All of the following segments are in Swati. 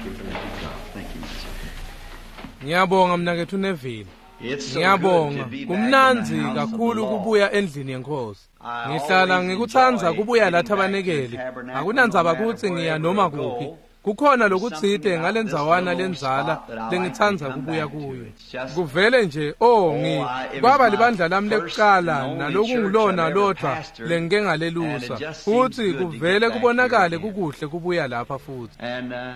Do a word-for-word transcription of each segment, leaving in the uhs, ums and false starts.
Thank you for that. Thank you, Mister Ngiyabonga mnakethu Neville. It's so good Ngiyabonga. to be back in Kumnandzi the house of the kakhulu Lord. kubuya endlini yenkosi. I Ngihlala always ngikutsandza enjoy kubuya la getting back to the thabanekeli. tabernacle, Akunandzaba no matter kutsi ngiya wherever noma I go. kuphi. Kukhona lokutsite Something about ngalendzawana this little lendzala spot that I like to lengitsandza come kubuya back to. kuyo. It's just- Kuvele nje oh ngi Oh, I- it was kwaba my libandla lami first lekuqala and only nalokungulona church I've ever lodvwa pastored, lengike and ngalelusa. it just seems Futsi good to get kuvele back here kubonakale again. kukuhle kubuya lapha futhi. And uh,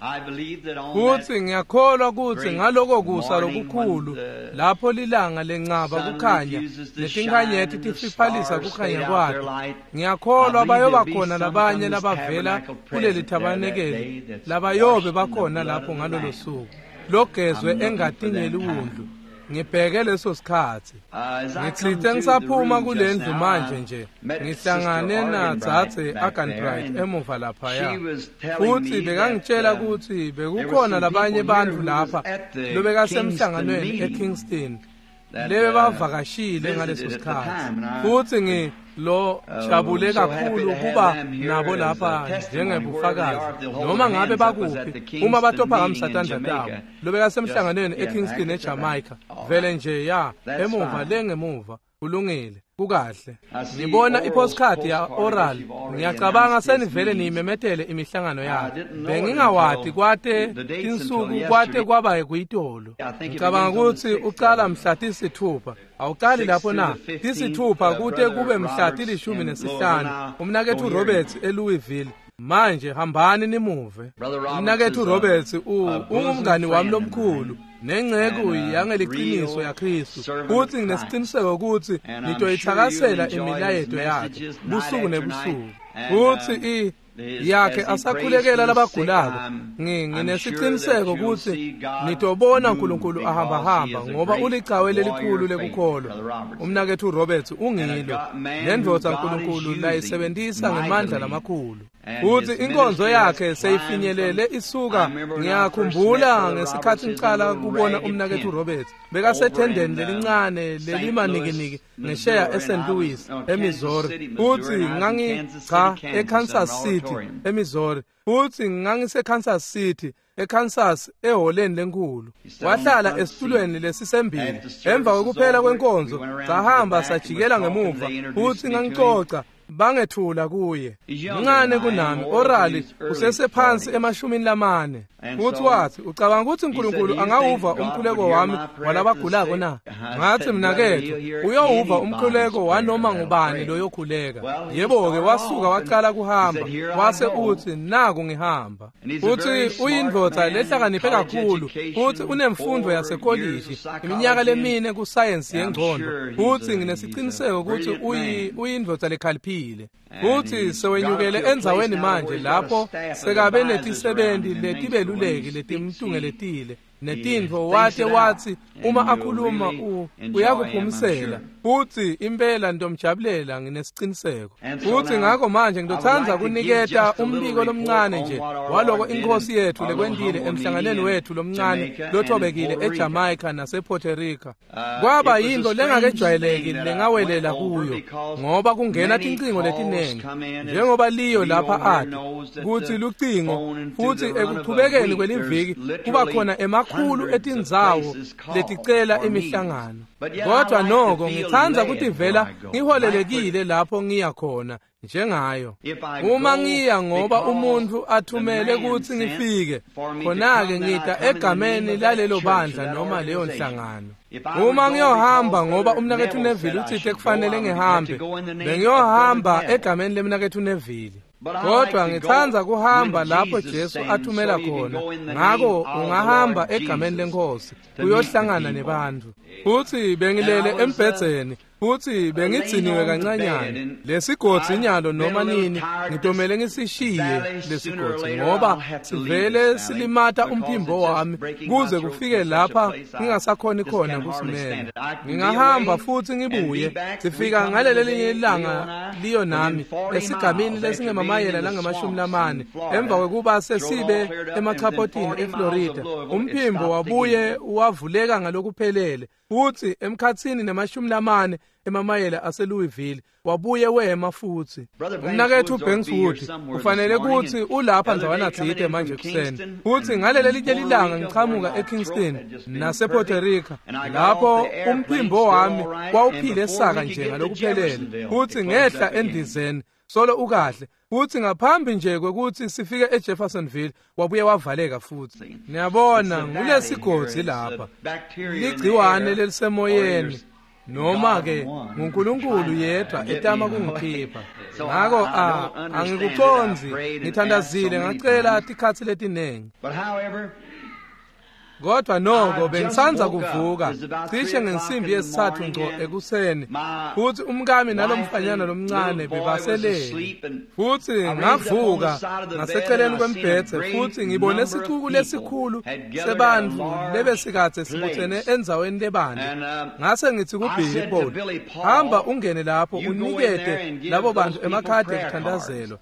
I believe that on Futsi that ngiyakholwa kutsi great ngaloko kusa morning lokukhulu when the lapho lilanga lencaba sun kukhanya refuses to netinkhanyeti shine and the tifiphalisa stars kukhanya fade out their kwato light, ngiyakholwa I believe bayoba there'll be khona some labanye from this labavela tabernacle kuleli present there that thabanekeli day that's labayobe washed in the bakhona blood lapho of the ngalolo Lamb. suku logezwe I'm looking for engatini that yeliwundlu time. ngibheke leso sikhatsi Uh, as I come ngitsite through the ngisaphuma room just kulendlu now, manje I nje met ngihlangane Sister nadzadze Arganbright back there, Arganbright and emuva laphaya she was telling futsi me bekangitshela that, uh, kutsi there was bekukhona some labanye people here bantfu who was lapha at the lobekasemhlanganweni Kingston meeting eKingston that, lebe uh, bavakashile ngaleso visited at the sikhatsi time, and I- futsi ngi lo Uh, jabule so happy kakhulu to have kuba them here nabo as a lapha testimony njengebufakazi wherever they are, they'll hold noma their ngabe hands up was at bakuphi the Kingston uma batophakamisa meeting in tandla tabo Jamaica. lobekasemhlanganweni Just- yeah, eKingston back at the back. eJamaica All vele right. nje ya That's emuva fine. le ngemuva kulungile kukahle I see ngibona Oral's ipostcard ya postcard Oral that you've already ngiyacabanga announced his senivele meetings. niyimemetele imihlangano I yakhe didn't know it bengingawati until kwate the dates tinsuku until kwate yesterday. kwaba kuyitolo I think it ngicabanga begins on the kutsi sixth, ucala doesn't it? mhla tisithupha awucali Six lapho through na the fifteenth, tisithupha uh, kute Brother kube mhla Roberts tilishumi in nesihlanu Louisville. Now, umnakethu go hear Roberts eLouisville manje hambani nimuve Brother Roberts umnakethu is a- Roberts u- a bosom ungumngani wami friend of lomkhulu mine. nenceku And a yangeliqiniso real yaKristu servant futsi of nginesiqiniseko kutsi And I'm nitoyithakasela sure you'll enjoy imilayeto his yakhe messages night busuku after nebusuku night. And, futsi um, i his- yakhe as he prays asakhulekela for the sick, labagulako I'm- Ngi- I'm nginesiqiniseko sure that you'll kutsi see God nitobona move uNkulunkulu because ahambahamba he is a ngoba great ulicawe lelikhulu warrior of faith, lekukholwa Brother Roberts. umnakethu Roberts And ungilo a God- man lendvodza who God is uNkulunkulu using layisebentisa ngemandla mightily. lamakhulu And futsi his inkonzo ministry yakhe has seyifinyelele climbed from- isuka I remember when I first met ngiyakhumbula Brother ngesikhathi Roberts, his ngiqala little kubona ragged umnakethu tent Roberts over bekasethendeni in, uh, lelincane Saint lelimanikiniki Louis, ngesheya Missouri, eSt and I was- Louis no, Kansas eMissouri City, Missouri, futsi and I was in ngangi Kansas cha City, Kansas, eKansas at an City auditorium. eMissouri futsi ngangiseKansas City eKansas eholeni lenkhulu He sat on the wahlala front esitulweni seat. lesisembili After the service emva was kokuphela over, kwenkonzo we went around to the sahamba back and was sajikela talking. ngemuva They introduced futsi me to him. ngangicoca bangethula kuye He's younger mncane than I am, kunami more Orali in his early usesephansi forties. emashumini lamane And futsi so wathi ucabanga ukuthi he said, uNkulunkulu "Do you angawuva think God umkhuleko would hear wami my prayer to walabagulako the na sick?" I ngathi said, mnakethu "Brother, he'll hear uyowuva anybody's umkhuleko prayer wanoma that'll ngubani pray." loyokhuleka Well, he yebo-ke started wasuka off and waqala he kuhamba said, "Here I wase go." uthi naku ngihamba And he's a futhi very smart uyindvodza man, lehlakaniphe college kakhulu education, futhi unemfundo four years yasekolishi of psychology, iminyaka and lemine kusayensi I'm yengqondo sure he's futhi a- he's a nginesiqiniseko ukuthi brilliant uyi- man. uyindvodza lekhaliphile And futhi he's sewenyukele got to a place endzaweni now manje where he's got a lapho staff of sekabe advisors around netisebenti him and things, so when letibeluleki he speaks, letimtungeletile he netintfo thinks wate it out, wathi and uma you'll akhuluma really u- enjoy him, I'm uyakuphumisela sure. futhi impela ntomjabulela nginesiqiniseko And so futhi now, ngakho manje I would ngizothanda like to give kuniketa just a little umbiko report lomncane on nje what our waloko Lord did inkosi in yethu our little lekwentile humble emhlanganweni meeting in wethu lomncane Jamaica and in lothobekile Puerto Rico. eJamaica nasePuerto Rico Uh, kwaba it was a yinto strange lengakejwayeleki thing that I lengawelela went over kuyo because ngoba kungena many tincingo calls letinengi come in, as njengoba liyo Leo lapha here ati knows that kutsi the lucingo phone and through futhi the run of a ekuchubekeni week, kweliviki there's kuba literally khona emakhulu hundreds of etindzawo places called leticela for meetings. imihlangano But yet I kodwa like to noko feel ngitsandza led kutivela where I go. ngiholelekile lapho ngiya khona njengayo If I uma go ngiya ngoba because umuntu athumele the man kutsi sent ngifike for me to khona-ke come, then I ngita come in the name egameni of that lalelo church or bandla that noma leyo organization. nhlangano If I would uma go ngiyohamba because ngoba Brother umnakethu Neville Neville said I utsite should go, kufanele I would have ngihambe to go in the name of bengiyohamba Brother Neville. egameni lemnakethu Neville But I kodwa like to ngitsandza go kuhamba when lapho Jesus Jesu sends, athumela so you can khona go in the ngakho name of the ungahamba Lord egameni Jesus lenkosi to meet the uyohlangana people. nebantfu futhi bengilele And I was, uh, embhedzeni futhi bengidziniwe laying on the kancanyana bed, and lesigodzi I've nyalo been a noma little nini tired ngitomele this ngisishiye valley. Sooner or lesigodzi later ngoba I'll have to leave sivele this valley silimata because umphimbo it's just wami breaking my kuze throat kufike to such a lapha place I ngingasakhoni just khona can hardly kusimela stand it. I can be ngingahamba away futhi and be ngibuye back. We sifika come ngaleli today, linye Leo ilanga and I, liyo within nami forty miles esigamini after being lesingemamayela in the langamashumi swamps lamane in Florida, emva kwekuba throat all sesibe cleared up, and within emachaphotini forty miles of eFlorida Louisville, it umphimbo stopped wabuye again. wavuleka ngalokuphelele futhi emkhatsini nemashumi lamane emamayela aseLouisville wabuye wema futsi. Umnaketfu Banks Wood ufanele kutsi ulapha ndzawana tsite manje kuseni. Futsi ngaleli linye lilanga ngichamuka eKingston nasePuerto Rico lapho umphimbo wami wawuphile saka nje ngalokuphelele futsi ngehla endizeni solo ukahle. Futsi ngaphambi nje kwekutsi sifike eJeffersonville wabuye wavaleka futsi. Niyabona ngulesigodzi lapha ligciwane lelisemoyeni noma ke nguNkulunkulu yedwa etama kungikhipha. Ngako a angikucondzi, ngithandazile ngacela tikhatsi letinengi. Kodwa noko bengisanza kuvuka cishe ngensimbi yesithathu ngco ekuseni futsi umkami nalomfanyana lomncane bebaselele. Futsi ngavuka ngaseceleni kwembhedze futsi ngibone sicuku lesikhulu sebantfu lebesikadze sibutsene endzaweni lebandla. Ngase ngithi kuBilly Paul, hamba ungene lapho unikete labo bantu emakhadi ekuthandazelwa.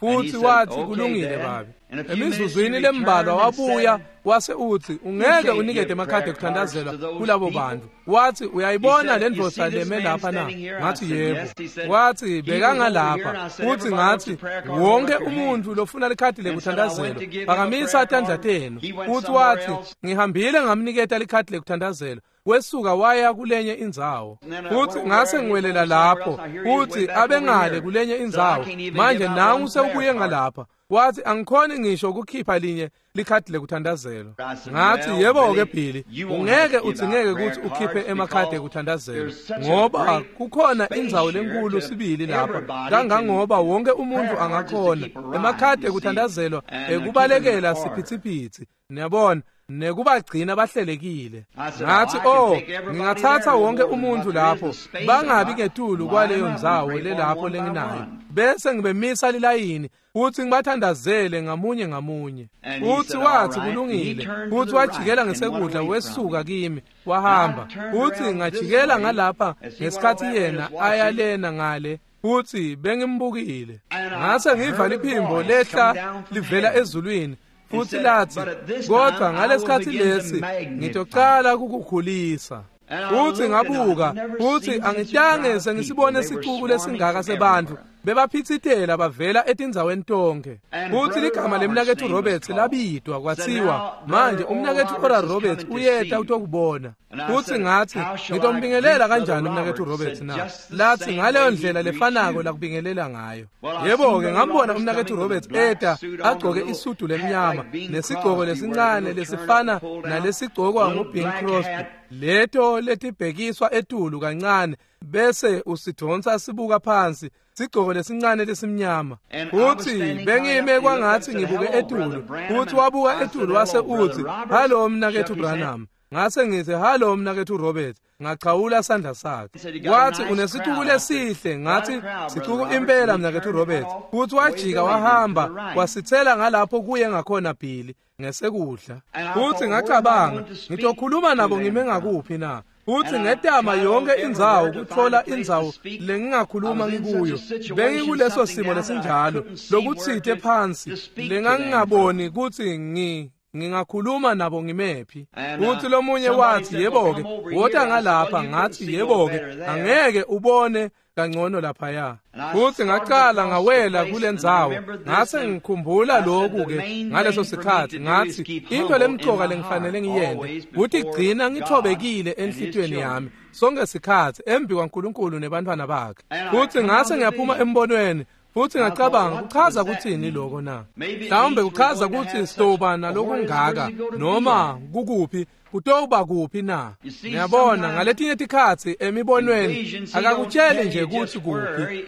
Futsi wathi kulungile babe. Emizuzwini lembalwa wabuya wase uthi ungeke unikete emakhadi ekuthandazelwa kulabo bantu. Wathi uyayibona le ndvodza leme lapha na? Ngathi yebo. Wathi bekangalapha. Futhi ngathi wonke umuntu lofuna likhadi lekuthandazelwa phakamisa tandla tenu. Futhi wathi ngihambile ngamniketa likhadi lekuthandazelwa. Wesuka waya kulenye indzawo. Futhi ngase ngiwelela lapho. Futhi abengale kulenye indzawo. Manje nangu sewubuye ngalapha. Wathi angikhoni ngisho ukukhipha linye likhadi lekuthandazelwa. Ngathi yebo ke Billy, ungeke udzingeke ukuthi ukhiphe emakhadi ekuthandazelwa ngoba kukhona indzawo lenkulu sibili lapha kangangoba wonke umuntu angakhona emakhadi ekuthandazelwa ekubalekela siphithiphithi. Niyabona nekubagcina bahlelekile. Ngathi oh ngingathatha wonke umuntu lapho bangabi ngetulu kwaleyo ndzawo lelapho lenginayo bese ngibemisa lilayini futhi ngibathandazele ngamunye ngamunye. Futhi wathi kulungile. Futhi wajikela ngesekudla wesuka kimi wahamba. Futhi ngajikela ngalapha ngesikhathi yena ayalena ngale futhi bengimbukile. Ngase ngiva liphimbo lehla livela ezulwini futhi lathi kodwa ngalesikhathi lesi ngitocala ukukukhulisa. Futhi ngabuka futhi angitange sengisibone sicuku lesingaka sebantfu bebaphitsitela bavela etindzaweni tonke. Futhi ligama lemnaketfu Roberts labidwa kwathiwa manje umnaketfu Oral Roberts uyeta utokubona. Futhi ngathi ngitombingelela kanjani umnaketfu Roberts na? Lathi ngaleyo ndlela lefanako lakubingelela ngayo. Yebo ke ngambona umnaketfu Roberts eta agcoke isudu lemnyama nesigcoko lesincane lesifana nalesigcokwa nguBing Crosby, leto letibhekiswa etulu kancane bese usidonsa sibuka phansi, sigcoko lesincane lesimnyama. Futhi bengime kwangathi ngibuke etulu. Futhi wabuka etulu wase uthi hallo mnaketfu Branham. Ngase ngithi hallo mnaketfu Robert. Ngachawula sandla sakhe. Wathi unesicuku lesihle. Ngathi sicuku impela mnaketfu Robert. Futhi wajika wahamba wasithela ngalapho kuye ngakhona Billy ngesekudla. Futhi ngacabanga ngitokhuluma nabo ngime ngakuphi na? Futhi ngetama yonke indzawo kutfola indzawo lengingakhuluma ngikuyo. Bengikuleso simo lesinjalo lokutsite phansi lengangingaboni kutsi ngi ngingakhuluma nabo ngimephi. Futhi lomunye wathi yebo ke wota ngalapha. Ngathi yebo ke angeke ubone kangcono laphaya. Futhi ngaqala ngawela kulendzawo. Ngase ngikhumbula lokhu ke ngaleso sikhathi. Ngathi into lemcoka lengifanele ngiyente ukuthi gcina ngithobekile enhlitiyweni yami sonke sikhathi embi kwaNkulunkulu nebantwana bakhe. Futhi ngase ngiyaphuma embonweni. Futhi ngacabanga kuchaza kuthini lokho na? Mhlawumbe kuchaza ukuthi sitoba nalokungaka noma kukuphi kutoba kuphi na? Niyabona ngaletinye tikhatsi emibonweni akakutsheli nje ukuthi kuphi,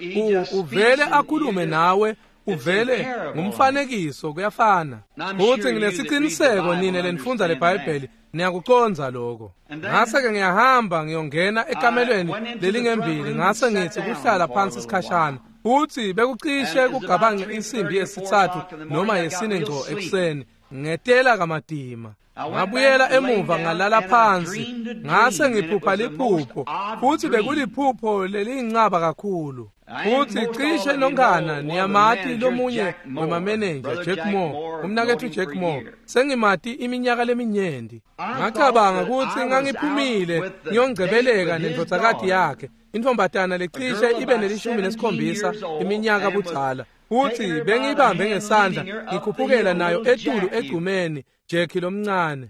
uvele akhulume nawe uvele ngumfanekiso kuyafana. Futhi nginesiqiniseko nine lenifundza leBhayibheli niyakucondza lokho. Ngase ke ngiyahamba ngiyongena ekamelweni lelingembili ngase ngithi kuhlala phansi isikhashana. Futhi bekucishe kugabange insimbi yesithathu noma yesine ngco ekuseni ngetela kamadima. Ngabuyela emuva ngalala phansi ngase ngiphupha liphupho futhi bekuliphupho leliyincaba kakhulu. Futhi cishe nonkana niyamati lomunye wemamenenja Jack Moore, umnaketfu Jack Moore, sengimati iminyaka leminyenti. Ngacabanga ukuthi ngangiphumile ngiyongcebeleka nendvodzakati yakhe Intfombatana lecishe ibe nelishumi nesikhombisa iminyaka budzala. Futhi bengiyibambe ngesandla ngikhuphukela nayo etulu egcumeni Jackie lomncane.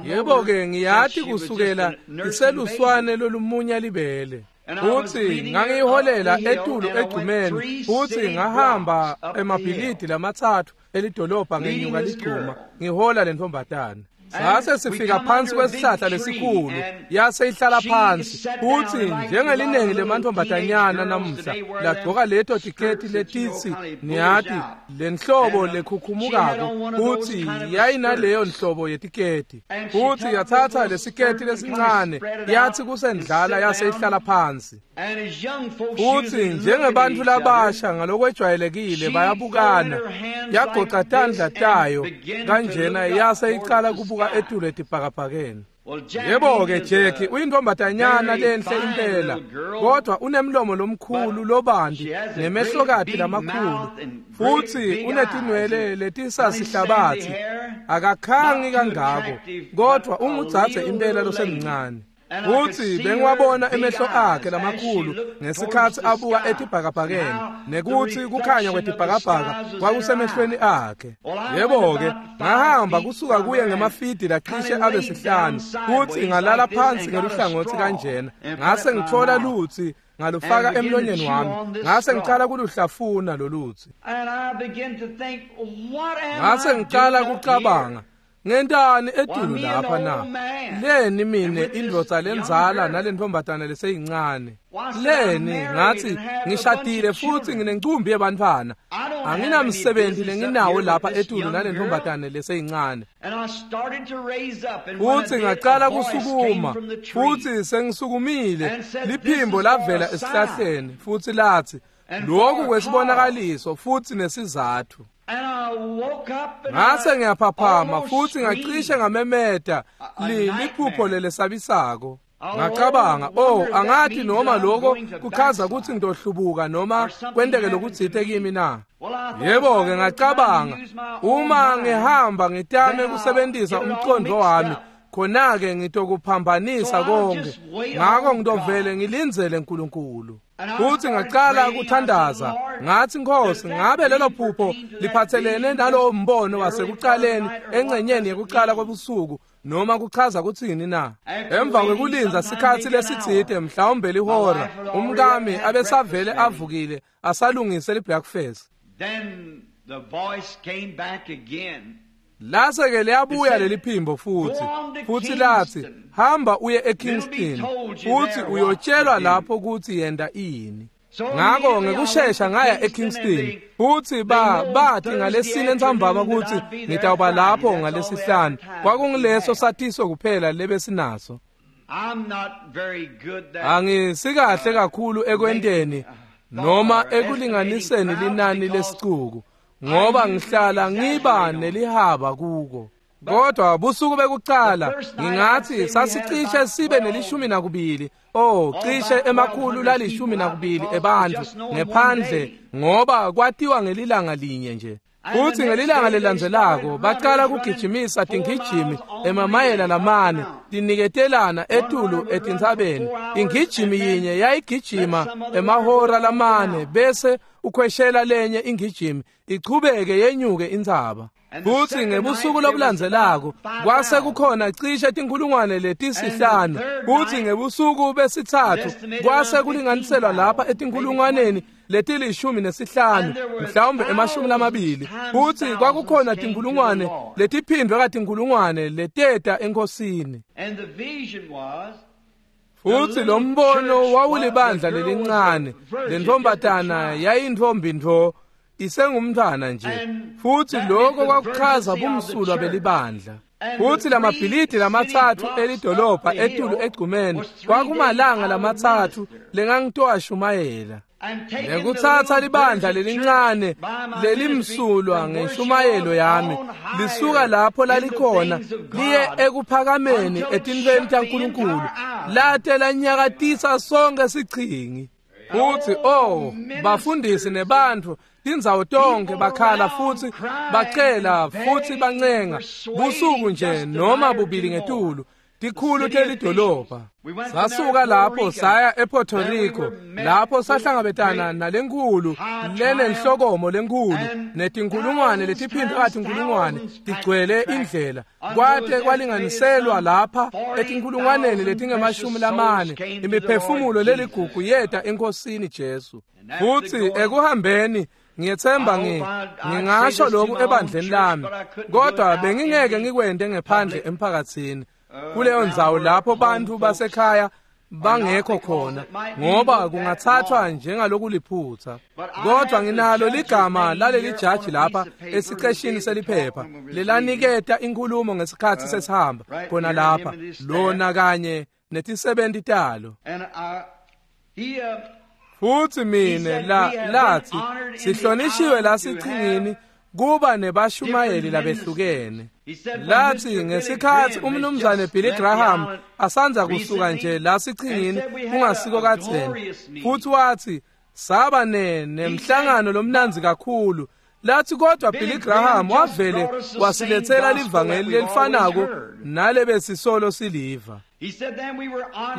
Yebo-ke ngiyati kusukela iseluswane lolumunya libele. Futhi ngangiyiholela etulu egcumeni futhi ngahamba emabhilidi lamatsatfu elidolobha ngenyuka ligcuma ngihola lentombatana. Sase sifika phansi kwesihlahla lesikhulu yase ihlala phansi futhi njengelinengi lemantombatanyana namuhla lagcoka leto tiketi letitsi niyati lenhlobo lekhukhumukako futhi yayinaleyo nhlobo yetiketi futhi yathatha lesiketi lesincane yathi kusendlala yase ihlala phansi. Futhi njengebantfu labasha ngalokwejwayelekile bayabukana yagoca tandla tayo kanjena yase icala kubuka etulu etibhakabhakeni. Yebo-ke Jackie uyintombatanyana lenhle impela kodwa unemlomo lomkhulu lobanti nemehlokati lamakhulu futhi unetinwele letisasihlabathi akakhangi kangako kodwa ungudzadze impela losemncane. Futhi bengiwabona emehlo akhe lamakhulu ngesikhatsi abuka etibhakabhakeni nekuthi kukhanya kwetibhakabhaka kwakusemehlweni akhe. Yebo-ke ngahamba kusuka kuye ngemafidi lacishe abe sihlanu futhi ngalala phansi ngeluhlangotsi kanjena ngase ngithola lutsi ngalufaka emlonyeni wami ngase ngicala kuluhlafuna lolutsi. Ngase ngicala kucabanga ngentani etulu lapha na? Leni mine indvodza lenzala nalentombatana leseyincane? Leni ngathi ngishadile futhi nginencumbi yebantfwana. Anginamsebenzi lenginawo lapha etulu nalentombatana leseyincane. Futhi ngacala kusukuma futhi sengisukumile liphimbo lavela esihlahleni futhi lathi lokhu kwesibonakaliso futhi nesizathu. Ngase ngiyaphaphama futhi ngacishe ngamemeta liphupho lelesabisako. Ngacabanga, oh angathi noma lokho kuchaza ukuthi ngidohlubuka noma kwenteke lokutsite kimi na. Yebo-ke ngacabanga, uma ngihamba ngitame kusebenzisa umcondo wami khona-ke ngitokuphambanisa konke. Ngakho ngitovele ngilindzele uNkulunkulu. Futhi ngacala kuthandaza ngathi Nkosi ngabe lelo phupho liphathelene nalowo mbono wasekuqaleni engcenyeni yekuqala kwebusuku noma kuchaza kuthini na? Emva kwekulinza sikhatsi lesitsite mhlawumbe lihora umkami abesavele avukile asalungise libreakfast. Then the voice came back again. Lase-ke liyabuya leli phimbo futhi futhi lathi hamba uye eKingston futhi uyotshelwa lapho ukuthi yenda ini. Ngakho ngekushesha ngaya eKingston futhi ba bathi ngalesine entsambama ukuthi ngitawuba lapho ngalesihlanu. Kwakungileso satiso kuphela lebesinaso. Angisikahle kakhulu ekwenteni noma ekulinganiseni linani lesicuku ngoba ngihlala ngiba nelihaba kuko. Kodwa busuku bekuqala ngingathi sasicishe sibe nelishumi nakubili oh cishe emakhulu lalishumi nakubili ebantfu ngephandle ngoba kwatiwa ngelilanga linye nje. Futhi ngelilanga lelandzelako baqala kugijimisa tingijimi emamayela lamane tiniketelana etulu etintsabeni. Ingijimi yinye yayigijima emahora lamane bese ukhweshela lenye ingijimi ichubeke yenyuke intsaba. Futhi ngebusuku lobulandzelako kwase kukhona cishe tinkhulungwane letisihlanu. Futhi ngebusuku besithathu kwase kulinganiselwa lapha etinkhulungwaneni letilishumi nesihlanu mhlawumbe emashumi lamabili. Futhi kwakukhona tinkhulungwane letiphindwe katinkhulungwane leteta enkosini. Futhi lo mbono wawulibandla lelincane lentombatana yayintombi ntfo isengumntwana nje. Futhi lokho kwakuchaza bumsulwa belibandla. Futhi lamabhilidi lamatsatfu elidolobha etulu egcumeni kwakumalanga lamatsatfu lengangitowashumayela. Ngekutsatsa libandla lelincane lelimsulwa ngeshumayelo yami lisuka lapho lalikhona liye ekuphakameni etintfweni taNkulunkulu late lanyakatisa sonke sichingi. Futhi oh bafundisi nebantfu tindzawo tonke bakhala futhi bacela futhi bancenga busuku nje noma bubili ngetulu Tikhulu telidolobha. Sasuka lapho saya ePuerto Rico, lapho sahlangabetana nalenkhulu lenenhlokomo lenkhulu netinkulungwane letiphindwe katinkulungwane tigcwele indlela, kwate kwalinganiselwa lapha etinkulungwaneni letingemashumi lamane imiphefumulo leligugu yeta eNkosini Jesu. Futhi ekuhambeni ngiyethemba ngi ngingasho lokhu ebandleni lami, kodwa bengingeke ngikwente ngephandle emphakathini kuleyo ndzawo lapho bantu basekhaya bangekho khona, ngoba kungathathwa njengalokuliphutha. Kodwa nginalo ligama laleli jaji lapha esiqeshini seliphepha lelaniketa inkulumo ngesikhathi sesihamba khona lapha, lona kanye netisebenti talo. Futhi mine la lathi sihlonishiwe la sichingini kuba nebashumayeli labehlukene. Lathi ngesikhathi umnumzane Billy Graham asanza kusuka nje la sichingini kungasiko kadzeni, futhi wathi saba ne nemhlangano lomnanzi kakhulu. Lathi kodwa Billy Graham wavele wasilethela livangeli lelifanako nalebesisolo siliva.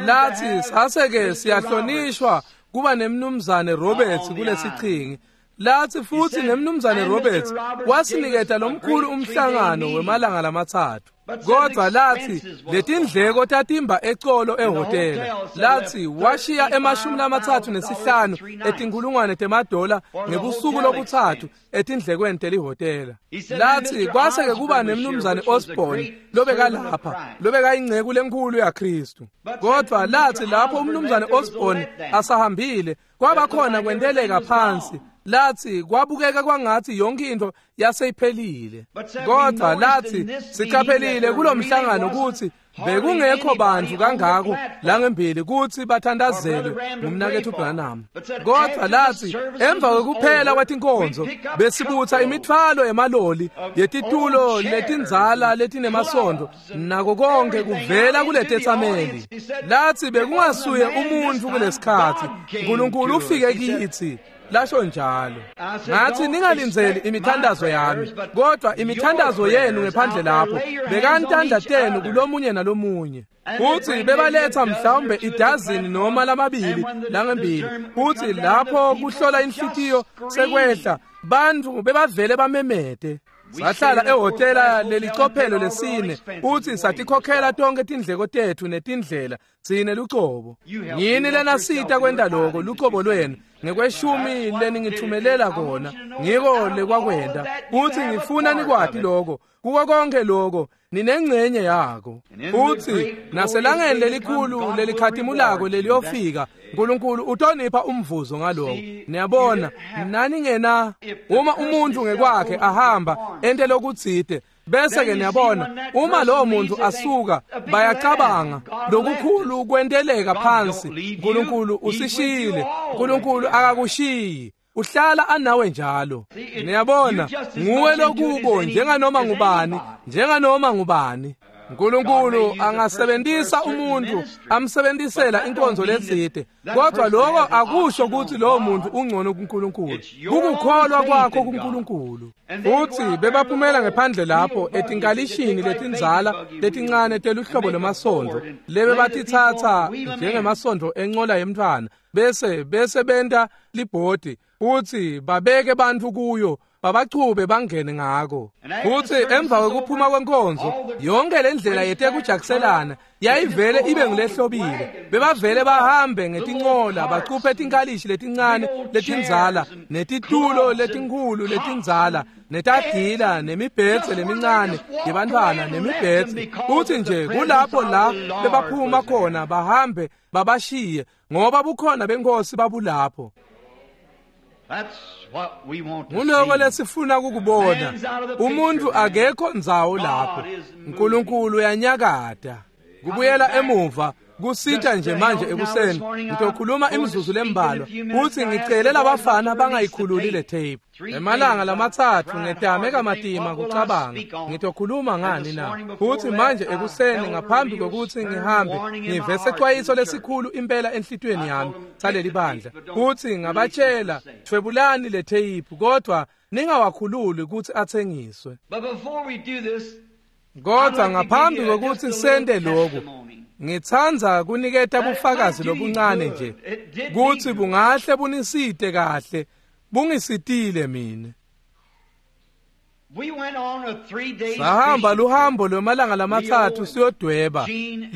Lathi sase-ke siyahlonishwa kuba nemnumzane Roberts kulesichingi. Lathi futhi nemnumzane Roberts wasiniketa lomkhulu umhlangano wemalanga lamathathu. Kodwa lathi letindleko tatimba ecolo ehhotela. Lathi washiya emashumi lamathathu nesihlanu etinkulungwane temadola ngebusuku lobuthathu etindlekweni telihhotela. Lathi kwase-ke kuba nemnumzane Osborne lobekalapha, lobekayingceku lenkhulu yaKristu. Kodwa lathi lapho umnumzane Osborne asahambile kwaba khona kwenteleka phansi. Lathi kwabukeka kwangathi yonke into yaseyiphelile. Kodwa lathi siqaphelile kulomhlangano ukuthi bekungekho bantu kangako langembili ukuthi bathandazelwe ngumnakethu Branham. Kodwa lathi emva kokuphela kwetinkonzo besibutha imithwalo emaloli yetitulo letindzala letinemasondo nako konke kuvela kuletetsameli. Lathi bekungasuye umuntu kulesikhathi, uNkulunkulu ufike kithi. Lasho njalo. Ngathi ningalindzeli imithandazo yami, kodwa imithandazo yenu ngephandle lapho bekani tandla tenu kulomunye nalomunye. Futhi bebaletha mhlawumbe idazini noma lamabili langembili. Futhi lapho kuhlola inhlitiyo sekwehla, bantu bebavele bamemete. Sahlala ehhotela lelicophelo lesine, futhi satikhokhela tonke tindleko tethu netindlela tsine lucobo. Yini lenasita kwenta lokho lucobo lwenu ngekweshumi leningithumelela kona, ngiko lekwakwenta. Futhi ngifuna nikwati lokho, kuko konke lokho ninengcenye yako. Futhi naselangeni lelikhulu lelikhatimulako leliyofika, uNkulunkulu utonipha umvuzo ngaloko. Niyabona, nani ngena uma umuntu ngekwakhe ahamba ente lokutsite, bese ke niyabona uma lowo muntu asuka bayacabanga lokukhulu kwenteleka phansi, uNkulunkulu usishiyile. uNkulunkulu akakushiyi, uhlala anawe njalo. Niyabona, nguwe lokubo njenganoma ngubani, njenganoma ngubani. uNkulunkulu angasebenzisa umuntu amsebenzisela inkonzo letsite, kodwa lokho akusho ukuthi lowo muntu ungcono kuNkulunkulu. Kukukholwa kwakho kuNkulunkulu. Futhi bebaphumela ngephandle lapho etinkalishini letindzala letincane teluhlobo lwemasondo lebe batithatha njengemasondo encola yemntfwana, bese bese benta libhodi futhi babeke bantu kuyo, babachube bangene ngako. Futhi emva kokuphuma kwenkonzo yonke le ndlela yetekujakuselana yayivele ibe ngulehlobile. Bebavele bahambe ngetincola bacuphe tinkalishi letincane letindzala netitulo letinkhulu letindzala netagila nemibhedze lemincane yebantfwana nemibhedze. Futhi nje kulapho la bebaphuma khona bahambe babashiye, ngoba bukhona benkosi babulapho. Nguloko lesifuna kukubona. Umuntu akekho ndzawo lapho, uNkulunkulu uyanyakata. Kubuyela emuva kusita nje manje ekuseni ngitokhuluma imizuzu lembalwa, futhi ngicele labafana bangayikhululi le tape. Emalanga lamatsatfu ngetame kamatima kucabanga ngitokhuluma ngani na. Futhi manje ekuseni ngaphambi kokuthi ngihambe ngive secwayiso lesikhulu impela enhlitiyweni yami saleli bandla. Futhi ngabatshela, thwebulani le tape kodwa ningawakhululi ukuthi athengiswe. But before we do this, Kodwa ngaphambi kokuthi sente lokhu, ngitsandza kuniketa bufakazi lobuncane nje kutsi bungahle bunisite kahle, bungisitile mina. Sahamba luhambo lwemalanga lamatsatfu siyodweba,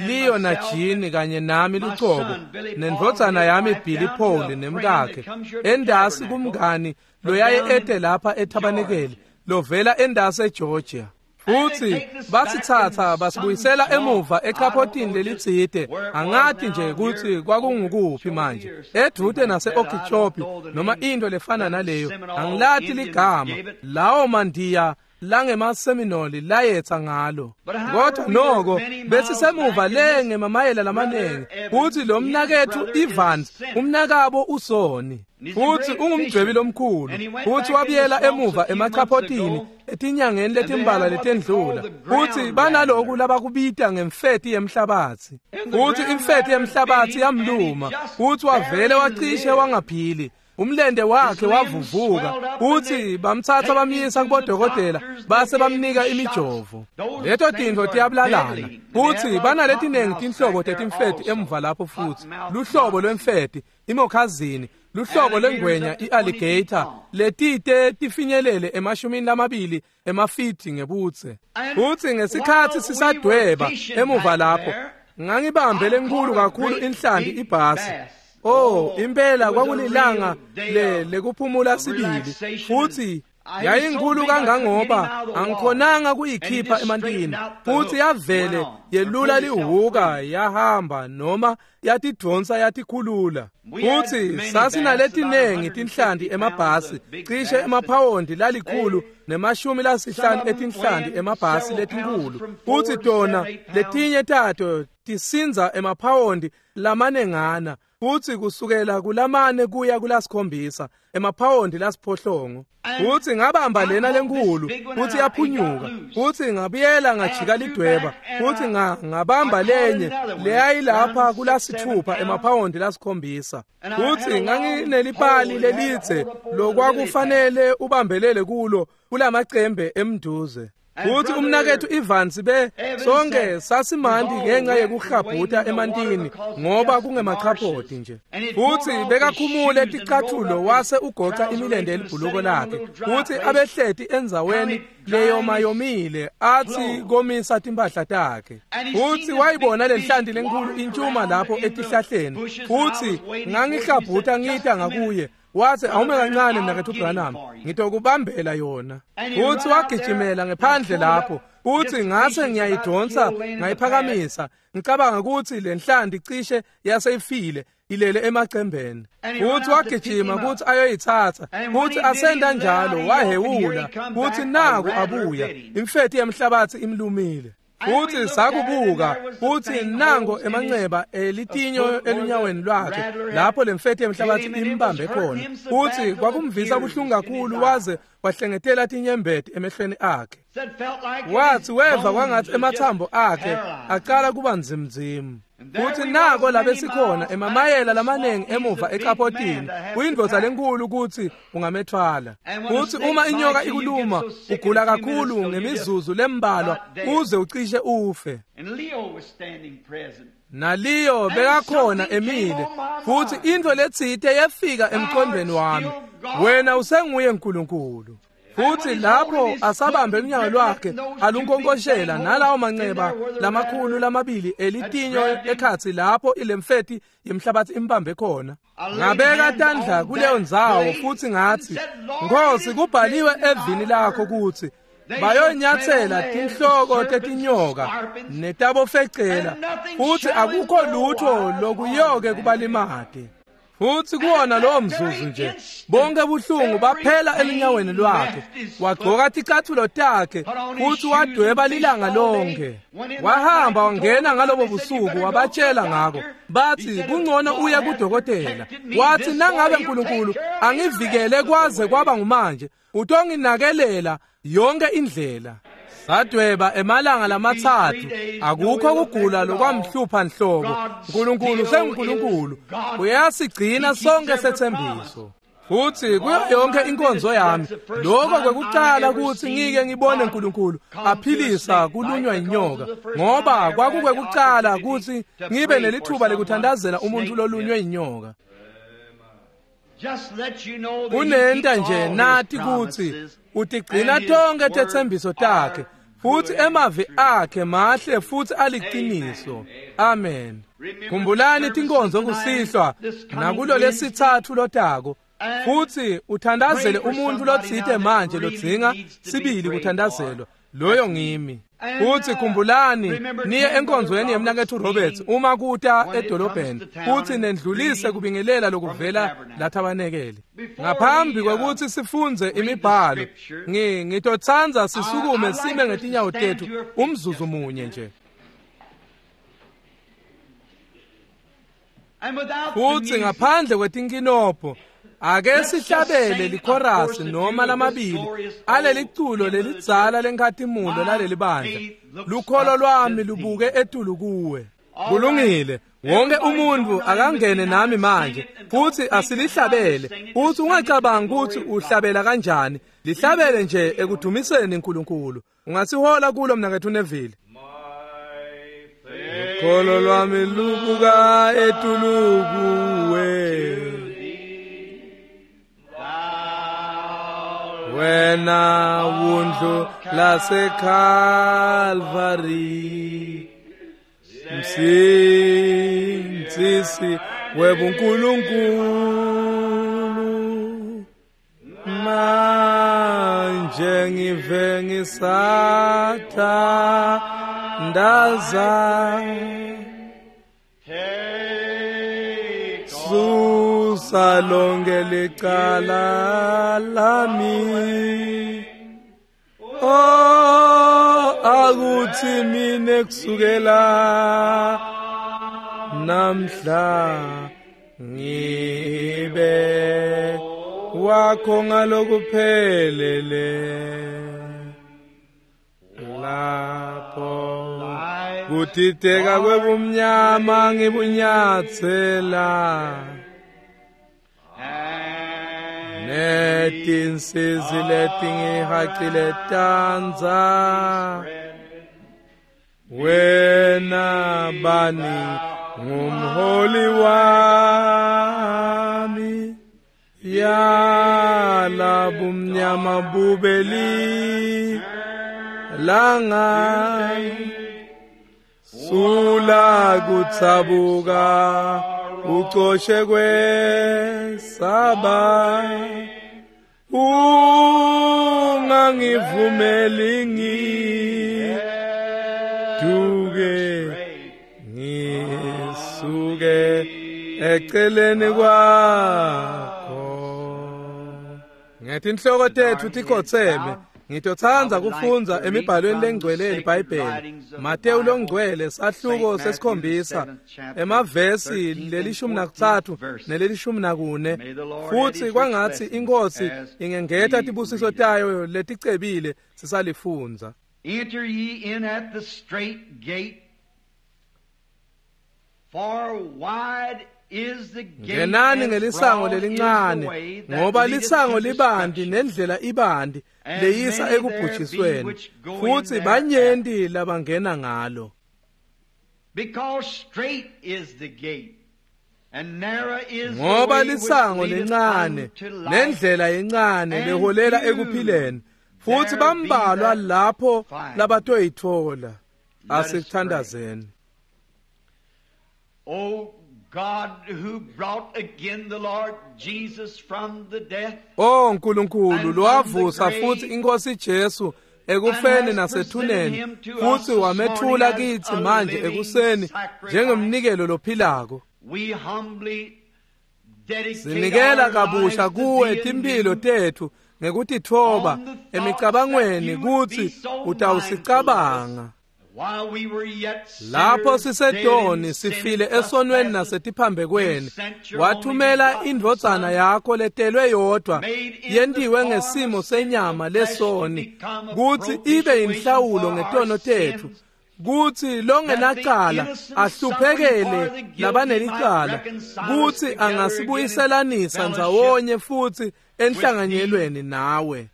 Leo na Jean kanye nami lucobo, nendvodzana yami Billy Paul nemkakhe, endasi kumngani loyaye ete lapha ethabanekeli, lovela endasi eGeorgia. Futsi basitsatsa basibuyisela emuva echaphotini lelitsite, angati nje kutsi kwakungukuphi manje, edvute nase-Okeechobee noma into lefana naleyo, angilati ligama lawo mandiya langemaseminoli layetsa ngalo. Kodwa noko besisemuva le ngemamayela lamanengi, futsi lo mnaketfu Evans umnakabo usoni, futsi ungumdwebi lomkhulu, futsi wabuyela emuva emachaphotini etinyangeni letimbalwa letendlula, futsi banaloku labakubita ngemfeti yemhlabatsi, futsi imfeti yemhlabatsi yamluma, futsi wavele wacishe wangaphili. Umlende wakhe wavuvuka, futsi bamtsatsa bamyisa kubodokotela base bamnika imijovo. Leto tintfo tiyabulalana, futsi banaletinengi tinhlobo tetimfeti emuva lapho, futsi luhlobo lwemfeti imokhazini, luhlobo lwengwenya i-alligator letite tifinyelele emashumini lamabili emafiti ngebudze. Futsi ngesikhatsi sisadweba emuva lapho, ngangibambe lenkulu kakhulu inhlanti ibhasi. Oh, impela kwakulilanga le lekuphumula sibili, futsi yayinkulu kangangoba angikhonanga kuyikhipha emantini, futsi yavele yelula lihuka yahamba noma yatidvonsa yatikhulula. Futsi sasinaletinengi tinhlanti emabhasi, cishe emaphawondi lalikhulu nemashumi lasihlanu etinhlanti emabhasi letinkulu, futsi tona letinye tato tisindza emaphawondi lamanengana, futsi kusukela kulamane kuya kulasikhombisa emaphawondi lasiphohlongo. Futsi ngabamba lena lenkulu, futsi yaphunyuka, futsi ngabuyela ngajika lidweba, futsi ngabamba lenye leyayilapha kulasithupha emaphawondi lasikhombisa. Futsi nganginelipali lelitse lokwakufanele ubambelele kulo kulamacembe emnduze. Futsi umnaketfu Evans be sonke sasimandi ngenxa yekuhabhuta emantini ngoba kungemachaphoti nje. Futsi bekakhumule ticathulo wase ugoca imilente yelibhuluko lakhe, futsi abehleti endzaweni leyomayomile atsi komisa timphahla takhe. Futsi wayibona lenhlanti lenkulu intshuma lapho etihlahleni, futsi ngangihabhuta ngita ngakuye. Wathi awume kancane mnaketfu Branham, ngitokubambela yona. Futsi wagijimela ngephandle lapho, futsi ngase ngiyayidonsa ngayiphakamisa, ngicabanga ukuthi lenhlanti cishe yaseyifile ilele emacembeni. Futsi wagijima kutsi ayoyitsatsa, futsi asenda njalo wahewula, futsi naku abuya, imfeti yemhlabatsi imlumile. Futsi sakubuka, futsi nango emanceba elitinyo elunyaweni lwakhe lapho lemfeti yemhlabatsi imbambe khona, futsi kwakumvisa buhlungu kakhulu waze wahlengetela tinyembeti emehlweni akhe. Wathi weva kwangathi emathambo akhe aqala kuba nzimnzimu. Futsi nako labesikhona emamayela lamanengi emuva echaphotini, kuyindvodza lenkulu kutsi ungamethwala. Futsi uma inyoka ikuluma ugula kakhulu ngemizuzu lembalwa uze ucishe ufe. NaLeo bekakhona emile, futsi intfo letsite yefika emqondweni wami, wena usenguye Nkulunkulu. Futsi lapho asabambe unyawo lwakhe alunkonkoshela nalawo manceba lamakhulu lamabili elitinyo ekhatsi lapho ilemfeti yemhlabatsi imbambe khona. Ngabeka tandla kuleyo ndzawo futsi ngatsi, Nkhosi, kubhaliwe evini lakho kutsi bayonyatsela tinhloko tetinyoka netabofecela, futsi akukho lutho lokuyoke kubalimate. Futsi kuwona lowo mzuzu nje bonke buhlungu baphela elunyaweni lwakhe. Wagcoka ticathulo takhe futsi wadweba lilanga lonke. Wahamba wangena ngalobo busuku wabatshela ngako, bathi kungcono uye kudokotela. Wathi nangabe Nkulunkulu angivikele kwaze kwaba ngumanje, utonginakelela yonke indlela. Sadweba emalanga lamatsatfu, akukho kugula lokwamhlupha nhlobo. Nkulunkulu senguNkulunkulu, uyasigcina sonke setsembiso. Futhi kuyo yonke inkonzo yami lokho kwekuqala ukuthi ngike ngibone uNkulunkulu aphilisa kulunywa inyoka, ngoba kwakukwekuqala ukuthi ngibe nelithuba lekuthandazela umuntu lolunywe inyoka. Kunenta nje nathi kuthi utigcina tonke tetsembiso takhe, futhi emavi akhe mahle futhi aliqiniso. Amen. Khumbulani tinkonzo kusihlwa nakulo lesithathu lotako, futhi uthandazele umuntu lotsite manje lodzinga sibili kuthandazelwa, loyo ngimi. Futhi khumbulani niye enkonzweni yemnaketfu Roberts uma kuta edolobheni, futhi nendlulise kubingelela lokuvela lathabanekele. Ngaphambi kwekuthi sifunze imibhalo, ngi ngitotsandza sisukume sime ngetinyawo tethu umzuzu munye nje. Futhi ngaphandle kwetinkinobho ake sihlabele likhorasi noma lamabili aleliculo lelidzala lenkhatimulo laleli bandla. Lukholo lwami lubuke etulu kuwe. Kulungile, wonke umuntu akangene nami manje futhi asilihlabele. Futhi ungacabangi ukuthi uhlabela kanjani, lihlabele nje ekudumiseni uNkulunkulu. Ungasihola kulo mnaketfu Neville. Lukholo lwami lubuka etulu kuwe, wena wundlu laseKalvari, msindzisi webuNkulunkulu. Manje ngive ngisathandaza, susa lonke licala lami. Oh, akuthi mine kusukela namhla ngibe wakho ngalokuphelele. Lapho kudideka kwebumnyama ngibunyatsela, netinsizi letingihacile tandza. Wena bani ngumholi wami, yala bumnyama bubeli langa, sula kutsabuka ucoshe kwesaba, ungangivumeli ngiduke ngisuke eceleni kwakho. Ngetinhloko tetfu tikhotseme, ngitotsandza kufundza emibhalweni lengcwele yeBhayibheli. Mateyu longcwele sahluko sesikhombisa emavesi lelishumi nakutsatfu nelelishumi nakune. Futhi kwangatsi iNkhosi ingengeta tibusiso tayo leticebile sisalifundza. Enter ye in at the strait gate, for wide is the gate. Ngenani ngelisango lelincane, ngoba lisango libanti nendlela ibanti leyisa ekubhujisweni, futhi banyenti labangena ngalo. Because strait is the gate, and narrow is the Ngoba way which lisango leadeth lencane unto life, nendlela yencane leholela ekuphileni, futhi bambalwa lapho labatoyithola. Asithandazeni. O God, who brought again the Lord Jesus from the death, O Nkulunkulu lowavusa futhi iNkosi Jesu ekufeni nasethuneni, futhi wamethula kithi manje ekuseni njengemnikelo lophilako, we humbly dedicate sinikela our kabusha lives to kuwe thee timphilo anew, tethu ngekutitfoba emicabangweni kutsi utawusicabanga. While we were yet Lapho sinners, sisedoni dead in sifile sin, esonweni trespasses, nasetiphambekweni, wathumela indvodzana yakho letelwe yodwa yentiwe ngesimo senyama lesoni, kutsi ibe inhlawulo ngetono tetfu, kutsi longenacala ahluphekele labanelicala, kutsi angasibuyiselanisa ndzawonye futsi enhlanganyelweni nawe.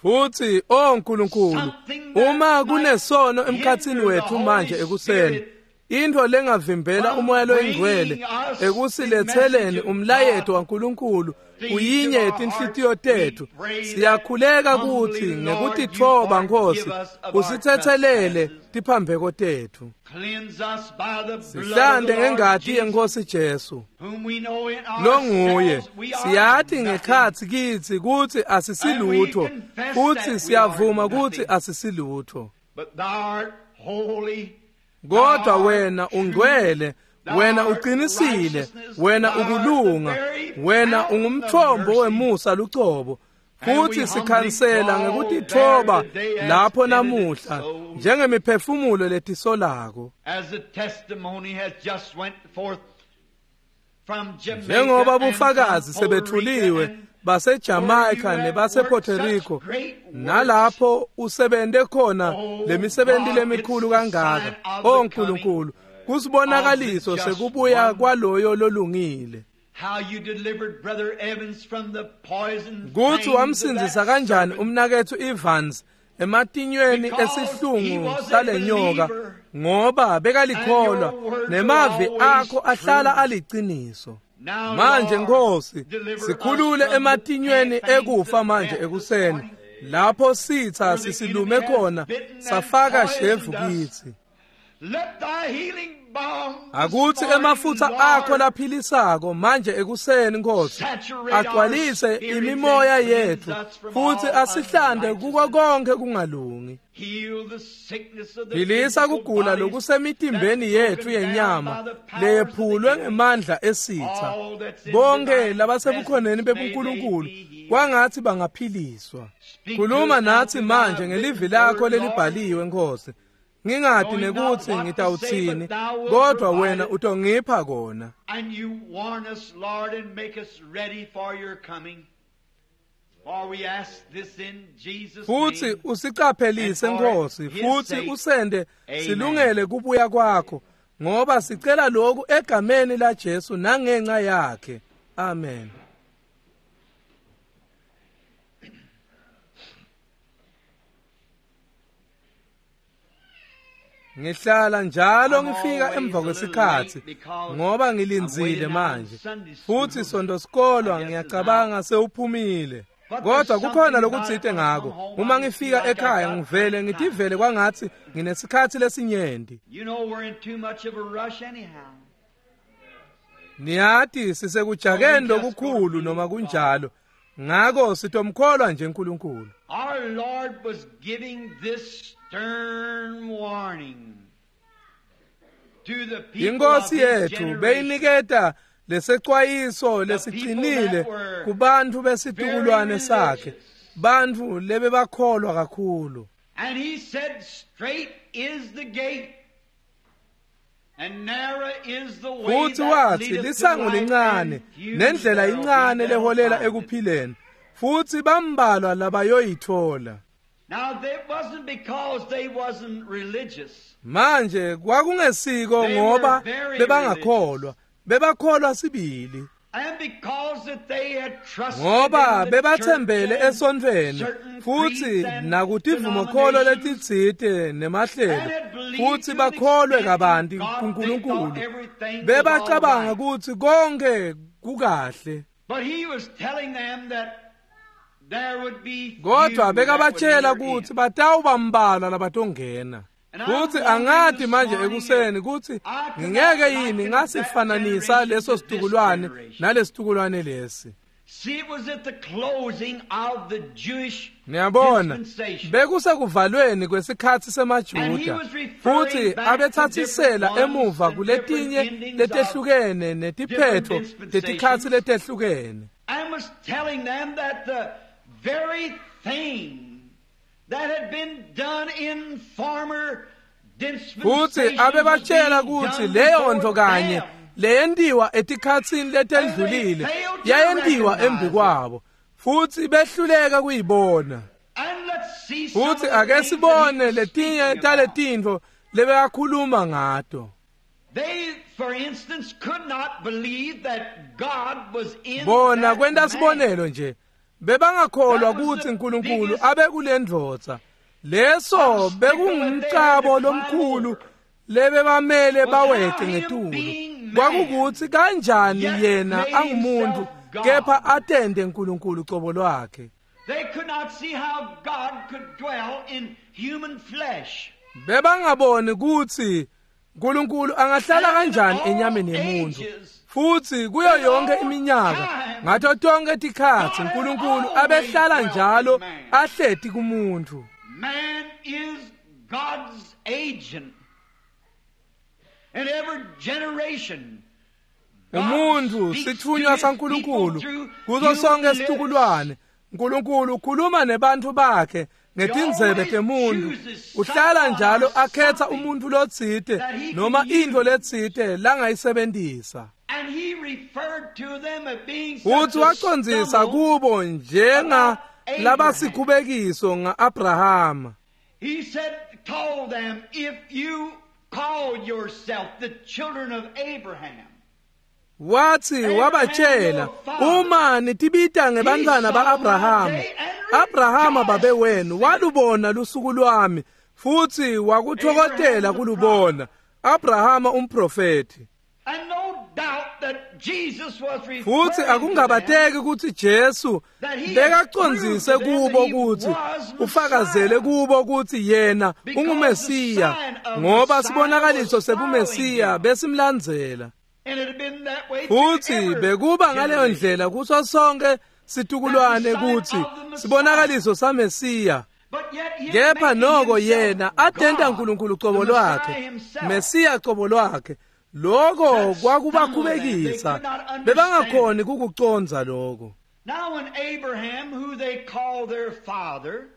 Futsi o Nkulunkulu, uma kunesono emkhatsini wetfu manje ekuseni, intfo lengavimbela umoya loyingcwele ekusiletseleni umlayeto waNkulunkulu kuyinye yetinhlitiyo tetfu, siyakhuleka kutsi ngekutitfoba Nkosi usitsetselele tiphambeko tetfu. Sihlante ngengati yeNkosi Jesu longuye. Siyati ngekhatsi kitsi kutsi asisilutho, futsi siyavuma kutsi asisilutho, kodwa wena ungcwele, wena uqinisile, wena ukulunga, wena ungumthombo wemusa lucobo. Futhi sikhansela ngekutitfoba lapho namuhla njengemiphefumulo letisolako, njengoba bufakazi sebethuliwe baseJamaica nebasePuerto Rico, nalapho usebente khona lemisebenti lemikhulu kangaka. O Nkulunkulu, kusibonakaliso sekubuya kwaloyo lolungile. Kutsi wamsindzisa kanjani umnaketfu Evans ematinyweni esihlungu salenyoka, ngoba bekalikholwa nemavi akho ahlala aliciniso. Manje Nkosi, sikhulule ematinyweni ekufa manje ekuseni, lapho sitha sisilume khona safaka shevu kitsi. Akuthi emafutha akho laphilisako manje ekuseni Nkosi agcwalise imimoya yetfu futhi asihlande kuko konke kungalungi. Philisa kugula lokusemitimbeni yetfu yenyama leyephulwe ngemandla esitha. Bonke labasebukhoneni bebuNkulunkulu kwangathi bangaphiliswa. Khuluma nathi manje ngelivi lakho lelibhaliwe Nkosi. Ngingati nekuthi ngitawutsini, kodwa wena utongipha kona. And you warn us, Lord, and make us ready for your coming. For we ask this in Jesus' Futhi name. usicaphelise Nkosi, futhi usende silungele kubuya kwakho, ngoba sicela lokhu egameni la Jesu nangenxa yakhe. Amen. Ngihlala njalo ngifika emva kwesikhathi ngoba ngilindzile manje, futhi sonto sikolwa ngiyacabanga sewuphumile, kodwa kukhona lokutsite ngako. Uma ngifika ekhaya ngivele ngitivele kwangathi nginesikhathi lesinyenti. You know we're in too much of a rush anyhow. Niyati sisekujakeni lokukhulu noma kunjalo, ngako sitomkholwa nje uNkulunkulu. Our Lord was giving this stern warning to the people of Inkosi his yethu generation. beyiniketa lesecwayiso lesiqinile kubantfu besitukulwane sakhe, bantfu lebebakholwa kakhulu. And he said, straight is the gate, and narrow is the way Futhi that wathi leadeth to lisango life, lincane and few nendlela there will incane be that'll leholela find it. ekuphileni, futhi bambalwa labayoyithola. Now that wasn't because they wasn't religious. Manje kwakungesiko They were ngoba very bebangakholwa, bebakholwa sibili, And because that they had trusted ngoba in the bebathembele church and esontfweni certain futhi creeds and nakutivumokholo denominations, letitsite nemahlelo, and had believed futhi to an bakholwe extent kabanti in God, they kuNkulunkulu. thought everything was Bebacabanga all right. kutsi konke kukahle, But he was telling them that there would be few kodwa that would bekabatshela enter kutsi in. batawuba mbalwa labatongena. And I'm Futhi wondering angati this manje morning ekuseni if kutsi I could ngingeke not yini liken that ngasifananisa generation leso to this situkulwane generation. nalesitukulwane lesi. See, it was at the closing of the Jewish Niyabona, dispensation. bekusekuvalweni kwesikhathi And he semaJuda, was referring futhi back to abethathisela different ones emuva and kuletinye different endings letehlukene netiphetho different tetikhatsi dispensations. letehlukene. And was telling them that the very thing that had been done in former Futhi dispensations was abebatshela being kutsi done leyo before nto kanye them. leyentiwa etikhatsini letendlulile yayentiwa embi kwabo, Futsi behluleka kuyibona. And let's see some Futsi of the ake things that he sibone was letinye speaking about. taletintfo lebekakhuluma ngato. They, for instance, could not believe that God was in Bona that kwenta man. sibonelo nje bebangakholwa That was kutsi the uNkulunkulu biggest abe kulendvodza. Leso bekungumcabo lomkhulu lebebamele Was bawete how him ngetulu. being man, Kwakukuthi kanjani yet yena made angumuntu himself God. kepha atende uNkulunkulu cobo lwakhe. They could not see how God could dwell in human flesh. Bebangaboni kutsi uNkulunkulu angahlala And in kanjani all enyameni yemuntu. ages, Futsi kuyo yonke iminyaka ngato tonke tikhatsi God had uNkulunkulu always abehlala dwelt njalo in man. ahleti kumuntu. Man is God's agent. In every generation, God Umuntu speaks to sithunywa his saNkulunkulu people through kuso human sonke lips. situkulwane. uNkulunkulu ukhuluma nebantu bakhe ngetindzebe He always temuntu. chooses Uhlala someone njalo or akhetha something umuntu lotsite that he can noma into use. letsite langayisebentisa. And he referred to them as being such Futsi a wacondzisa stumble. kubo njenga about Abraham. labasikhubekiso nga-Abrahama. He said, told them, if you call yourself the children of Abraham, Wathi wabatshela uma nitibita ngebantwana ba-Abrahama, Abrahama babe wenu walubona lusuku lwami futhi wakuthokotela kulubona. Abrahama umprofeti. and no doubt that Jesus was referring Futhi to them akungabateki ukuthi Jesu bekacondzise kubo ukuthi ufakazele kubo ukuthi yena unguMesiya ngoba sibonakaliso sebuMesiya besimlandzela. And it had been that way through Futhi every bekuba ngaleyo generation. ndlela kuso sonke situkulwane kuthi sibonakaliso saMesiya. But yet him Kepha making noko himself yena atenta God, uNkulunkulu cobo the Messiah lwakhe, himself. Mesiya cobo lwakhe. Lokho kwakubakhubekisa, bebangakhoni kukucondza lokho. Now when Abraham, who they call their father,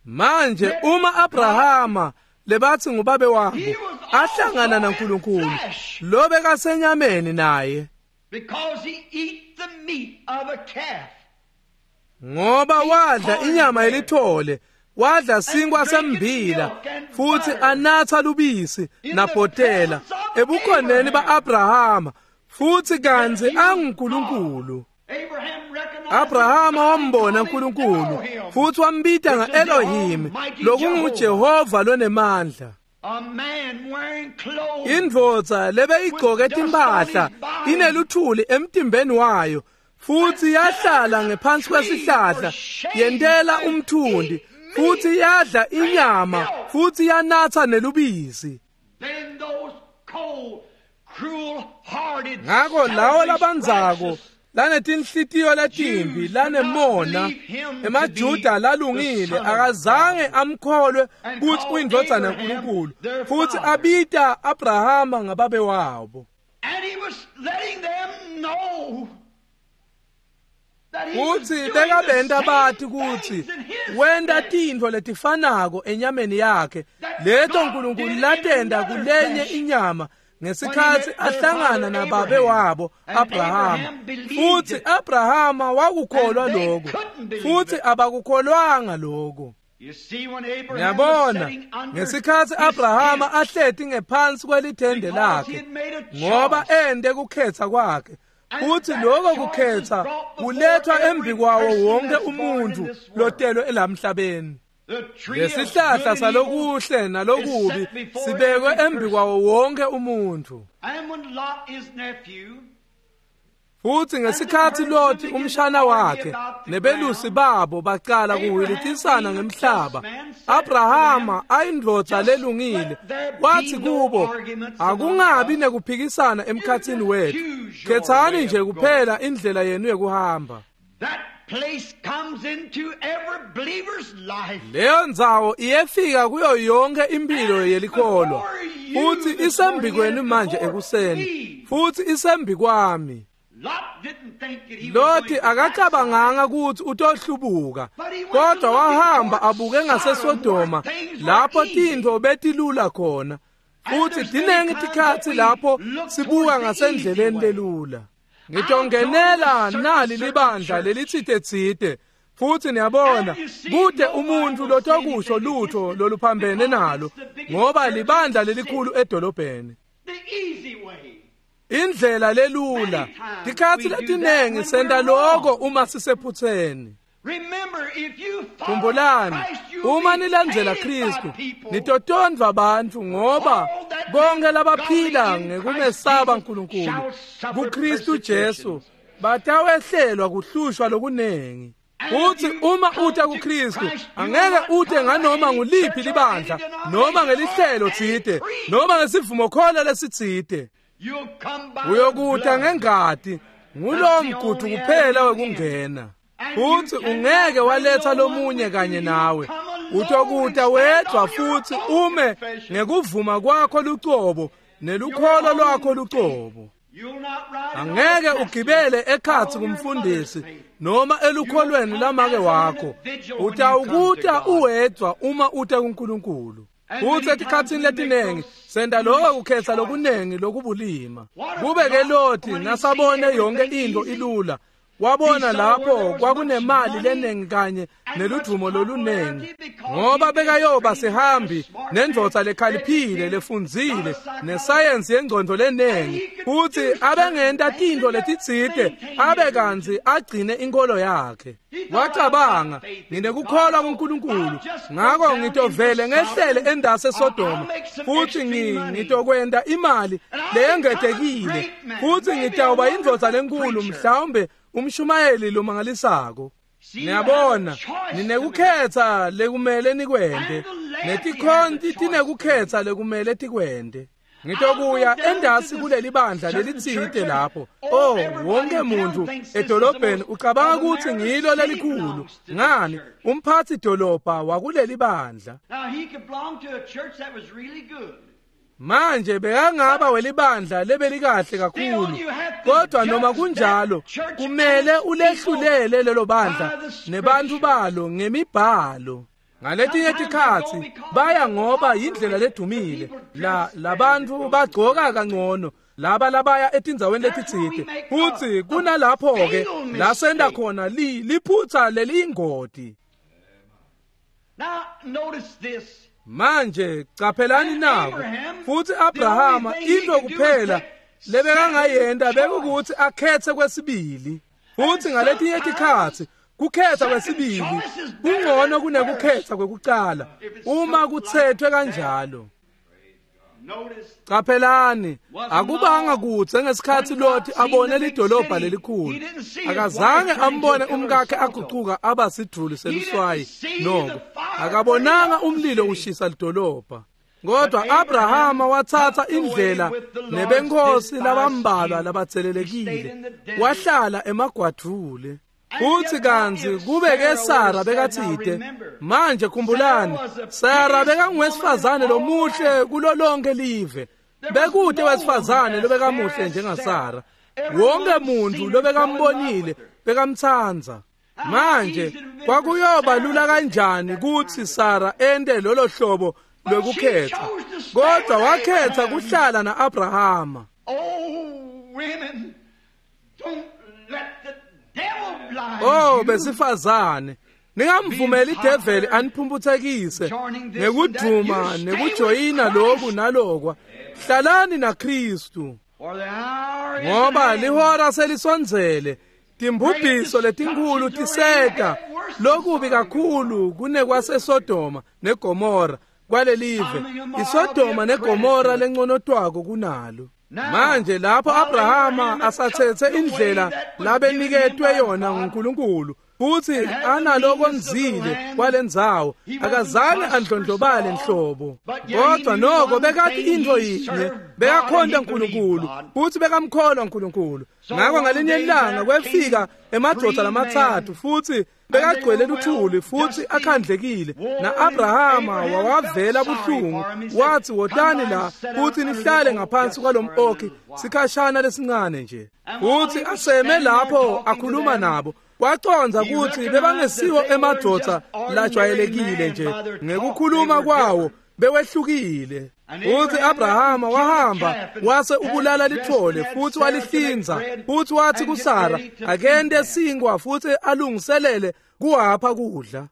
Manje uma Abrahama lebathi ngubabe wabo He was ahlangana also in naNkulunkulu flesh. lo bekasenyameni naye because he ate the meat of a calf, ngoba wadla inyama yelithole wadla sinkwa sembila futhi anatha lubisi nabhotela ebukhoneni ba-Abrahama futhi kantsi anguNkulunkulu. Abraham recognized Abrahama God wambona and called him uNkulunkulu Elohim, futhi wambita which is the nga-Elohim Almighty lokunguJehova lonemandla. A man wearing clothes Indvodza lebeyigcoke timphahla ineluthuli emtimbeni wayo futhi yahlala ngephansi kwesihlahla yentela umthundi futhi yadla inyama futhi yanatha nelubisi. Then those cold, cruel-hearted, Ngako lawo selfish, labandzako righteous lanetinhlitiyo letimbi lanemona emaJuda lalungile akazange amkholwe kutsi uyindvodzana yaNkulunkulu futhi abita Abrahama ngababe wabo. And he was letting them know that he was Futsi doing the bekabenta same bati kutsi things in his wenta flesh. tintfo letifanako enyameni yakhe leto uNkulunkulu latenta kulenye inyama ngesikhatsi ahlangana nababe wabo Abrahama. Futsi Abrahama wakukholwa lokho futhi abakukholwanga lokho. You see, when Abraham was Ngiyabona sitting under ngesikhatsi his Abrahama tent, ahleti ngephansi kwelithende because he lakhe had made a ngoba choice. ende kukhetha kwakhe And futhi that lokho choice kukhetha is brought before kulethwa every embi kwawo person wonke that's born in umuntu this world. lotelwe elamhlabeni. The tree of Lesihlahla good and evil salokuhle nalokubi is set before sibekwe every embi person. kwawo wonke umuntu. And when Lot, his nephew, Futhi ngesikhatsi Loti umshana wakhe nebelusi babo bacala kuhilitisana ngemhlaba, Abrahama ayindvodza lelungile wathi kubo, akungabi nekuphikisana emkhatsini wethu, khetsani nje kuphela indlela yenu yekuhamba. that place comes into every believer's life. Leyo ndzawo iyefika kuyo yonke impilo yelikholwa futhi isembikwenu manje ekuseni futhi isembikwami. Lot didn't think that he was Loti going to that akacabanganga ukuthi utohlubuka kodwa wahamba abuke ngaseSodoma lapho tintfo betilula khona futhi tinengi tikhatsi lapho sibuka ngasendleleni lelula. Ngitongenela nali libandla lelitsite-tsite futhi niyabona kude umuntu lotokusho lutho loluphambene nalo ngoba libandla lelikhulu edolobheni. Indlela lelula tikhatsi letinengi senta loko uma sisephutseni. Khumbulani, uma nilandzela Kristu nitotondvwa bantfu ngoba bonke labaphila ngekumesaba Nkulunkulu kuKristu Jesu batawehlelwa kuhlushwa lokunengi. Uthi uma uta kuKristu angeke ute nganoma nguliphi libandla noma ngelihlelo tsite noma ngesivumokholo lesitsite. Uyokuta ngengati ngulowo mgudu kuphela wekungena. Futhi ungeke waletha lomunye kanye nawe. Utokuta wedwa futhi ume ngekuvuma kwakho lucobo nelukholo lwakho lucobo. Angeke ugibele ekhatsi kumfundisi noma elukholweni lamake wakho. Utawukuta uwedwa uma uta kuNkulunkulu. Futhi etikhatsini letinengi senta lokho kukhetsa lokunengi lokubulima. Kube ke Loti nasabone yonke into ilula, wabona lapho kwakunemali lenengi kanye neludumo lolunengi ngoba bekayoba sihambi nendvodza lekhaliphile lefundzile nesayensi yengcondo lenengi futhi abengenta tintfo letitsite abe kantsi agcine inkolo yakhe. Wacabanga, nginekukholwa kuNkulunkulu ngako ngitovele ngehlele endase eSodoma futhi ngitokwenta imali leyengetekile futhi ngitawuba indvodza lenkulu mhlawumbe umshumayeli lomangalisako. Niyabona, ninekukhetsa lekumele nikwente netikhonti tinekukhetsa lekumele tikwente. Ngitokuya endasi kuleli bandla lelitsite lapho. Oh, wonke muntu edolobheni ucabanga ukuthi ngilo lelikhulu. Ngani, umphathi dolobha wakuleli bandla. Manje bekangaba welibandla lebelikahle kakhulu, kodwa noma kunjalo kumele ulehlulele lelo bandla nebantu balo ngemibhalo. Ngaletinye tikhatsi baya ngoba yindlela ledumile la labantu bagcoka kangcono laba labaya etindzaweni letitsite futhi kunalapho ke la senta khona li liphutha leliyingoti. Manje caphelani nako futhi Abrahama into kuphela lebekangayenta bekukuthi akhethe kwesibili. Futhi ngaletinye tikhatsi kukhetha kwesibili kungcono kunekukhetha kwekucala uma kuthethwe kanjalo. Caphelani, akubanga kudze ngesikhatsi Loti abone lidolobha lelikhulu. Akazange ambone umkakhe agucuka aba sidvuli seluswayi noko akabonanga umlilo ushisa lidolobha. Kodwa Abrahama wathatha indlela nebenkosi labambalwa labatselelekile wahlala emagwadvule. Futhi kantsi kube ke Sara bekatsite, manje khumbulani, Sara bekanguwesifazane lomuhle kulo lonke live. Bekute wesifazane lobekamuhle njengaSara. Wonke muntu lobekambonile bekamtsandza. Manje kwakuyoba lula kanjani kutsi Sara ente lolo hlobo lokukhetha, kodwa wakhetha kuhlala na-Abrahama. Oh besifazane, ningamvumeli ideveli aniphumputhekise ngekudvuma nekujoyina loku nalokwa. Hlalani naKristu ngoba lihora selisondzele. Timbubhiso letinkhulu tiseta lokubi kakhulu kunekwaseSodoma neGomora kwalelive. ISodoma neGomora lenconotwako kunalo. Manje lapho Abrahama asathethe indlela labeniketwe yona nguNkulunkulu futhi analokonzile kwalendzawo, akazange andlondlobale nhlobo, kodwa noko bekathi into yinye, bekakhonta uNkulunkulu futhi bekamkholwa uNkulunkulu. Ngakho ngalinye ilanga kwefika emadvodza lamatsatfu futhi bekagcwele luthuli futhi akhandlekile, na-Abrahama wawavela buhlungu wathi, wotani la futhi nihlale ngaphansi kwalom-okhi sikhashana lesincane nje. Futhi aseme lapho akhuluma nabo, wacondza kutsi bebangesiwo emadvodza lajwayelekile nje ngekukhuluma kwawo bewehlukile. Futhi Abrahama wahamba wase ubulala lithole futhi walihlinza futhi wathi kuSara akende sinkwa futhi alungiselele kuwapha kudla.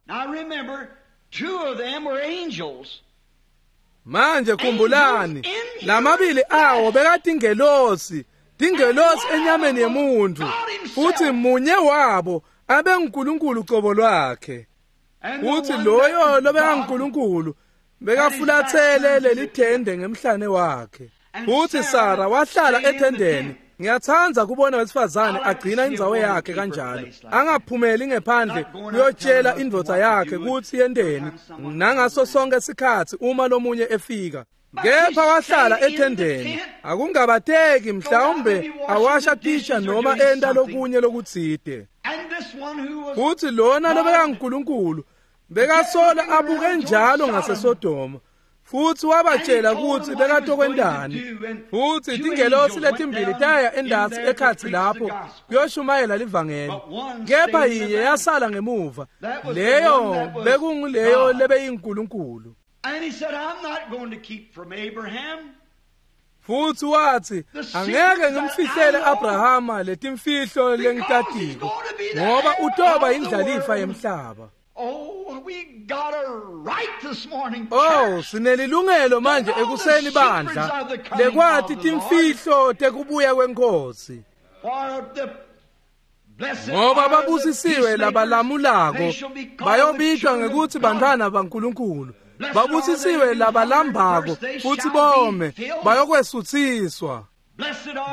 Manje khumbulani lamabili awo bekatingelosi tingelosi enyameni yemuntu futhi munye wabo abenguNkulunkulu cobo lwakhe. Futhi loyo lobenguNkulunkulu bekafulathele lelithende ngemhlane wakhe. Futhi Sara wahlala ethendeni. Ngiyathanda kubona wesifazane agcina indzawo yakhe kanjalo, angaphumeli ngephandle kuyotshela indvodza yakhe kutsi yenteni nangaso sonke sikhatsi uma lomunye efika. Kepha wahlala ethendeni, akungabateki mhlawumbe awasha tisha noma enta lokunye lokutsite. Futhi lona lobekanguNkulunkulu bekasola abuke njalo ngaseSodoma futhi wabatshela ukuthi bekatokwentani. Futhi tingelosi letimbili taya endasi ekhatsi lapho kuyoshumayela livangeli, kepha yinye yasala ngemuva, leyo bekunguleyo lebeyinkulunkulu. Futhi wathi angeke ngimfihlele Abrahama letimfihlo lengitatiko ngoba utoba indlalifa yemhlaba. Oh, we got a right this morning. Oh, sinelilungelo manje ekuseni bandla lekwathi timfihlo tekubuya kwenkosi. Ngoba babusisiwe labalamulako bayobitwa ngekuthi bantwana baNkulunkulu. Babusisiwe labalambako futhi bome bayokwesuthiswa.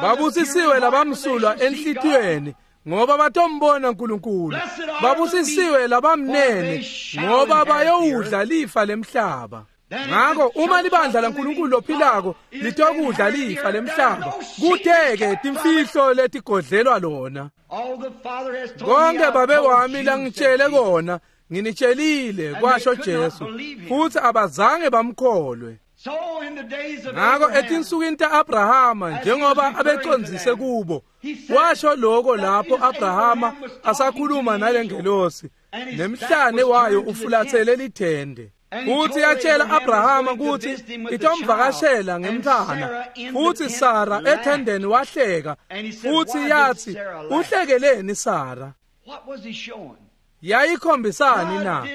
Babusisiwe labamsulwa enhlitiyweni ngoba batombona uNkulunkulu. Babusisiwe labamnene ngoba bayowudla lifa lemhlaba. Ngakho uma libandla laNkulunkulu lophilako litokudla lifa lemhlaba, kuteke timfihlo letigodlelwa lona. Konke babe wami langitshele kona nginitshelile, kwasho Jesu, futhi abazange bamkholwe. Ngakho etinsukwini ta-Abrahama njengoba abecondzise kubo, washo lokho lapho Abrahama asakhuluma nalengelosi nemhlane wayo ufulathele lithende. Futhi yatshela Abrahama ukuthi itomvakashela ngemntwana, futhi Sara ethendeni wahleka, futhi yathi uhlekeleni Sara? Yayikhombisani na?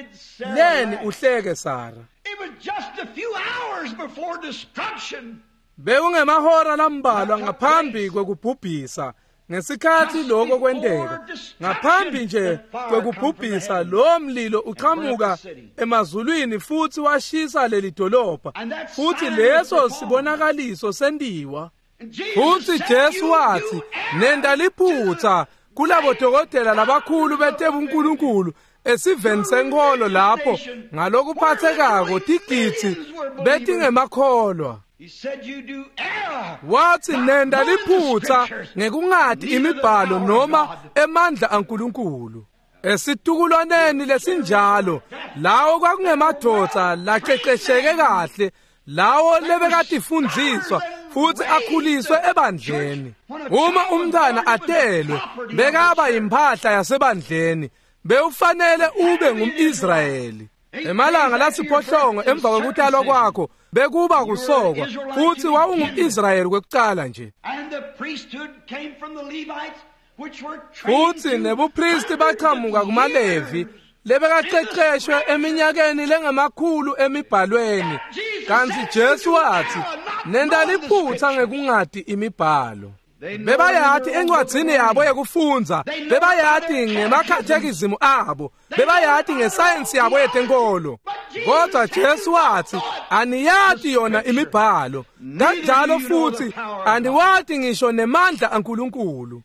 Leni uhleke Sara? It was just a few hours before destruction. Bekungemahora lambalwa ngaphambi kwekubhubhisa ngesikhathi lokho kwenteka. Ngaphambi nje kwekubhubhisa lo mlilo uqhamuka emazulwini futhi washisa leli dolobha, futhi leso sibonakaliso sendiwa. Futhi Jesu wathi nenda liphutha kulabo dokotela labakhulu betebunkulunkulu esiveni senkolo lapho ngalokuphathekako tigitsi betingemakholwa. Wathi nenda liphutha ngekungati imibhalo noma emandla aNkulunkulu. Esitukulwaneni lesinjalo lawo kwakungemadoda laqeqesheke kahle, lawo lebekatifundziswa futhi akhuliswe ebandleni. Uma umntwana atelwe bekaba imphahla yasebandleni, bewufanele ube ngumIsrayeli. Emalanga lasiphohlongo emva kwekutalwa kwakho bekuba kusokwa, futhi wawungumIsrayeli kwekucala nje. Futhi nebupristi baqhamuka kumaLevi lebekaqeqeshwe eminyakeni lengamakhulu emibhalweni. Kanti Jesu wathi nenda liphutha ngekungati imibhalo. Bebayati encwadzini yabo yekufundza, bebayati ngemakhathekizimu abo, bebayati ngesayensi yabo yetenkolo. Kodwa Jesu wathi aniyati yona imibhalo, kanjalo futhi aniwati ngisho nemandla aNkulunkulu.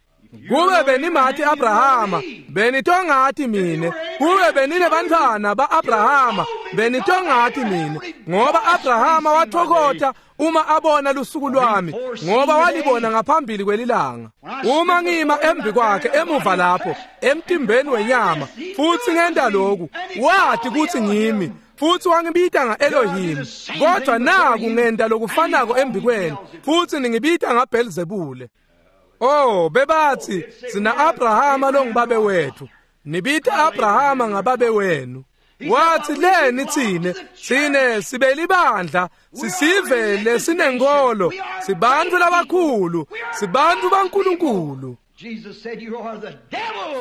Kube benimathi Abrahama, benitongati mine. Kube beninebantwana ba-Abrahama, benitongati mine. Ngoba Abrahama wathokotha uma abona lusuku lwami, ngoba walibona ngaphambili kwelilanga. Uma ngima embi kwakhe emuva lapho emtimbeni wenyama futhi ngenta lokhu, wathi kuthi ngimi, futhi wangibita nga-Elohim. Kodwa naku ngenta lokufanako embi kwenu, futhi ningibita ngaBhelzebule. Oh, bebathi sina Abrahama longubabe wethu, nibita Abrahama ngababe wenu. Wathi leni tsine tsine sibelibandla sisive lesinenkolo sibantu labakhulu sibantu baNkulunkulu.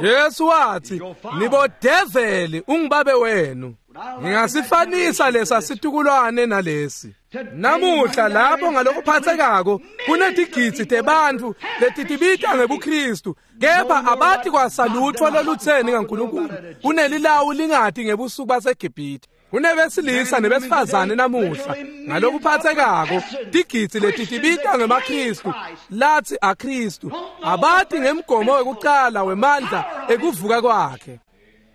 Jesu wathi nibodeveli ungibabe wenu. Ngingasifanisa lesa situkulwane nalesi. Namuhla lapho ngalokuphathekako kunetigidzi tebantfu letitibita ngebuKristu kepha abathi kwasalutfo lolutseni ngaNkulunkulu kunelilawu lingati ngebusuku baseGibhithe. Kunebesilisa nebesifazane namuhla ngalokuphathekako tigidzi letitibita ngemaKristu lathi aKristu abathi ngemgomo wekucala wemandla ekuvuka kwakhe.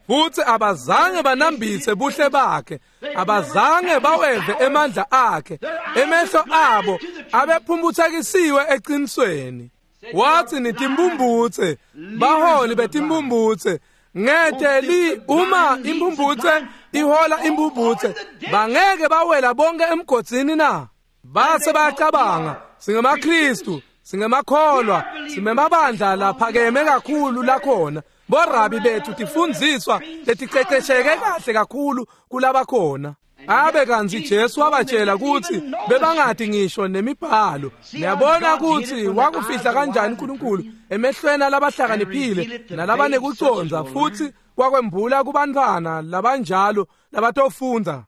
Futhi abazange banambitse buhle bakhe, abazange baweve emandla akhe, emehlo abo abephumbuthekisiwe eqinisweni. Wathi nitimbumbutse, baholi betimbumbutse, ngete li uma imbumbutse ihola imbumbutse, bangeke bawela bonke emgodzini na? Base bayacabanga, singemaKristu, singemakholwa, simemabandla laphakeme kakhulu lakhona. Borabi bethu tifundziswa leticecesheke kahle kakhulu kulabakhona. Abe kantsi Jesu wabatshela kutsi bebangati ngisho nemibhalo. Niyabona kutsi wakufihla kanjani uNkulunkulu emehlweni alabahlakaniphile nalabanekucondza futhi wakwembula kubantfwana labanjalo labatofundza.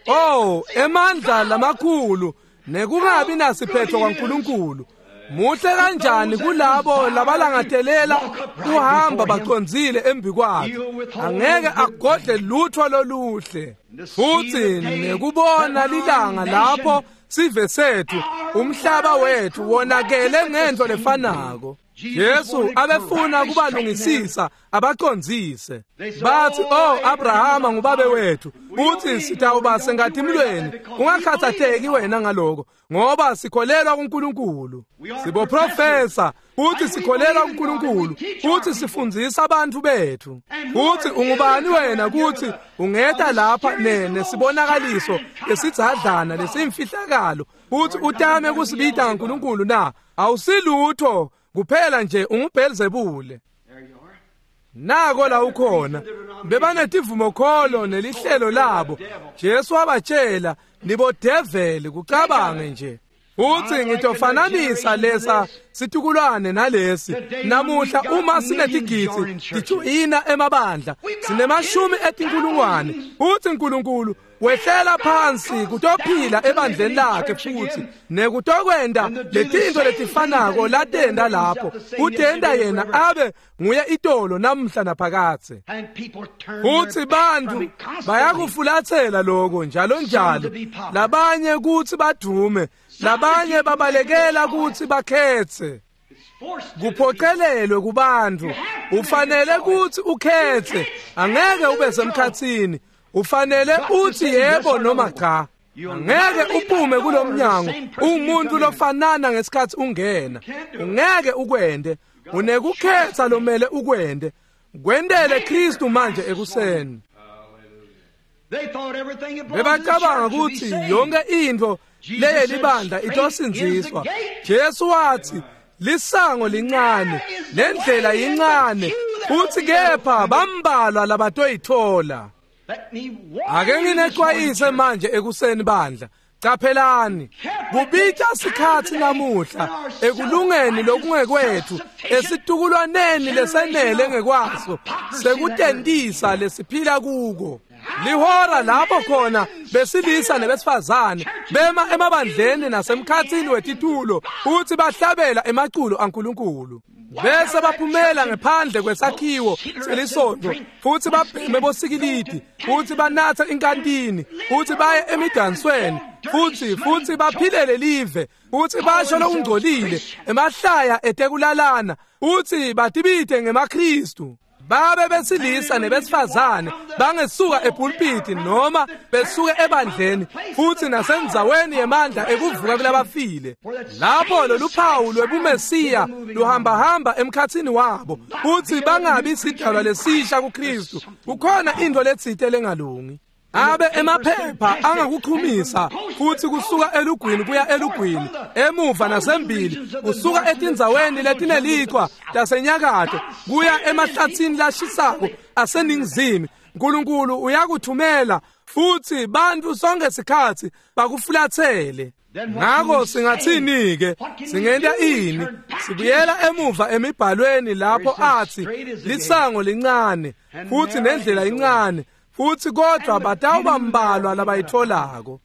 Oh, emandla lamakhulu nekungabi nasiphetho kwaNkulunkulu. Muhle kanjani kulabo labalangatelela kuhamba bacondzile embi kwakhe. Angeke agodle lutho loluhle. Futhi nekubona lilanga lapho sive sethu umhlaba wethu wonakele ngento lefanako. Jesu abefuna kubalungisisa abacondzise. Bathi oh Abrahama ngubabe wethu uthi sitawuba sengatimlweni ungakhathatheki wena ngaloko ngoba sikholelwa kuNkulunkulu. Siboprofesa uthi sikholelwa kuNkulunkulu uthi sifundzisa abantu bethu. Uthi ungubani wena kuthi ungeta lapha nene sibonakaliso lesidzadlana lesimfihlakalo uthi utame kusibita ngaNkulunkulu na? Awusilutho kuphela nje unguBhelzebule. Nako la ukhona bebanetivumokholo nelihlelo labo. Jesu wabatshela nibodeveli kucabange nje. Uthi ngitofananisa lesa situkulwane nalesi. Namuhla uma sinetigidzi tijoyina emabandla sinemashumi etinkulungwane. Uthi uNkulunkulu wehlela phansi kutophila ebandleni lakhe futhi nekutokwenda letinto letifanako latenda lapho utenda yena abe nguye itolo namhla naphakathe. Futhi bantu bayakufulathela lokho njalo njalo, labanye kuthi badume, labanye babalekela kuthi bakhethe. Kuphoqelelwe kubantu, ufanele kuthi ukhethe, angeke ube semkhathini. Ufanele uthi yebo noma cha. Angeke uphume kulomnyango umuntu lofanana ngesikhathi ungena. Ungeke ukwende, unekukhetha lomele ukwende. Kwendele Kristu manje ekuseni. Bebacabanga ukuthi yonke into leyelibandla itosindziswa. Jesu wathi lisango lincane, lendlela yincane, futhi kepha bambalwa labatoyithola. Ake nginexwayise manje ekuseni bandla. Qaphelani, kubitha sikhathi namuhla ekulungeni lokungekwethu esitukulwaneni lesenele ngekwaso sekutentisa lesiphila kuko. Lihora lapho khona besilisa nebesifazane bema emabandleni nasemkhathini wetitulo uthi bahlabela emaculo aNkulunkulu. Bese baphumela ngephandle kwesakhiwo selisonto futhi babheme bosikilidi futhi banatha inkantini futhi baye emidansweni futhi futhi baphilele live futhi basho lokungcolile emahlaya etekulalana uthi batibite ngemaKristu. Babe besilisa nebesifazane bangesuka epulpiti noma besuke ebandleni futhi nasendzaweni yemandla ekuvuka kulabafile. Lapho loluphawu lwebumesiya luhamba hamba emkhathini wabo futhi bangabi sidalwa lesisha kuKristu. Kukhona into letsite lengalungi. Abe emaphepha angakuchumisa futhi kusuka elugwini kuya elugwini, emuva nasembili, kusuka etindzaweni letinelichwa tasenyakatho kuya emahlatsini lashisako aseningizimu. Nkulunkulu uyakuthumela futhi bantu sonke sikhatsi bakufulathele. Ngako singathini ke? Singenta ini? Sibuyela emuva emibhalweni lapho athi lisango lincane futhi nendlela incane, futhi kodwa batawuba mbalwa labayitholako.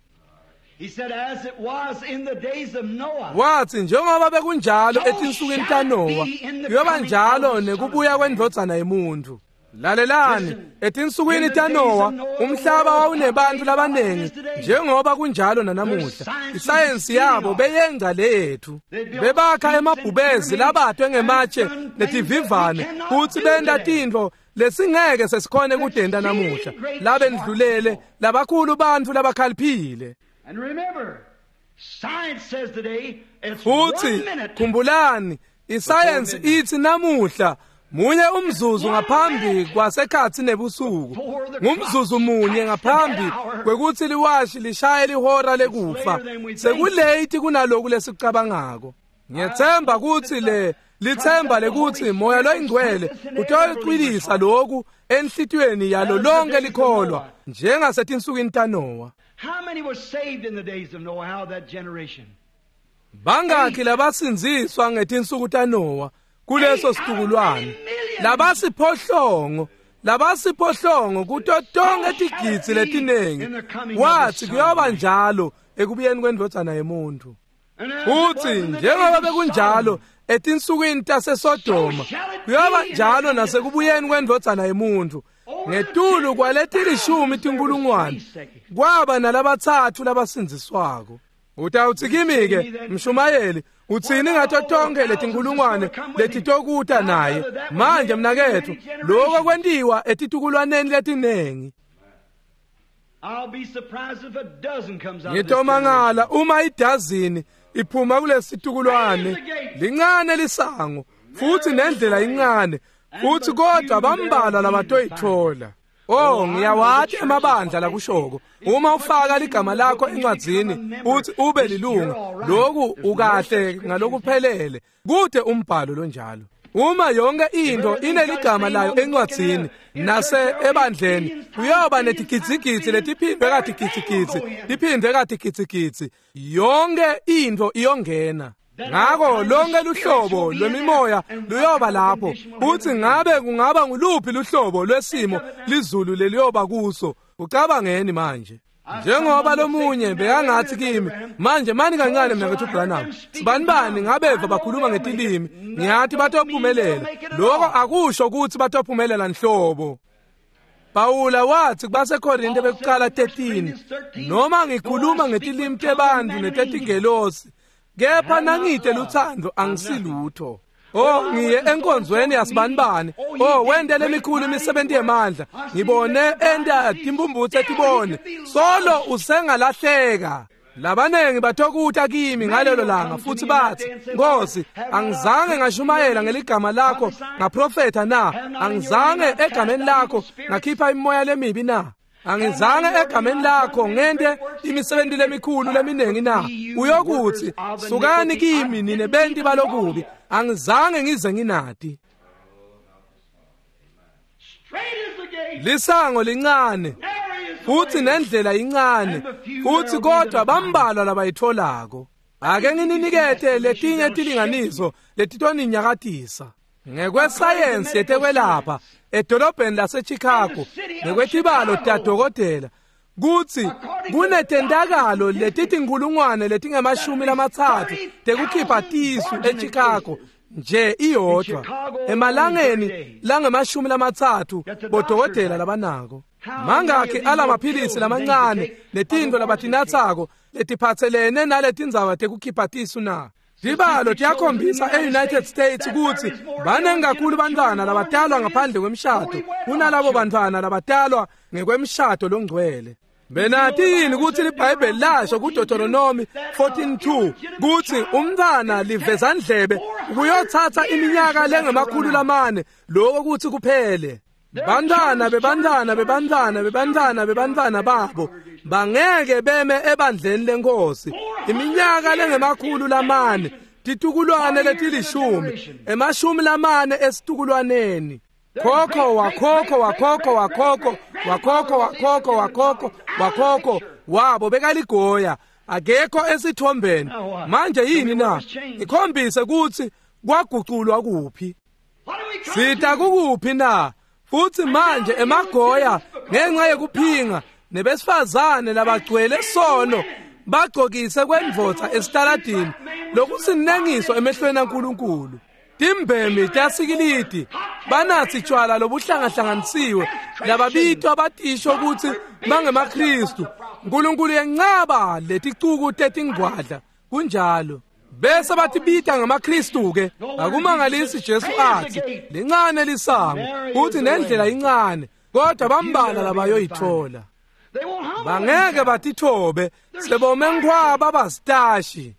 Wathi njengoba bekunjalo etinsukwini taNowa, kuyoba njalo nekubuya kwendvodzana yemuntu. Lalelani, etinsukwini taNowa umhlaba wawunebantu labanengi njengoba kunjalo nanamuhla. Isayensi yabo beyengca leyethu. Bebakha emabhubezi labatwe ngematshe netivivane futhi benta tintfo lesingeke sesikhone kudenta namuhla. Labendlulele labakhulu bantfu labakhaliphile. Futhi khumbulani, isayensi ithi namuhla munye umzuzu ngaphambi kwasekhatsi nebusuku, ngumzuzu munye ngaphambi kwekuthi liwashi lishaye lihora lekufa. Sekulate kunaloku lesicabangako. Ngiyethemba ukuthi le lithemba lekuthi Moya loyingcwele utoyicwilisa lokhu enhlitiyweni yalo lonke likholwa njengasetinsukwini taNowa. Bangakhi labasindziswa ngetinsuku taNowa kuleso situkulwane? Labasiphohlongo, labasiphohlongo kuto tonke tigidzi letinengi. Wathi kuyoba njalo ekubuyeni kwendvodzana yemuntu. Futhi njengoba bekunjalo etinsukwini taseSodoma, kuyoba njalo nasekubuyeni kwendvodzana yemuntu. Ngetulu kwaletilishumi tinkulungwane kwaba nalabatsatfu labasindziswako. Utawutsi kimi-ke mshumayeli, utsini ngato tonke letinkulungwane letitokuta naye? Manje mnaketfu, lokho kwentiwa etitukulwaneni letinengi. Ngitomangala uma idazini iphuma kulesitukulwane. Lincane lisango futhi nendlela incane, futhi kodwa bambalwa labatoyithola. Oh, ngiyawati emabandla lakushoko. Uma ufaka ligama lakho encwadzini uthi ube lilunga, lokhu ukahle ngalokuphelele. Kude umbhalo lonjalo. Uma yonke into ineligama layo encwadzini nase ebandleni, kuyoba netigidzigidzi letiphindwe katigidzigidzi, tiphindwe katigidzigidzi. Yonke into iyongena. Ngako lonke luhlobo lwemimoya luyoba lapho. Uthi ngabe kungaba nguluphi luhlobo lwesimo lizulu leliyoba kuso? Ucabangeni manje? Njengoba lomunye bekangathi kimi, manje mani kancane mnakethu Branham, sibani bani ngabeva bakhuluma ngetilimi, ngiyathi batophumelela. Lokho akusho ukuthi batophumelela nhlobo. Pawula wathi kubaseKorinte bekuqala thirteen, noma ngikhuluma ngetilimi tebantu netetingelosi, kepha nangide luthando angisilutho. Oh, ngiye enkonzweni yasibanibani. Oh, wente lemikhulu imisebenzi yemandla. Ngibone enta timbumbutse tibone. Solo usengalahleka. Labanengi batokuta kimi ngalelo langa futhi bathi, Nkosi, angizange ngashumayela ngeligama lakho ngaprofetha na? Angizange egameni lakho ngakhipha imimoya lemibi na? Angizange egameni lakho ngente imisebenzi lemikhulu leminengi na? Uyokuthi, sukani kimi nine benti balokubi, angizange ngize nginati. Lisango lincane futhi nendlela incane, futhi kodwa bambalwa labayitholako. Ake ngininikete letinye tilinganiso letitoninyakatisa. Ngekwesayensi yetekwelapha edolobheni laseChicago, ngekwetibalo tadokotela, kutsi kunetentakalo letitinkulungwane letingemashumi lamatsatfu tekukhipha tisu eChicago nje iyodwa emalangeni langemashumi lamatsatfu bodokotela labanako. Mangakhi alamaphilisi lamancane netintfo labatinatsako letiphatselene naletindzaba tekukhipha tisu na? Tibalo tiyakhombisa e-United States kutsi banengi kakhulu bantfwana labatalwa ngaphandle kwemshado kunalabo bantfwana labatalwa ngekwemshado longcwele. Benati yini kutsi liBhayibheli lasho kuDeuteronomy fourteen two kutsi umntfwana livezandlebe kuyothatha iminyaka lengemakhulu lamane lokho kutsi kuphele? Bantwana bebantwana bebantwana bebantwana bebantwana babo bangeke beme ebandleni lenkosi iminyaka lengemakhulu lamane titukulwane letilishumi emashumi lamane esitukulwaneni. Khokho wakhokho wakhokho wakhokho wakhokho wakhokho wakhokho wakhokho wabo bekaligoya akekho esithombeni. Manje yini na? Ikhombise ukuthi kwaguculwa kuphi, sita kukuphi na? Futhi manje emagoya ngenxa yekuphinga nebesifazane labagcwele sono bagcokise kwendvodza esitaladini lokusinengiso emehlweni aNkulunkulu. Timbemi tasikilidi banathi tshwala lobuhlangahlanganisiwe lababitwa batisho ukuthi bangemaKristu. uNkulunkulu yencaba leticuku tetingwadla kunjalo bese bathi bita ngamaKristu ke. Akumangalisi Jesu athi lincane lisango uthi nendlela incane, kodwa bambala labayoyithola. Bangeke batithobe sebome nkhwaba basitashi.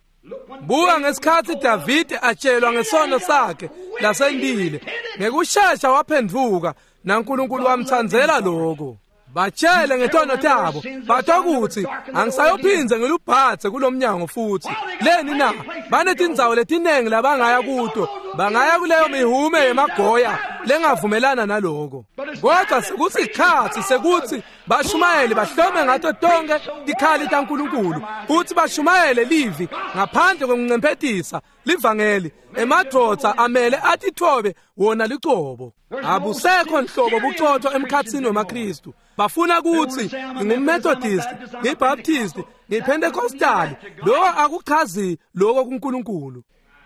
Buka ngesikhathi Davide atshelwa ngesono sakhe lasendile, ngekushesha waphenduka naNkulunkulu wamthandzela lokho. Batshele ngetono tabo bathokuthi angisayophinze ngilubhathe kulomnyango futhi. Leni na? Banetindzawo letinengi labangaya kuto, bangaya kuleyo mihume yemagoya lengavumelana naloko. Kodwa sekusikhathi sekuthi bashumayele bahlome ngato tonke tikhali taNkulunkulu futhi bashumayele livi ngaphandle kokuncemphetisa livangeli. Emadvodza amele atithobe wona licobo. Abusekho nhlobo bucotho emkhathini wemaKristu. Bafuna kuthi ngingumMethodist, ngiyiBaptist, ngiyiPentecostal. Lokho akuchazi lokho kuNkulunkulu.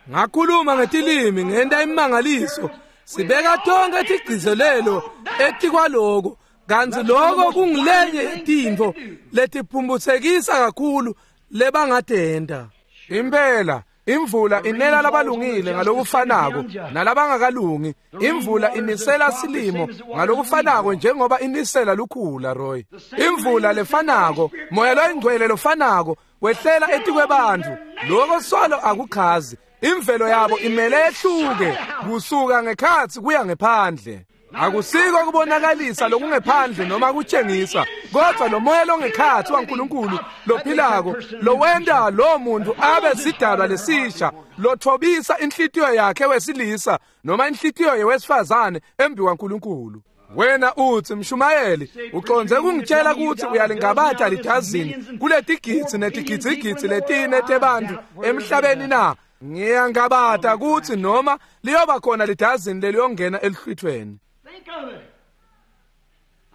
Ngakhuluma ngetilimi ngenta imangaliso, sibeka tonke tigcizelelo etikwaloko, kantsi lokho kungilenye yetintfo letiphumbuthekisa kakhulu lebangatenta. Impela imvula inela labalungile ngalokufanako nalabangakalungi. Imvula inisela silimo ngalokufanako njengoba inisela lukhula. Roy, imvula lefanako, moya loyingcwele lofanako wehlela etikwebantfu. Lokho solo akuchazi. Imvelo yabo imele ehluke kusuka ngekhatsi kuya ngephandle. Akusiko kubonakalisa lokungephandle noma kutshengisa, kodwa lo moya longekhatsi waNkulunkulu lophilako lowenta lo muntu abe sidalwa lesisha, lothobisa inhlitiyo yakhe wesilisa noma inhlitiyo yewesifazane embi kwaNkulunkulu. Wena uthi mshumayeli uconze kungitshela ukuthi uyalingabata lidazini kuletigidzi netigidzigidzi letine tebantfu emhlabeni na? Ngiyangabata ukuthi noma liyoba khona lidazini leliyongena elihlwithweni.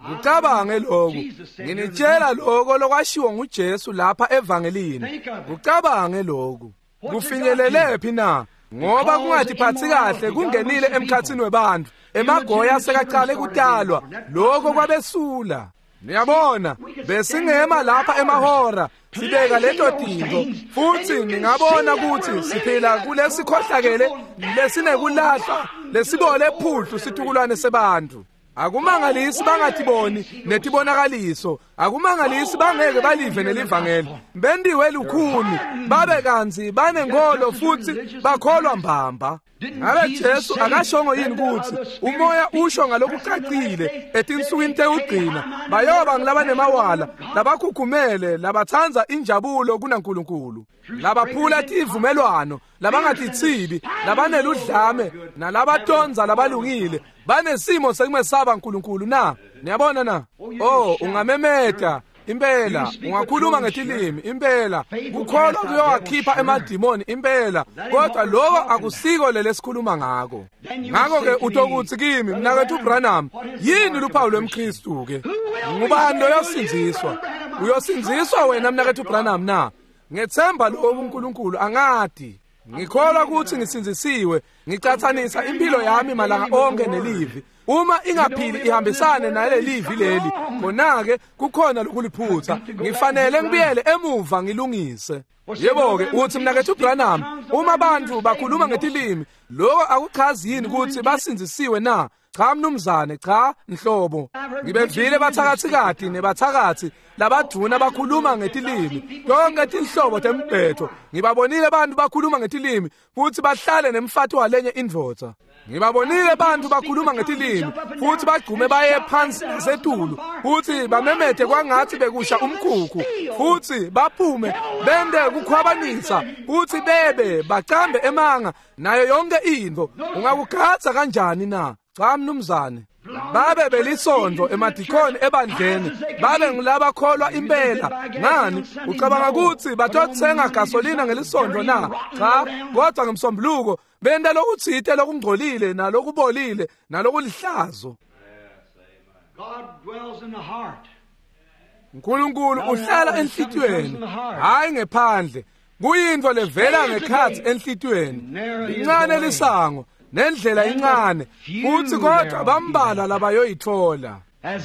Kucabange lokhu, nginitshela lokho lokwashiwo nguJesu lapha evangelini. Kucabange lokhu. Kufinyelelephi na? Ngoba kungatiphathi kahle kungenile emkhathini webantu. Emagoya sekaqale kutalwa, lokho kwabesula. Niyabona, besingema lapha emahora sibeka leto tintfo, futhi ningabona ukuthi siphila kulesikhohlakele lesinekulahla lesibole phudlu situkulwane sebantu. Akumangalisi bangatiboni netibonakaliso, akumangalisi bangeke balive nelivangeli. Bendiwe lukhuni, babe kantsi banenkolo futhi bakholwa mbamba. Ngabe Jesu akashongo yini ukuthi umoya usho ngalokucacile etinsukwini tekugcina bayoba ngilabanemawala, labakhukhumele, labathandza injabulo kunaNkulunkulu, labaphula tivumelwano, labangatithibi, labaneludlame nalabatonza labalungile, banesimo sekumesaba uNkulunkulu na? Niyabona na? Oh, ungamemeta impela, ungakhuluma ngetilimi impela, kukholwa kuyowakhipha emadimoni impela, kodwa lokho akusiko lelesikhuluma ngako. Ngakho-ke utokuthi kimi, mnakethu Branham, yini luphawu lwemKristu ke? Ngubani loyosindziswa? Uyosindziswa wena mnakethu Branham na? Ngethemba lokho uNkulunkulu angadi. Ngikholwa ukuthi ngisindzisiwe, ngicathanisa impilo yami malanga onke nelivi. Uma ingaphili ihambisane nalelivi leli, khona-ke kukhona lokuliphutha. Ngifanele ngibuyele emuva ngilungise. Yebo-ke uthi mnakethu Branham, uma abantu bakhuluma ngetilimi, lokho akuchazi yini ukuthi basindzisiwe na? Cha mnumzane, cha nhlobo. Ngibevile bathakathikati nebathakathi labadvuna bakhuluma ngetilimi, tonke tinhlobo tembhetho. Ngibabonile bantu bakhuluma ngetilimi futhi bahlale nemfati walenye indvodza. Ngibabonile bantu bakhuluma ngetilimi futhi bagqume baye phansi nasetulu futhi bamemete kwangathi bekusha umkhukhu futhi baphume bende kukhwabanisa futhi bebe bacambe emanga nayo yonke into. Ungakugatsa kanjani na? Cha mnumzane. Babe belisondvo emadikoni ebandleni, babe ngulabakholwa impela. Ngani ucabanga ukuthi batothenga gasolina ngelisondvo na? Cha, kodwa ngemsombuluko benta lokutsite lokungcolile nalokubolile nalokulihlazo. God dwells in the heart. uNkulunkulu uhlala enhlitiyweni, hayi ngephandle. Kuyintfo levela ngekhatsi enhlitiyweni. Lincane lisango nendlela incane, futhi kodwa bambalwa labayoyithola.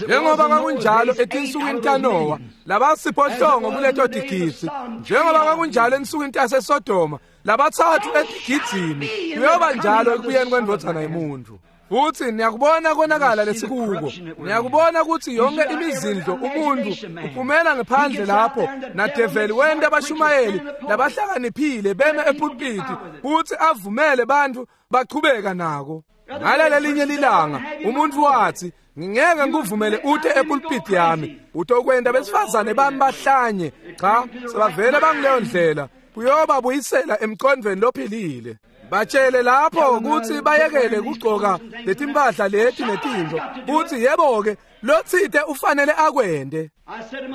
Njengoba kwakunjalo etinsukwini taNowa, labasiphohlongo kuleto tigidzi, njengoba kwakunjalo ensukwini taseSodoma, labatsatfu etigidzini, kuyoba njalo ekubuyeni kwendvodzana yemuntfu. Futhi niyakubona konakala lesikuko. Niyakubona ukuthi yonke imizindlo umuntu uphumela ngephandle lapho nadeveli wenta abashumayeli labahlakaniphile beme epulpiti futhi avumele bantu bachubeka nako. Ngalelelinye lilanga umuntu wathi, ngingeke ngikuvumele ute epulpiti yami, utokwenta besifazane bami bahlanye. Cha, sebavele bangileyo ndlela. Kuyoba buyisela emqondweni lophilile. Batshele lapho ukuthi bayekele kugcoka letimpahla leti netintfo, futhi yebo-ke lotsite ufanele akwente.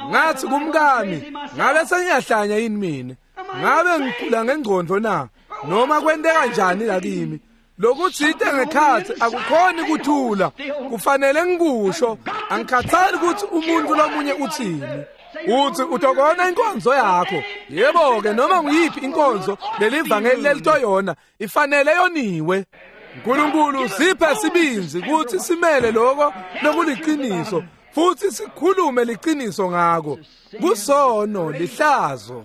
Ngathi kumkami, ngabe sengiyahlanya yini mina? Ngabe ngigula ngengqondo na? Noma kwenteka njani la kimi? Lokutsite ngekhatsi akukhoni kuthula, kufanele ngikusho. Angikhathali ukuthi umuntu lomunye uthini. Uthi utokona inkonzo yakho. Yebo-ke, noma nguyiphi inkonzo lelivangeli lelitoyona ifanele yoniwe. uNkulunkulu siphe sibindzi ukuthi simele lokho lokuliqiniso futhi sikhulume liqiniso ngako. Kusono lihlazo.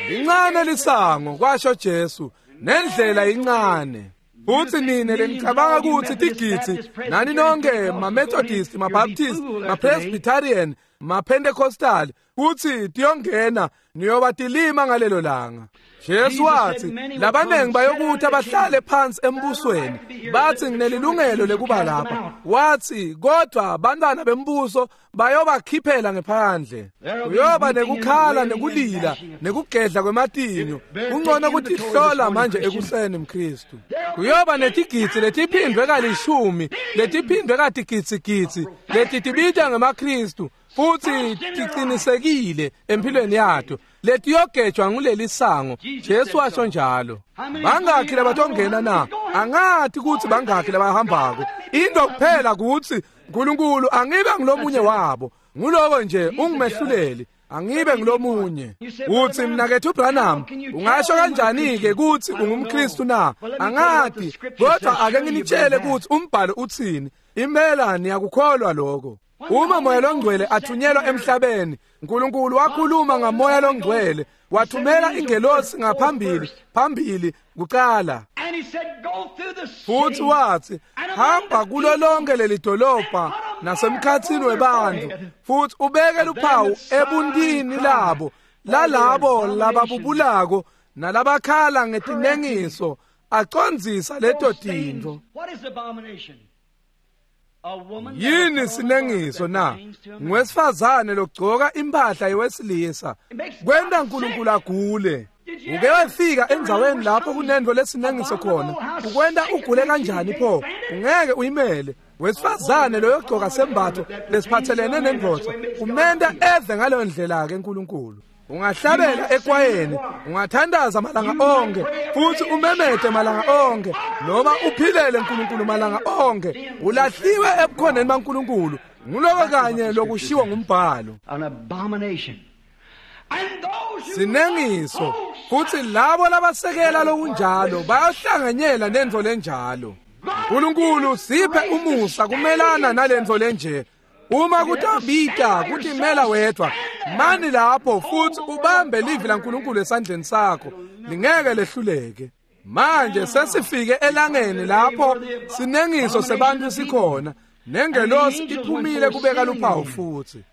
Lincane lisango, kwasho Jesu, nendlela incane. Futhi nine lenicabanga ukuthi tigidzi nani nonke ma-Methodist, ma-Baptist, ma-Presbyterian, ma-Pentecostal, kuthi tiyongena niyoba tilima ngalelo langa. Jesu wathi labanengi bayokuthi bahlale phansi embusweni, bathi nginelilungelo lekuba lapha. Wathi kodwa bantwana bembuso bayobakhiphela ngephandle. Kuyoba nekukhala nekulila nekugedla kwematinyo. Kungcono ukuthi hlola manje ekuseni mKristu. Kuyoba netigidzi letiphindwe kalishumi, letiphindwe katigidzi letitibita ngemaKristu futhi tiqinisekile empilweni yato, letiyogejwa nguleli sango. Jesu washo njalo. Bangakhi labatongena na? Angathi ukuthi bangakhi labahambako. Into kuphela ukuthi uNkulunkulu angibe ngilomunye wabo. Nguloko nje ungimehluleli, angibe ngilomunye. Uthi mnakethu Branham, ungasho kanjani ke ukuthi ungumKristu na? Angathi, kodwa ake nginitshele ukuthi umbhalo uthini. Impela niyakukholwa lokho. Uma moya longcwele athunyelwa emhlabeni, uNkulunkulu wakhuluma ngamoya longcwele, wathumela ingelosi ngaphambili, phambili kuqala. Futhi wathi, hamba kulo lonke leli dolobha nasemkhathini webantu, futhi ubeke luphawu ebuntini labo, lalabo lababubulako nalabakhala ngetinengiso, acondzisa leto tintfo. Yini sinengiso na? Ngwesifazane logcoka impahla yewesilisa. Kwenta uNkulunkulu agule. Uke wafika endzaweni lapho kunento lesinengiso khona, ukwenta ugule kanjani pho? Ungeke uyimele. Wesifazane loyogcoka sembatho lesiphathelene nendvodza, umenta eve ngaleyo ndlela ke uNkulunkulu. Ungahlabela ekwayeni, ungathandaza malanga onke, futhi umemete malanga onke, noma uphilele uNkulunkulu malanga onke, ulahliwe ebukhoneni baNkulunkulu. Nguloko kanye lokushiwo ngumbhalo. Sinengiso, futhi labo labasekela lokunjalo bayohlanganyela nentfo lenjalo. uNkulunkulu siphe umusa kumelana nalentfo lenje. Uma kutabita kutimela wedwa, mani lapho futhi ubambe livi laNkulunkulu esandleni sakho, lingeke lehluleke. Manje sesifike elangeni lapho sinengiso sebantu sikhona, nengelosi iphumile kubeka luphawu futhi.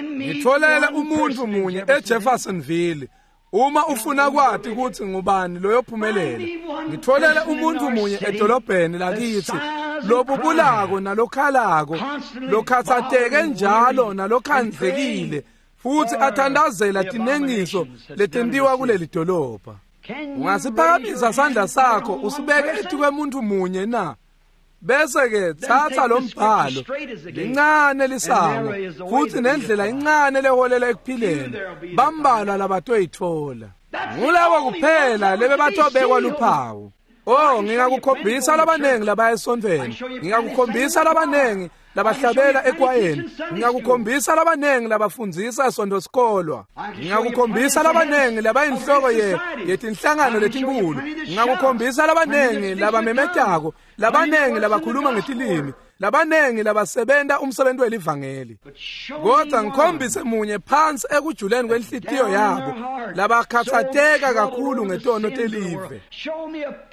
Ngitholele umuntu munye eJeffersonville. Uma ufuna kwati ukuthi ngubani loyophumelela, ngitholele umuntu munye edolobheni lakithi lobubulako nalokhalako, lokhathateke njalo nalokhandlekile, futhi athandazela tinengiso letentiwa kuleli dolobha. Ungasiphakamisa sandla sakho usibeke etikwemuntu munye na? Bese ke thatha lo mbhalo, lincane lisango futhi nendlela incane leholela ekuphileni, bambalwa labatoyithola. Ngulabo kuphela lebebatobekwa luphawu. Oh, ngingakukhombisa labanengi labaya esontweni, ngingakukhombisa labanengi labahlabela ekwayeni, ngingakukhombisa labanengi labafundzisa esonto-sikolwa, ngingakukhombisa labanengi labayinhloko ye yetinhlangano letinkulu, ngingakukhombisa labanengi labamemetako, labanengi labakhuluma ngetilimi, labanengi labasebenta umsebenzi welivangeli. Kodwa ngikhombise munye phansi ekujuleni kwenhlitiyo yabo labakhathateka kakhulu ngetono telive.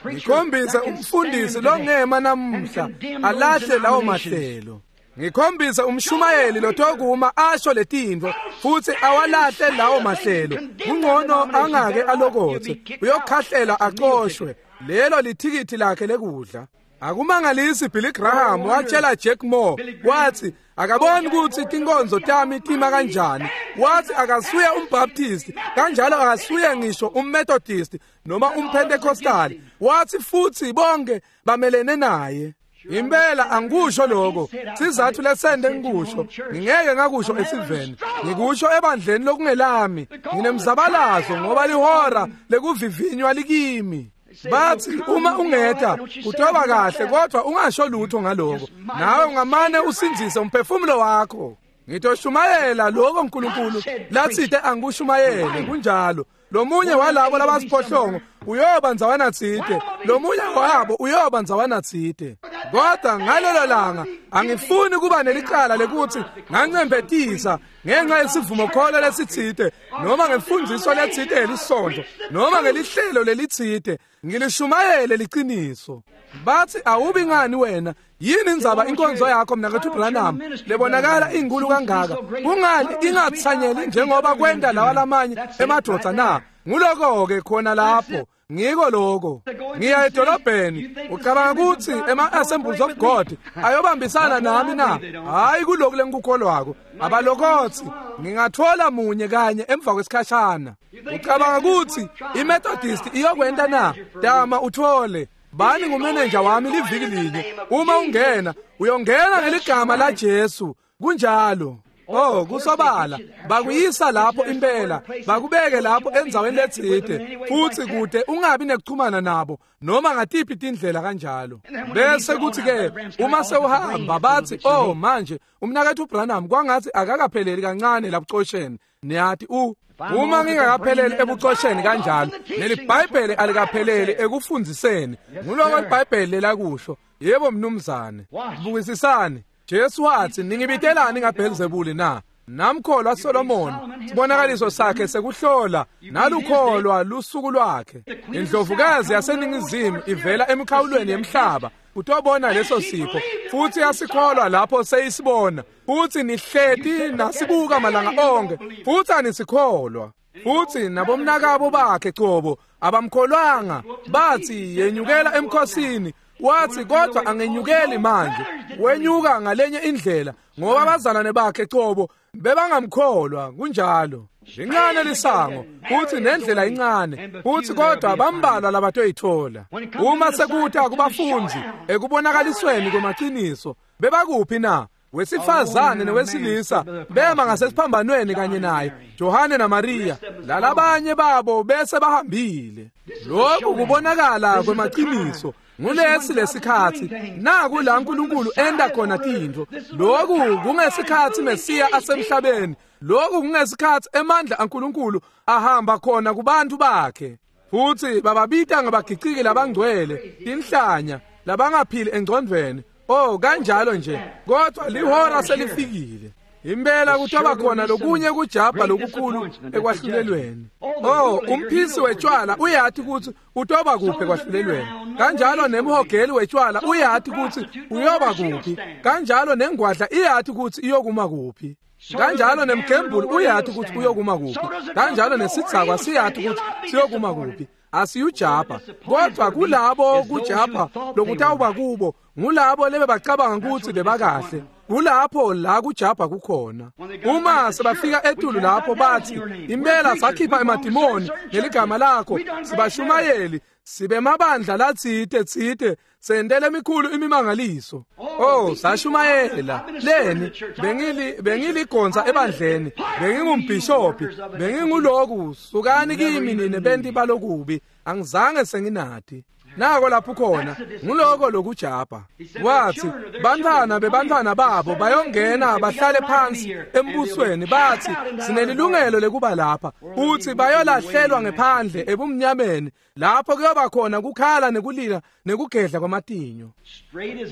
Ngikhombise umfundisi longema namuhla alahle lawo mahlelo. Ngikhombise umshumayeli lotokuma asho letintfo futhi awalahle lawo mahlelo. Kungcono angake alokothe, uyokhahlela acoshwe. Lelo lithikithi lakhe lekudla. Akumangalisi Billy Graham watshela Jack Moore, wathi akaboni ukuthi tinkonzo tami tima kanjani. Wathi akasuye umBaptist, kanjalo akasuye ngisho umMethodist noma umPentecostal. Wathi futhi bonke bamelene naye. Impela angikusho lokho, sizathu lesende ngikusho, ngingeke ngakusho esiveni, ngikusho ebandleni lokungelami. Nginemzabalazo ngoba lihora lekuvivinywa likimi. Bathi uma ungeta kutoba kahle, kodwa ungasho lutho ngaloko. Nawe ungamane usindzise umphefumulo wakho. Ngitoshumayela lokho uNkulunkulu lathite angikushumayele. Kunjalo. Lomunye walabo labasiphohlongo uyoba ndzawana tsite, lomunye wabo uyoba ndzawana tsite. Kodwa ngalelo langa angifuni kuba nelicala lekuthi ngancembetisa ngenxa yesivumokholo lesitsite, noma ngemfundiso letsite yelisonto, noma ngelihlelo lelitsite. Ngilishumayele liciniso. Bathi awubi ngani wena? Yini indzaba inkonzo yakho mnakethu Branham lebonakala inkulu kangaka? Kungani ingatsanyeli njengoba kwenta lawa lamanye emadvodza na? Nguloko ke khona lapho. Ngiko lokho. Ngiya edolobheni, ucabanga ukuthi ema-Assemblies of God ayobambisana nami na? Hayi, kulokhu lengikukholwako. Abalokothi ngingathola munye kanye emva kwesikhashana. Ucabanga ukuthi iMethodist iyokwenta na? Dama uthole. Bani ngumenenja wami liviki linye. Uma ungena, uyongena ngeligama la Jesu. Kunjalo. Oh, kusobala bakuyisa lapho impela, bakubeke lapho endzaweni letsite, futhi kude ungabi nekuchumana nabo noma ngatiphi tindlela kanjalo. Bese kuthi ke uma sewuhamba bathi, oh manje umnakethu Branham kwangathi akakapheleli kancane labucosheni. Niyathi u uma ngingakapheleli ebucosheni kanjalo, neliBhayibheli alikapheleli ekufundziseni. Nguloko iBhayibheli lelakusho. Yebo mnumzane. Bukisisani. Jesu wathi, ningibitelani ngaBhelzebuli na? Namkholwa Solomon, sibonakaliso sakhe sekuhlola, nalukholwa lusuku lwakhe. Indlovukazi yaseningizimu ivela emikhawulweni yemhlaba utobona leso sipho, futhi yasikholwa lapho seyisibona. Futhi nihleti nasibuka malanga onke, futhi anisikholwa. Futhi nabomnakabo bakhe cobo abamkholwanga, bathi yenyukela emkhosini. Wathi kodwa angenyukeli manje, wenyuka ngalenye indlela ngoba abazalwane bakhe cobo bebangamkholwa. Kunjalo. Lincane lisango futhi nendlela incane, futhi kodwa bambalwa labatoyithola. Uma sekuta kubafundi ekubonakalisweni kwemaqiniso, bebakuphi na? Wesifazane newesilisa bema ngasesiphambanweni kanye naye, Johane naMaria, lalabanye babo bese bahambile. Lokhu kubonakala kwemaqiniso. Ngulesi lesikhathi naku la uNkulunkulu enda khona tintfo. Lokhu kungesikhathi Mesiya asemhlabeni. Lokhu kungesikhathi emandla aNkulunkulu ahamba khona kubantu bakhe. Futhi bababita ngabagiciki labangcwele, tinhlanya, labangaphili engcondvweni. Oh, kanjalo nje, kodwa lihora selifikile. Impela kutoba khona lokunye kujabha lokukhulu ekwahlulelweni. Oh, umphisi wetshwala uyati kutsi utoba kuphi ekwahlulelweni. Kanjalo nemhogeli wetshwala uyati kutsi uyoba kuphi. Kanjalo nengwadla iyati kutsi iyokuma kuphi. Kanjalo nemgembuli uyati kutsi uyokuma kuphi. Kanjalo nesidzakwa siyati kutsi siyokuma kuphi. Asiyujabha, kodwa kulabo kujabha lokutawuba kubo ngulabo lebebacabanga kutsi bebakahle. Kulapho la kujabha kukhona. Uma sebafika etulu lapho bathi, impela sakhipha emadimoni ngeligama lakho, sibashumayeli, sibemabandla latsite tsite, sentele emikhulu imimangaliso. Oh, sashumayela leni bengili bengiligonsa ebandleni, bengingumbhishophi, benginguloku, sukani kimi nine benti balokubi, angizange senginati. Nako lapho khona nguloko lokujabha. Wathi bantwana bebantwana babo bayongena bahlale phansi embusweni, bathi sinelilungelo lekuba lapha. Uthi bayolahlelwa ngephandle ebumnyameni, lapho kuyoba khona kukhala nekulila nekugedla kwamatinyo.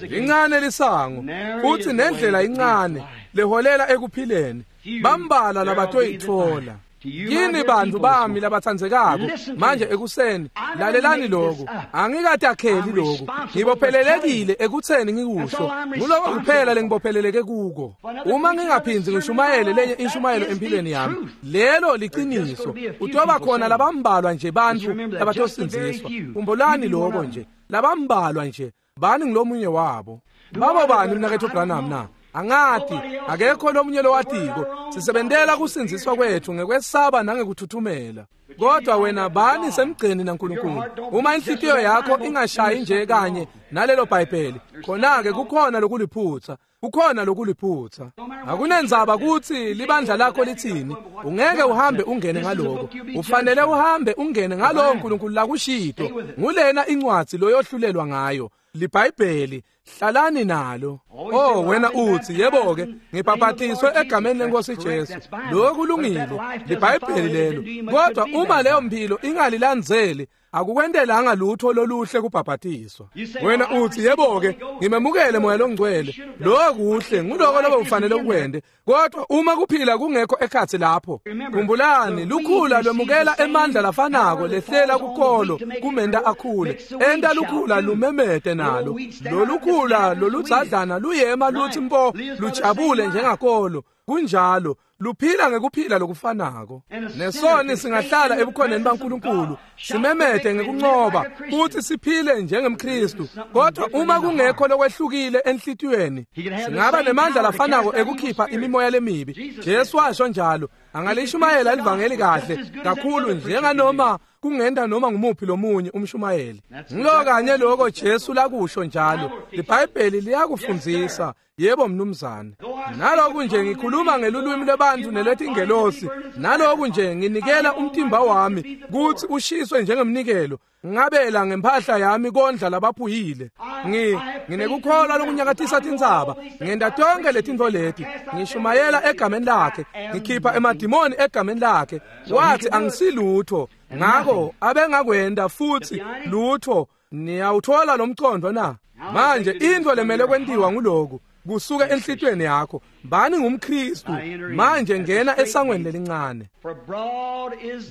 Lincane lisango futhi nendlela incane leholela ekuphileni, bambala labatoyithola. Yini bantu bami labatsandzekako manje ekuseni, lalelani lokhu. Angikatakheli lokhu, ngibophelelekile ekutheni ngikusho. Nguloko kuphela lengibopheleleke kuko. Uma ngingaphindzi ngishumayele lenye inshumayelo empilweni yami, lelo liqiniso. Utoba khona labambalwa nje bantfu labatosindziswa. Khumbulani lokho nje, labambalwa nje, bani ngilomunye wabo. Babo bani mnaketfu Branham na? Angati, akekho lomunye lowatiko. Sisebentela kusindziswa kwethu ngekwesaba nangekuthuthumela. Kodwa wena bani semgceni naNkulunkulu. Uma inhlitiyo yakho ingashayi nje kanye nalelo Bhayibheli, khona-ke kukhona lokuliphutsa, kukhona lokuliphutsa. Akunendzaba kutsi libandla lakho litsini, ungeke uhambe ungene ngaloko. Ufanele uhambe ungene ngalowo Nkulunkulu lakushito. Ngulena incwadzi loyohlulelwa ngayo, liBhayibheli. Hlalani nalo. Oh, wena uthi, yebo ke, ngibhaphatiswe egameni lenkosi Jesu. Lokhu kulungile, liBhayibheli lelo. Kodwa uma leyo mpilo ingalilandzeli, akukwentelanga lutho loluhle kubhaphatiswa. Wena uthi, yebo ke, ngimemukele moya longcwele. Lokho kuhle, nguloko lobe ufanele ukwente. Kodwa uma kuphila kungekho ekhatsi lapho, khumbulani, lukhula lwemukela emandla lafanako lehlela kukolo kumenta akhule. Enta lukhula lumemete nalo. Lolukhula loludzadlana luyema lutsi mpo lujabule njengakolo. Kunjalo, luphila ngekuphila lokufanako. Nesoni singahlala ebukhoneni baNkulunkulu, simemete ngekuncoba, futhi siphile njengemKristu. Kodwa uma kungekho lokwehlukile enhlitiyweni, singaba nemandla lafanako ekukhipha imimoya lemibi. Jesu washo njalo, angalishumayela livangeli kahle kakhulu njenganoma kungenta noma ngumuphi lomunye umshumayeli. Ngilo kanye lokho Jesu lakusho njalo. LiBhayibheli liyakufundzisa. Yebo mnumzane. Naloku nje ngikhuluma ngelulwimi lwebantfu nelwetingelosi, naloku nje nginikela umtimba wami kutsi ushiswe njengemnikelo, ngabela ngempahla yami kondla labaphuyile. Ngi nginekukholwa lokunyakatisa tintsaba, ngenta tonke letintfo leti, ngishumayela egameni lakhe, ngikhipha emadimoni egameni lakhe. Wathi angisilutho, ngako abengakwenta futhi lutho. Niyawuthola lo mcondo na? Manje intfo lemele kwentiwa nguloku kusuka enhlitiyweni yakho. Bani ngumKristu manje, ngena esangweni lelincane,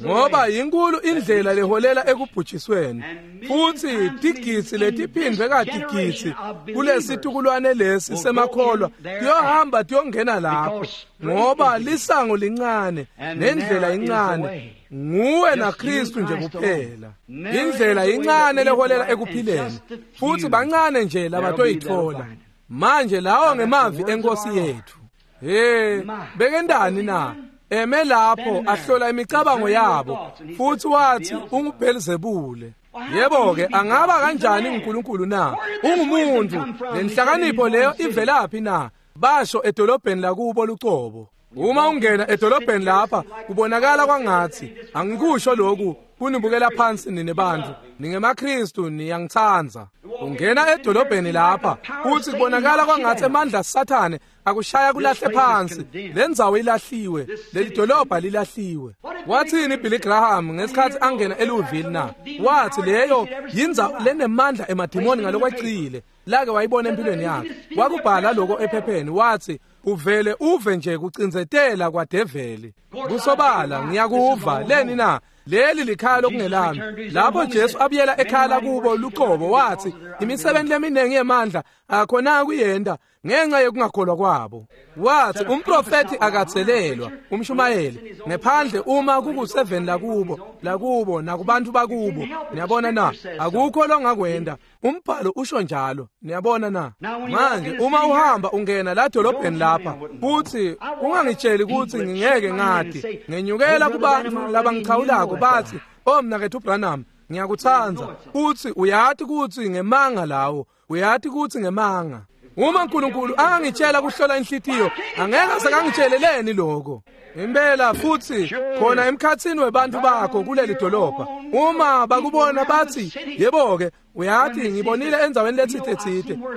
ngoba yinkulu indlela leholela ekubhujisweni, futhi tigitsi letiphindwe katigitsi kulesitukulwane lesi semakholwa tiyohamba tiyongena lapho, ngoba lisango lincane nendlela incane. Nguwe naKristu nje kuphela. Indlela incane leholela ekuphileni, futhi bancane nje labatoyithola. Manje lawo ngemavi enkosi yethu. Hey, bekendani na? Eme lapho ahlola imicabango yabo, futhi wathi unguBhelzebule. Yebo ke, angaba kanjani uNkulunkulu na? Ungumuntu. Lenhlakanipho leyo ivelaphi na? Basho edolobheni lakubo lucobo. Uma ungena edolobheni lapha kubonakala kwangathi, angikusho lokhu kunibukela phansi nine bantu, ningemaKristu, niyangitsandza. Ungena edolobheni lapha futhi kubonakala kwangathi emandla Sathane akushaya kulahle phansi. Lendzawo ilahliwe, leli dolobha lilahliwe. Wathini Billy Graham ngesikhathi angena eLouisville na? Wathi leyo yindzawo lenemandla emadimoni ngalokwecile. lake wayibona empilweni yakhe. Wakubhala lokho ephepheni, wathi uvele uve nje kucindzetela kwadeveli. Kusobala ngiyakuva leni na leli likhaya lokungelami. Lapho Jesu abuyela ekhaya lakubo luqobo, wathi imisebenzi leminingi yemandla akhona kuyenda ngenxa yokungakholwa kwabo. Wathi umprofeti akathelelwa umshumayeli ngephandle uma kukuseveni lakubo lakubo nakubantu bakubo. Niyabona na? Akukho longakwenda, umbhalo usho njalo. Niyabona na? Manje uma uhamba ungena la dolobheni lapha futhi ungangitsheli ukuthi ngingeke ngathi ngenyukela kubantu labangichawulako bathi, "Oh mnakethu Branham, ngiyakuthanda." Uthi uyathi ukuthi ngemanga lawo, uyathi ukuthi ngemanga. Uma uNkulunkulu angangitshela kuhlola inhlitiyo, angeke sekangitsheleleni lokho. Impela futhi khona emkhathini webantu bakho kuleli dolobha, uma bakubona bathi, "Yebo ke, uyathi ngibonile endaweni lethithe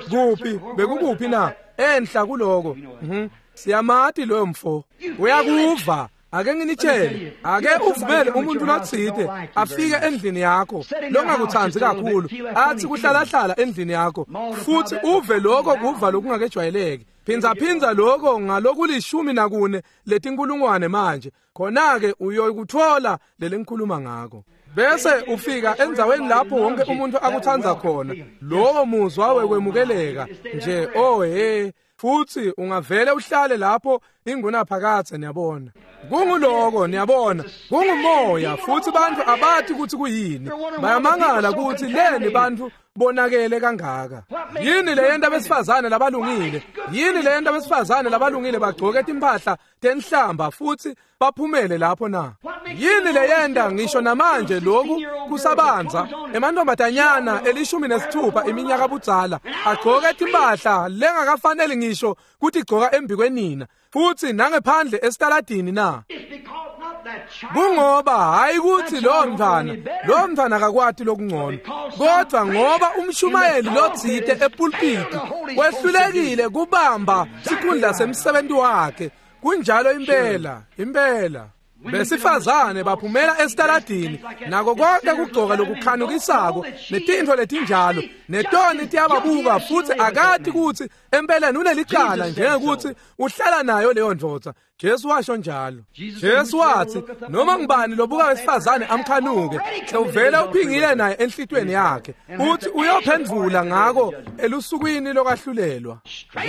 kuphi bekukuphi na enhla kuloko." Mhm, siyamati loyo mfo. Uyakuva. Ake nginitshele, ake uvumele umuntu lotsite afike endlini yakho longakuthandi kakhulu, athi kuhlala hlala endlini yakho, futhi uve lokho kuva lokungakejwayeleki. Phinza phinza lokho ngalokulishumi nakune letinkulungwane manje, khona ke uyokuthola leli ngikhuluma ngako. Bese ufika endzaweni lapho wonke umuntu akuthanda khona, lowo muzwa wekwemukeleka nje, oh he, futhi ungavele uhlale lapho ingunaphakadze. Niyabona, kunguloko, niyabona, kungumoya, futhi bantu abathi ukuthi kuyini, bayamangala ukuthi leni bantu bonakele kangaka. Yini leyenta abesifazane labalungile? Yini leyenta abesifazane labalungile bagcoke timphahla tenhlamba futhi baphumele lapho na? Yini leyenta ngisho namanje lokhu kusabanza emantombazanyana elishumi nesithupha iminyaka budzala agcoke timphahla lengakafanele ngisho kuthi gcoka embikwenina futhi nangephandle esitaladini na? Kungoba hayi ukuthi lo mntwana lo mntwana akakwati lokungcono, kodwa ngoba umshumayeli lotsite epulpiti wehlulekile kubamba sikhundla semsebenzi wakhe. Kunjalo impela, impela. Besifazane baphumela esitaladini nako konke kugcoka lokukhanukisako netintfo letinjalo, netoni tiyababuka futhi akati ukuthi empeleni unelicala njengokuthi uhlala nayo leyo ndvodza. Jesu washo njalo. Jesu wathi noma ngubani lobuka wesifazane amkhanuke sewuvela uphingile naye enhlitweni yakhe, uthi uyophendvula ngako elusukwini lokwahlulelwa.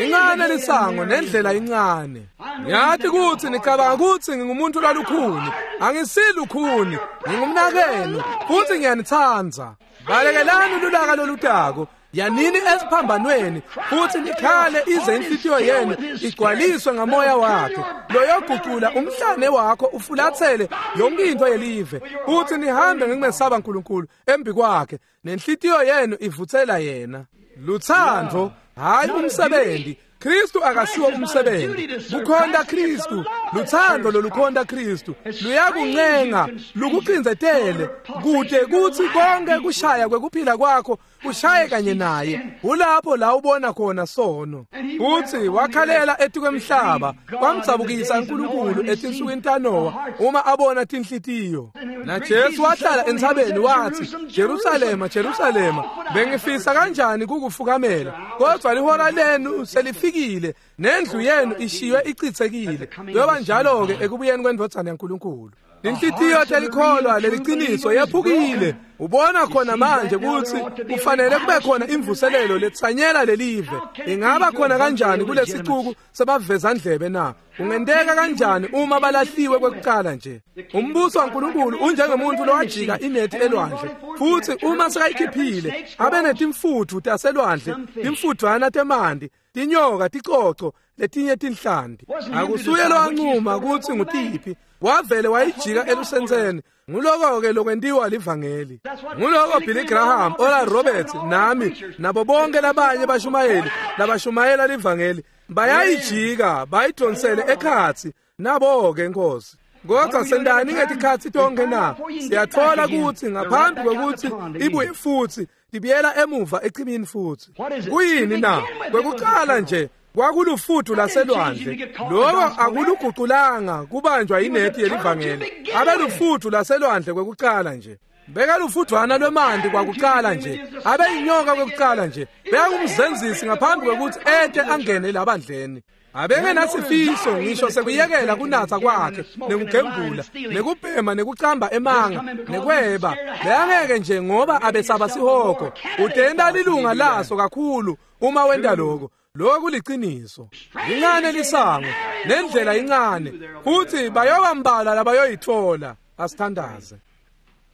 Incane lisango nendlela incane. Ngiyathi ukuthi nicabanga ukuthi ngingumuntu lwalukhuni, angisilukhuni, ngingumnakenu futhi ngiyanithanda. Balekelani lulaka lolutako, yanini esiphambanweni futhi nikhale ize inhlitiyo yenu igcwaliswe ngamoya wakhe loyogucula umhlane wakho ufulathele yonke into yelive, futhi nihambe ngekumesaba uNkulunkulu embi kwakhe nenhlitiyo yenu ivuthela yena. Luthando, hayi umsebenzi. Kristu akasiwo umsebenzi, kukhonta Kristu. Luthando lolukhonta Kristu luyakuncenga lukucindzetele kude kuthi konke kushaya kwekuphila kwakho kushaye kanye naye. Ulapho la ubona khona sono. Uthi wakhalela etikwemhlaba kwamdzabukisa uNkulunkulu etinsukwini taNowa uma abona tinhlitiyo. Na Jesu wahlala entsabeni wathi, "Jerusalema, Jerusalema, bengifisa kanjani kukufukamela, kodwa lihora lenu selifikile nendlu yenu ishiywe ichithekile." Kuyoba njalo ke ekubuyeni kwendvodzana yaNkulunkulu. Inhlitiyo telikholwa leliciniso yephukile. Ubona khona manje ukuthi kufanele kube khona imvuselelo letsanyela lelive. Ingaba khona kanjani kulesicuku sebavezandlebe na? Ungenteka kanjani uma balahliwe kwekuqala nje? Umbuso waNkulunkulu unjengomuntu lowajika inethi elwandle, futhi uma sekayikhiphile abe netimfutfu taselwandle, timfudvwana temanti, tinyoka, ticoco, letinye tinhlanti. Akusuye lowancuma ukuthi ngutiphi, wavele wayijika elusentseni. Nguloko ke lokwentiwa livangeli. Nguloko Billy Graham, Oral Roberts, nami nabo bonke labanye bashumayeli labashumayela livangeli bayayijika bayidonsele ekhatsi nabo ke Nkosi. Kodwa sendani ngetikhatsi tonke na? Siyathola ukuthi ngaphambi kokuthi ibuye futhi ibiyela emuva echibini futhi. Kuyini na? Kwekuqala nje kwakulufuthu laselwandle. Lokho akuluguqulanga kubanjwa inethi yelivangeli. Abelufuthu laselwandle kwekuqala nje. Bekalufudvwana lwemanti kwakuqala nje, abeyinyoka kwekuqala nje, bekangumzenzisi ngaphambi kwekutsi ete angene labandleni. Abengenasifiso ngisho sekuyekela kunatsa kwakhe nekugembula nekubhema nekucamba emanga nekweba. Bekangeke nje ngoba abesaba sihogo. Utenta lilunga laso kakhulu uma wenta lokho. Lokhu liciniso. Lincane lisango nendlela incane, futhi bayobambala labayoyithola. Asithandaze.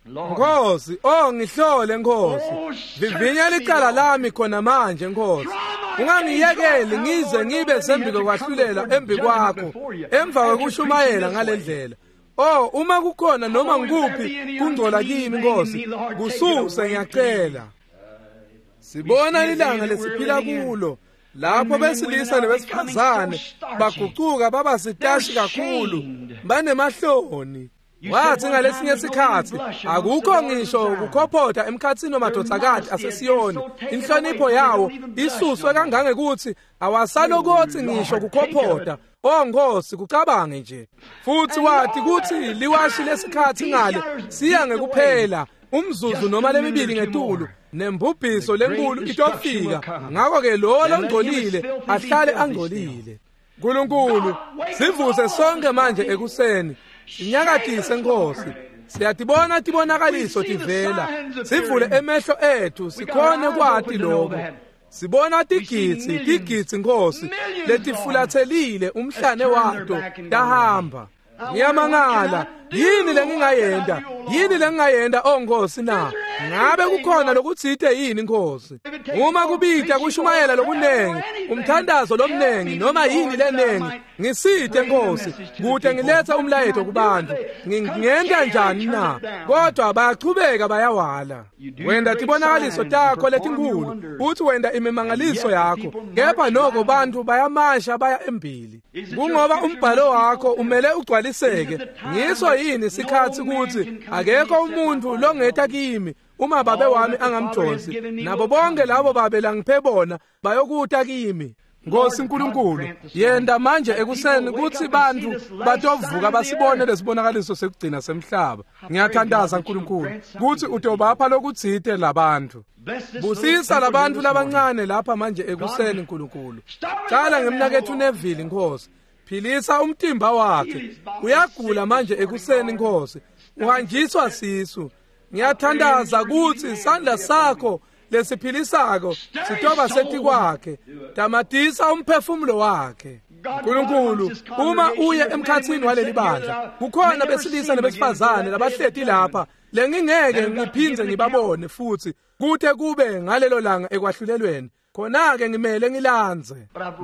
Nkosi, oh ngihlole Nkosi, vivinya licala lami khona manje Nkosi. Ungangiyekeli ngize ngibe sembiko kwahlulela embi kwakho emva kwekushumayela ngalendlela. Oh, uma kukhona noma ngikuphi kungcola kimi Nkosi, kususe ngiyacela. Sibona ilanga lesiphila kulo lapho besilisa nebesifazane bagucuka baba sitashi kakhulu, banemahloni. Wathi ngalesinye sikhathi akukho ngisho ukukhophotha emkhathini wamadodakazi aseSiyoni, inhlonipho yawo isuswe kangangekuthi awasalokothi ngisho kukhophotha. Oh Nkosi, kucabange nje. Futhi wathi kuthi liwashi lesikhathi ngale siya ngekuphela umzuzu noma lemibili ngetulu, nembubhiso lenkulu itofika. Ngakho-ke lo longcolile ahlale angcolile. Nkulunkulu, sivuse sonke manje ekuseni, sinyakatise Nkosi. Siyatibona tibonakaliso tivela, sivule emehlo ethu sikhone kwati lokho. Sibona tigitsi tigitsi Nkosi letifulathelile umhlane wato tahamba. Ngiyamangala, yini lengingayenta? Yini lengingayenta oh Nkosi na? Ngabe kukhona lokutsite yini Nkosi? Uma kubita kushumayela lokunengi, umthandazo lomnengi noma yini lenengi, ngisite Nkosi kute ngiletha umlayeto kubantu. Ngingenta njani na? Kodwa bayachubeka bayawala. Wenda tibonakaliso takho letinkulu, uthi wenda imimangaliso yakho, kepha noko bantu bayamasha baya embili. Kungoba umbhalo wakho umele ugcwaliseke. Ngiso yini sikhathi ukuthi akekho umuntu longeta kimi uma babe wami angamjonsi, nabo bonke labo babe langiphe bona bayokuta kimi. Nkosi Nkulunkulu, yenda manje ekuseni kuthi bantu batovuka basibone lesibonakaliso sekugcina semhlaba. Ngiyathandaza Nkulunkulu kuthi utobapha lokutsite labantu. Busisa labantu labancane lapha manje ekuseni Nkulunkulu. Cala ngemnaketfu Neville Nkosi, philisa umtimba wakhe. Uyagula manje ekuseni Nkosi, uhanjiswa sisu. Ngiyathandaza kuthi isandla sakho lesiphilisako sitoba setikwakhe. Tamatisa umphefumulo wakhe. Nkulunkulu, uma uye emkhathini waleli bandla, kukhona besilisa nebesifazane labahleti lapha lengingeke ngiphindze ngibabone futhi kute kube ngalelo langa ekwahlulelweni. Khona-ke ngimele ngilandze,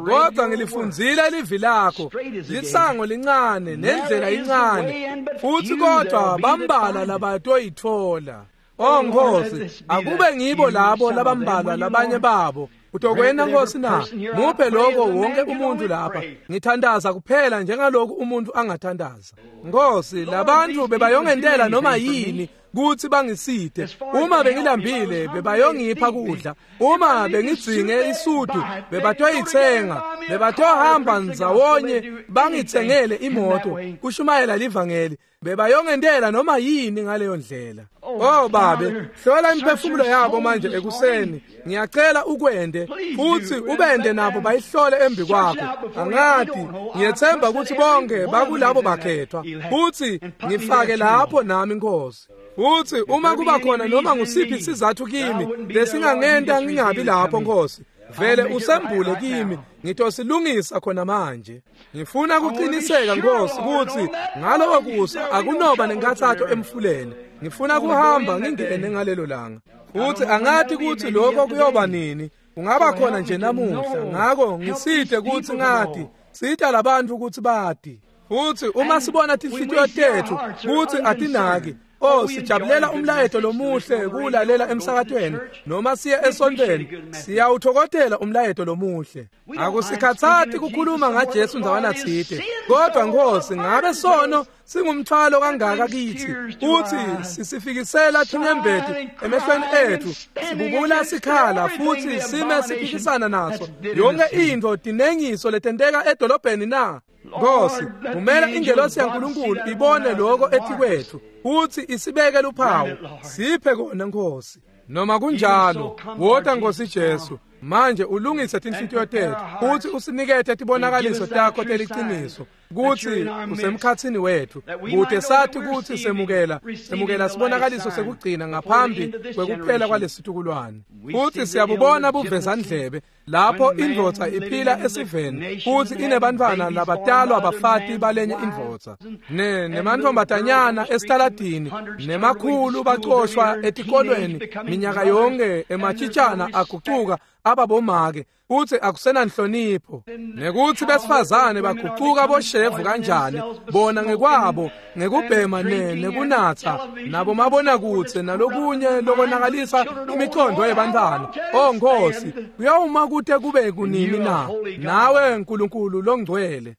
kodwa ngilifundzile livi lakho. Lisango lincane nendlela incane, futhi kodwa bambala labatoyithola. Oh Nkosi, akube ngibo labo labambalwa labanye babo. Utokwena Nkosi na? Muphe lokho wonke umuntu lapha. Ngithandaza kuphela njengalokhu umuntu angathandaza. Nkosi, labantu bebayongentela noma yini kuthi bangisite. Uma bengilambile bebayongipha kudla, uma bengidzinge isudu bebatoyithenga, bebatohamba ndzawonye bangithengele imoto kushumayela livangeli, bebayongentela noma yini ngaleyo ndlela. Oh babe, hlola imiphefumulo yabo manje ekuseni. Ngiyacela ukwende futhi ubende nabo bayihlole embi kwakho. Angathi ngiyethemba ukuthi bonke bakulabo bakhethwa, futhi ngifake lapho nami Nkosi. Futhi uma kuba khona noma ngusiphi isizathu kimi lesingangenta ngingabi lapho Nkosi, vele usembule kimi, ngitosilungisa khona manje. Ngifuna kuqiniseka Nkosi ukuthi ngaloko kusa akunoba nenkathatho emfuleni. Ngifuna kuhamba ngingene ngalelo langa. Futhi angathi ukuthi lokho kuyoba nini, kungaba khona nje namuhla. Ngakho ngisite ukuthi ngathi sita labantu ukuthi bati. Futhi uma sibona tinhlitiyo tethu kuthi atinaki, oh sijabulela umlayeto lomuhle kulalela emsakatweni noma siye esontweni, siyawuthokotela umlayeto lomuhle. Akusikhathathi kukhuluma ngaJesu ndzawana tsite, kodwa Nkosi ngabe sono Singumthwalo kangaka kithi uthi sisifikisela tinyembeti emehlweni ethu, sibubula sikhala futhi sime siphikisana naso yonke into tinengiso letenteka edolobheni na. Nkosi, vumela ingelosi yaNkulunkulu ibone lokho etikwethu uthi isibeke luphawu. Siphe kona Nkosi. Noma kunjalo, wota Nkosi Jesu manje ulungise tinhlitiyo tethu uthi usinikete tibonakaliso takho teliciniso kutsi usemkhatsini wethu, kute sathi kutsi semukela semukela sibonakaliso sekugcina ngaphambi kwekuphela kwalesitukulwane. Futhi siyabubona buvezandlebe lapho indvodza iphila esiveni futhi inebantfwana labatalwa bafati balenye indvodza, ne nemantfombatanyana esitaladini, nemakhulu bacoshwa etikolweni minyaka yonke, emachitshana agucuka ababomake uthi akusenanhlonipho, nekuthi besifazane bagucuka boshevu kanjani bona ngekwabo ngekubhema ne nekunatha nabo mabonakutse nalokunye lokonakalisa imicondo yebantwana. Oh Nkosi, kuyawuma kute kube kunini na nawe Nkulunkulu longcwele?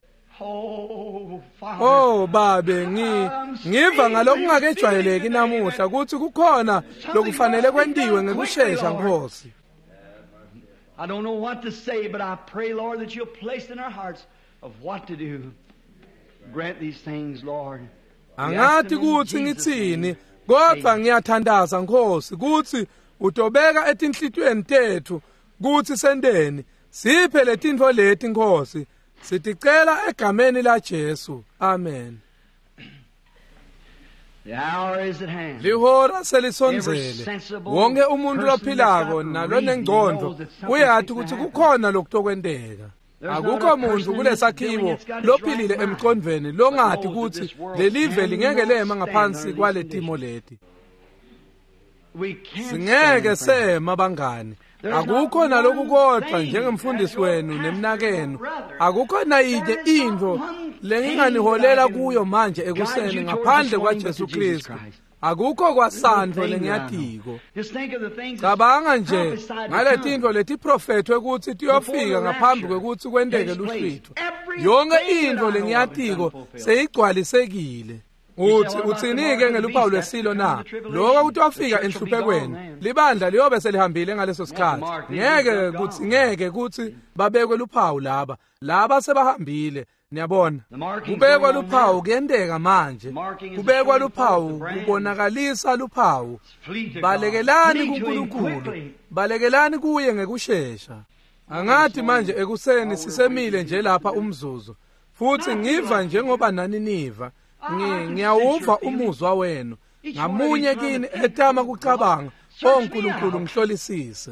Oh babe, ngi ngiva ngalokungakejwayeleki namuhla ukuthi kukhona lokufanele kwentiwe ngekushesha Nkosi. I don't know what to say, but I pray, Lord, that you'll place in our hearts of what to do. Grant these things, Lord. Angathi kuthi ngitsini, kodwa ngiyathandaza Nkosi kuthi utobeka etinhlitiyweni tethu kuthi sendeni. Siphe letintfo leti Nkosi. Siticela egameni la Jesu. Amen. The hour is at hand. Lihora selisondzele. Wonke umuntu lophilako nalonengcondo uyathi ukuthi kukhona lokutokwenteka. Akukho muntu kulesakhiwo lophilile emcondvweni longathi ukuthi lelive lingeke lema ngaphansi kwaletimo leti. Singeke sema bangani. Akukho naloku kodwa njengemfundisi wenu nemnakenu, akukho nayinye intfo lenginganiholela kuyo manje ekuseni ngaphandle kwaJesu Kristu. Akukho kwasandvo lengiyatiko. Cabanga nje ngaletintfo letiprofethwe kutsi tiyofika ngaphambi kwekutsi kwenteke luhlwitho. Yonke intfo lengiyatiko seyigcwalisekile. Uthi uthini-ke ngeluphawu lwesilo na? Lokho kutofika enhluphekweni. Libandla liyobe selihambile ngaleso sikhathi. Ngeke kuthi ngeke kuthi babekwe luphawu laba. Laba sebahambile. Niyabona, kubekwa luphawu kuyenteka manje. Kubekwa luphawu kubonakalisa luphawu. Balekelani kuNkulunkulu, balekelani kuye ngekushesha. Angathi manje ekuseni sisemile nje lapha umzuzu, futhi ngiva njengoba nani niva. Ngiyawuva umuzwa wenu ngamunye kini etama kucabanga, oh Nkulunkulu ngihlolisise.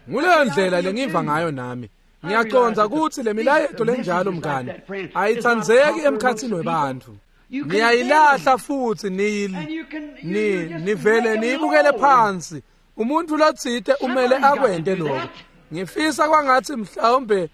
Nguleyo ndlela lengiva ngayo nami. Ngiyacondza ukuthi le milayeto lenjalo mngani ayitsandzeki emkhatsini webantfu. Niyayilahla futhi ni ni nivele niyibukele phansi. Umuntu lotsite umele akwente lokho. Ngifisa kwangathi mhlawumbe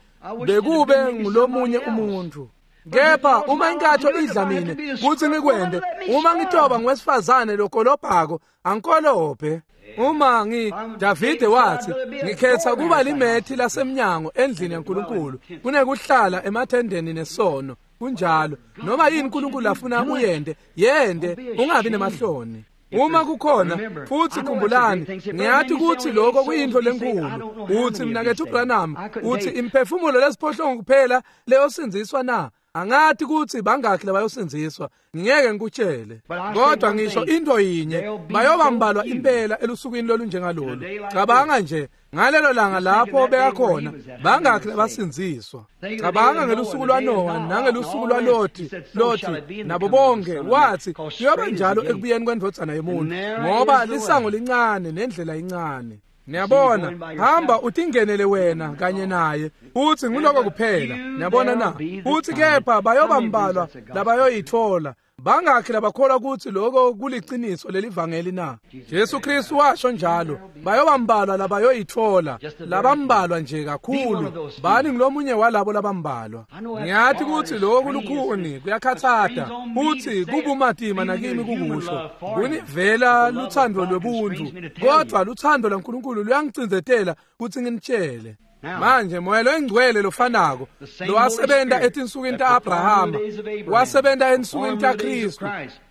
bekube ngulomunye umuntu. Kepha uma inkatho idla mine kuthi ngikwende, uma ngitoba ngwesifazane lokolobhako angikolobhe. Uma ngi Davide wathi ngikhetha kuba limethi lasemnyango endlini yaNkulunkulu kunekuhlala emathendeni nesono. Kunjalo, noma yini uNkulunkulu afuna uyende, yende, ungabi nemahloni. Uma kukhona futhi khumbulani, ngiyathi ukuthi lokho kuyinto lenkulu. Uthi mnakethu Branham, uthi imphefumulo lesiphohlongo kuphela leyosindziswa na? Angathi ukuthi bangakhi labayosindziswa, ngeke ngikutshele. Kodwa ngisho into yinye, bayobambalwa impela elusukwini lolunjengalolu. Cabanga nje ngalelo langa lapho bekakhona, bangakhi labasindziswa. Cabanga ngelusuku lwaNowa nangelusuku lwaLoti, Loti nabo bonke, wathi kuyoba njalo ekubuyeni kwendvodzana yemuntu, ngoba lisango lincane nendlela incane. Niyabona, hamba utingenele wena kanye naye, uthi nguloko kuphela. Niyabona na? Uthi kepha bayobambalwa labayoyithola. Bangakhi labakholwa ukuthi lokho kuliciniso lelivangeli na? Jesu Kristu washo njalo, bayobambalwa labayoyithola, labambalwa nje kakhulu. Bani ngilomunye walabo labambalwa. Ngiyathi ukuthi lokho kulukhuni, kuyakhathata, uthi kubumatima nakimi kukusho. Kunivela luthando lwebuntu, kodwa luthando lwaNkulunkulu luyangicindzetela ukuthi nginitshele. Manje moya loyingcwele lofanako lowasebenta etinsukwini ta-Abrahama, wasebenta ensukwini taKhristu,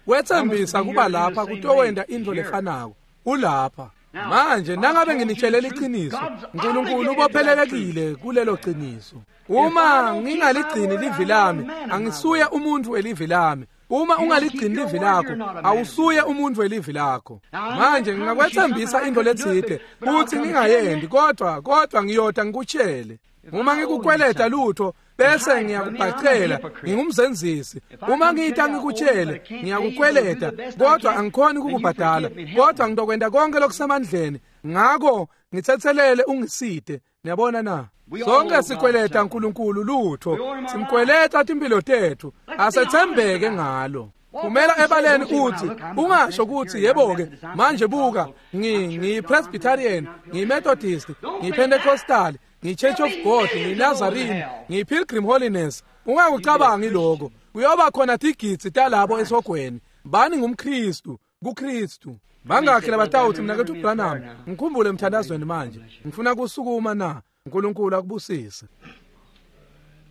wetsembisa kuba lapha kutowenta intfo lefanako. Ulapha manje. Nangabe nginitshelele iqiniso, uNkulunkulu ubophelelekile kulelo qiniso. Uma ngingaligcini livi lami, angisuye umuntu elivi lami. Uma ungaligcini livi lakho, awusuye umuntu welivi lakho. Manje ngingakwethembisa into letsite futhi ngingayendi, kodwa kodwa ngiyota ngikutshele. Uma ngikukweleta lutho bese ngiyakubhacela, ngingumzenzisi. Uma ngiyita ngikutshele, ngiyakukweleta, kodwa angikhoni ukukubhadala, kodwa ngitokwenta konke lokusemandleni. Ngako ngithethelele ungisite. Niyabona na? Sonke sikweleta uNkulunkulu lutho, simkweleta timpilo tethu, asethembeke ngalo. Phumela ebaleni uthi, ungasho ukuthi yebo-ke manje buka, ngiyi-Presbyterian, ngiyi-Methodist, ngiyi-Pentecostal, ngiyi-Church of God, ngiyi-Nazarene, ngiyi-Pilgrim Holiness. Ungakucabangi lokho. Kuyoba khona tigidzi talabo esogweni. Bani ngumKristu, kuKristu. Bangakhi labatawuthi mnaketfu Branham, ngikhumbule emthandazweni manje. Ngifuna kusukuma na? uNkulunkulu akubusise.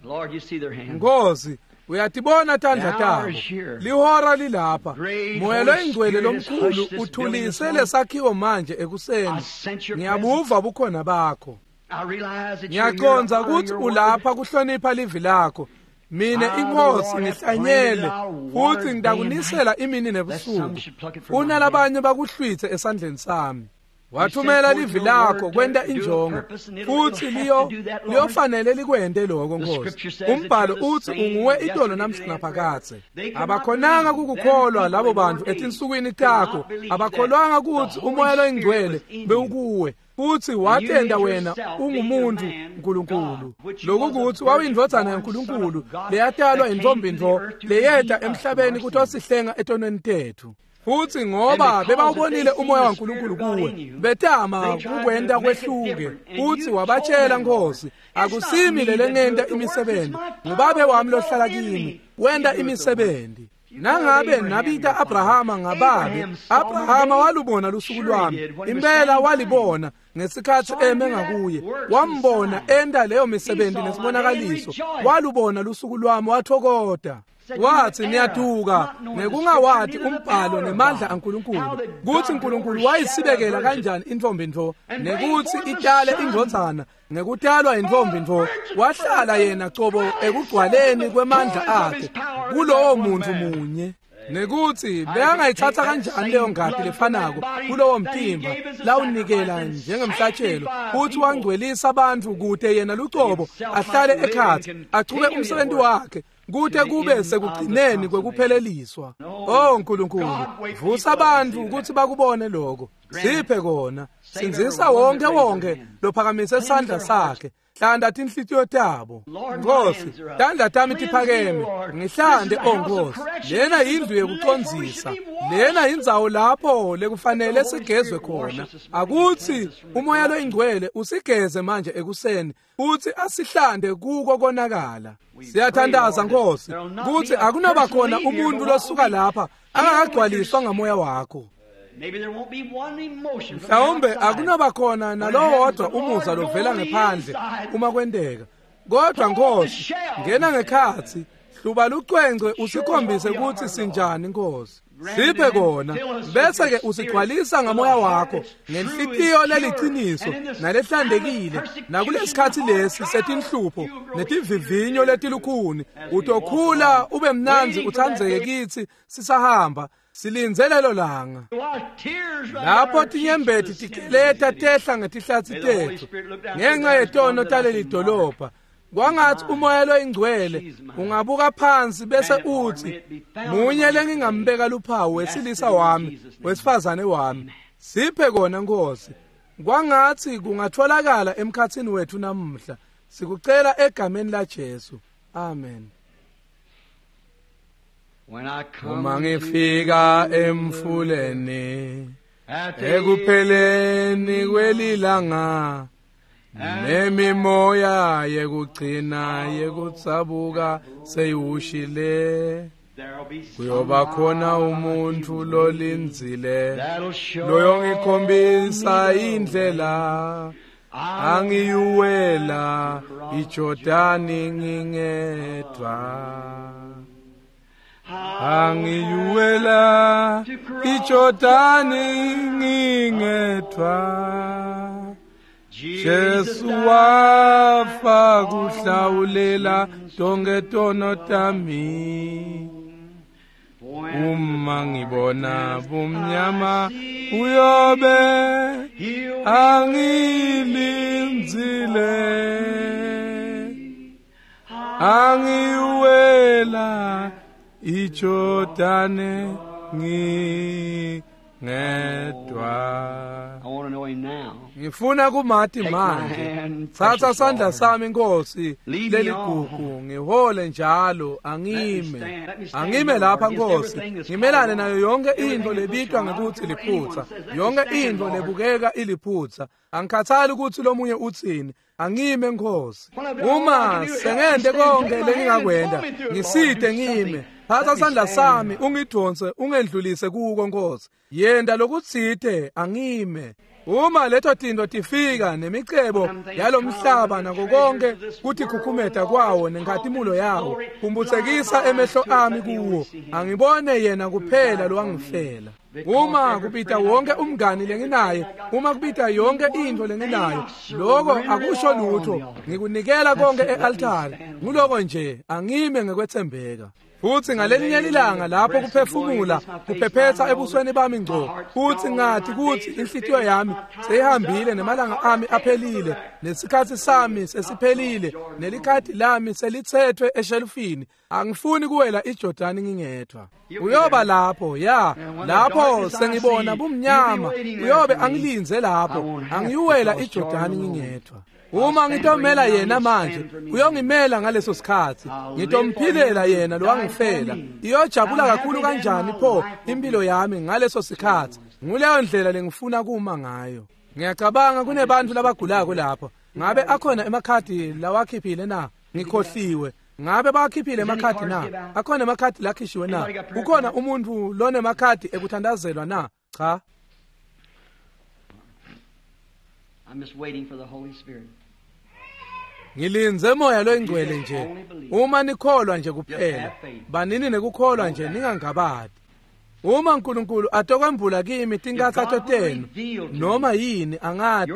Lord, you see their hands. Nkosi, uyatibona tandla tabo. Lihora lilapha. Moya loyingcwele lomkhulu uthulise lesakhiwo manje ekuseni. Ngiyabuva bukhona bakho. I realize that you're here to Ngiyacondza honor ukuthi your word. ulapha kuhlonipha livi lakho. Mine inkosi ngihlanyele futhi ngitakunisela imini nebusuku. Unalabanye bakuhlwithe esandleni sami. Wathumela livi lakho kwenta injongo futhi liyo liyofanele likwente lokho Nkosi. Umbhalo uthi unguwe itolo namhla naphakadze. Abakhonanga kukukholwa labo bantu etinsukwini takho, abakholwanga ukuthi umoya loyingcwele bewukuwe futhi watenda wena ungumuntu uNkulunkulu. Lokukuthi wawuyindvodzana yaNkulunkulu leyatalwa intombi ntfo leyeta emhlabeni kutosihlenga etonweni tethu. Futhi ngoba bebawubonile umoya waNkulunkulu kuwe, betama kukwenta kwehluke. Futhi wabatshela Nkosi, akusimi lelengenta imisebenzi, ngubabe wami lohlala kimi wenta imisebenzi. Nangabe nabita Abrahama ngababe, Abrahama walubona lusuku lwami. Impela walibona ngesikhathi eme ngakuye, wambona enta leyo misebenzi nesibonakaliso. Walubona lusuku lwami wathokota. Wathi niyaduka ngekungawati umbhalo nemandla aNkulunkulu, kuthi uNkulunkulu wayisibekela kanjani intombi ntfo nekuthi itale indvodzana ngekutalwa intombi ntfo. Wahlala yena cobo ekugcwaleni kwemandla akhe kulowo muntu munye. Nekuthi bekangayithatha kanjani leyo ngati lefanako kulowo mtimba lawunikela njengemhlatshelo, futhi wangcwelisa abantu kute yena lucobo ahlale ekhatsi achube umsebenzi wakhe kute kube sekugcineni kwekupheleliswa. Oh Nkulunkulu, vusa abantu ukuthi bakubone lokho. Siphe kona. Sindzisa wonke wonke lophakamise isandla sakhe. Hlanda tinhlitiyo tabo. Nkosi, tandla tami tiphakeme. Ngihlande, oh Nkosi. Lena yindlu yekucondzisa. Lena yindzawo lapho lekufanele sigezwe khona. Akuthi umoya loyingcwele usigeze manje ekuseni futhi asihlande kuko konakala. Siyathandaza Nkosi kuthi akunoba khona umuntu losuka lapha angakagcwaliswa ngamoya wakho. Maybe there won't be one emotion from the Mhlawumbe outside. akunoba khona nalowodwa umuza lovela ngephandle uma kwenteka. Kodwa Nkosi, ngena ngekhatsi, hluba lucwengcwe usikhombise ukuthi sinjani Nkosi. Siphe kona, bese ke usigcwalisa ngamoya wakho ngenhlitiyo leliciniso nalehlandekile, nakulesikhathi lesi setinhlupho netivivinyo letilukhuni, utokhula ube mnandzi uthandzeke kithi sisahamba silindze lelo langa. While tears run down Lapho our cheeks tinyembeti for the sin of tigeleta the city. tehla ngetihlatsi tethu ngenxa yetono taleli dolobha, kwangathi umoya loyingcwele ungabuka phansi bese uthi, munye lengingambeka luphawu wesilisa wami, wesifazane wami. Siphe kona Nkosi. Kwangathi kungatholakala emkhathini wethu namuhla. Sikucela egameni laJesu. Amen. When I come Uma to ngifika emfuleni at the ekupheleni kwelilanga nemimoya yekugcina yekutsabuka seyiwushile, there'll be kuyoba khona umuntu lolindzile that'll show loyongikhombisa me the indlela. Angiyuwela iJordani ngingedwa. Angiyuwela iJordani ngingedwa. Jesu wafa kuhlawulela tonke tono tami. Uma ngibona bumnyama uyobe angilindzile. Angiyuwela iJordani ngingedwa. I want to know him now. Ngifuna kumati Take my manje. hand, Thatha precious sandla Lord. sami Nkosi Lead me leligugu ngihole njalo Let me angime. stand- let me stand Angime here, lapha Lord, against Nkosi everything that's ngimelane called nayo yonke everything into that looks lebitwa wrong. I don't ngekuthi care what anyone liphutha. says. Let me Yonke stand, into Lord. lebukeka iliphutha. Angikhathali ukuthi lomunye uthini. Angime Nkosi. When I've done all I Uma can do, help me sengente stand. konke Take my hand and lengingakwenta pull me through it, Lord. ngisite Do ngime. something. Phatha Let me sandla stand. sami ungidonse ungendlulise kuko Nkosi. Yenda lokutsite angime. Uma leto tinto tifika nemicebo yalomhlaba nako konke kutikhukhumeta kwawo nenkhatimulo yawo kumbutsekisa emehlo ami kuwo angibone yena kuphela lowangifela. Uma kubita wonke umngani lenginaye, uma kubita yonke into lenginayo, lokho akusho lutho. Ngikunikela konke e-altare. Nguloko nje angime ngekwethembeka. Futhi ngalelinye ilanga lapho kuphefumula kuphephetha ebusweni bami ngco, futhi ngathi kuthi inhlitiyo yami seyihambile nemalanga ami aphelile, nesikhathi sami sesiphelile, nelikhadi lami selithethwe eshelufini. Angifuni kuwela iJordani ngingedwa. Uyoba lapho, ya, lapho sengibona bumnyama, uyobe angilinze lapho, angiyuwela iJordani ngingedwa. Uma ngitomela yena manje, uyongimela ngaleso sikhathi. Ngitomphilela yena lowangifela. Iyojabula kakhulu kanjani pho impilo yami ngaleso sikhathi. Nguleyo ndlela lengifuna kuma ngayo. Ngiyacabanga kunebantu labagulako lapho. Ngabe akhona emakhadi lawakhiphile na? Ngikhohliwe. Ngabe bawakhiphile emakhadi na? Akhona emakhadi lakhishiwe na? Kukhona umuntu lonemakhadi ekuthandazelwa na? Cha. I'm just waiting for the Holy Spirit. Ngilinze moya loyingcwele nje. Uma nikholwa nje kuphela, banini nekukholwa nje ningangabadi. Uma uNkulunkulu atokwembula kimi tinkathato tenu noma yini angati,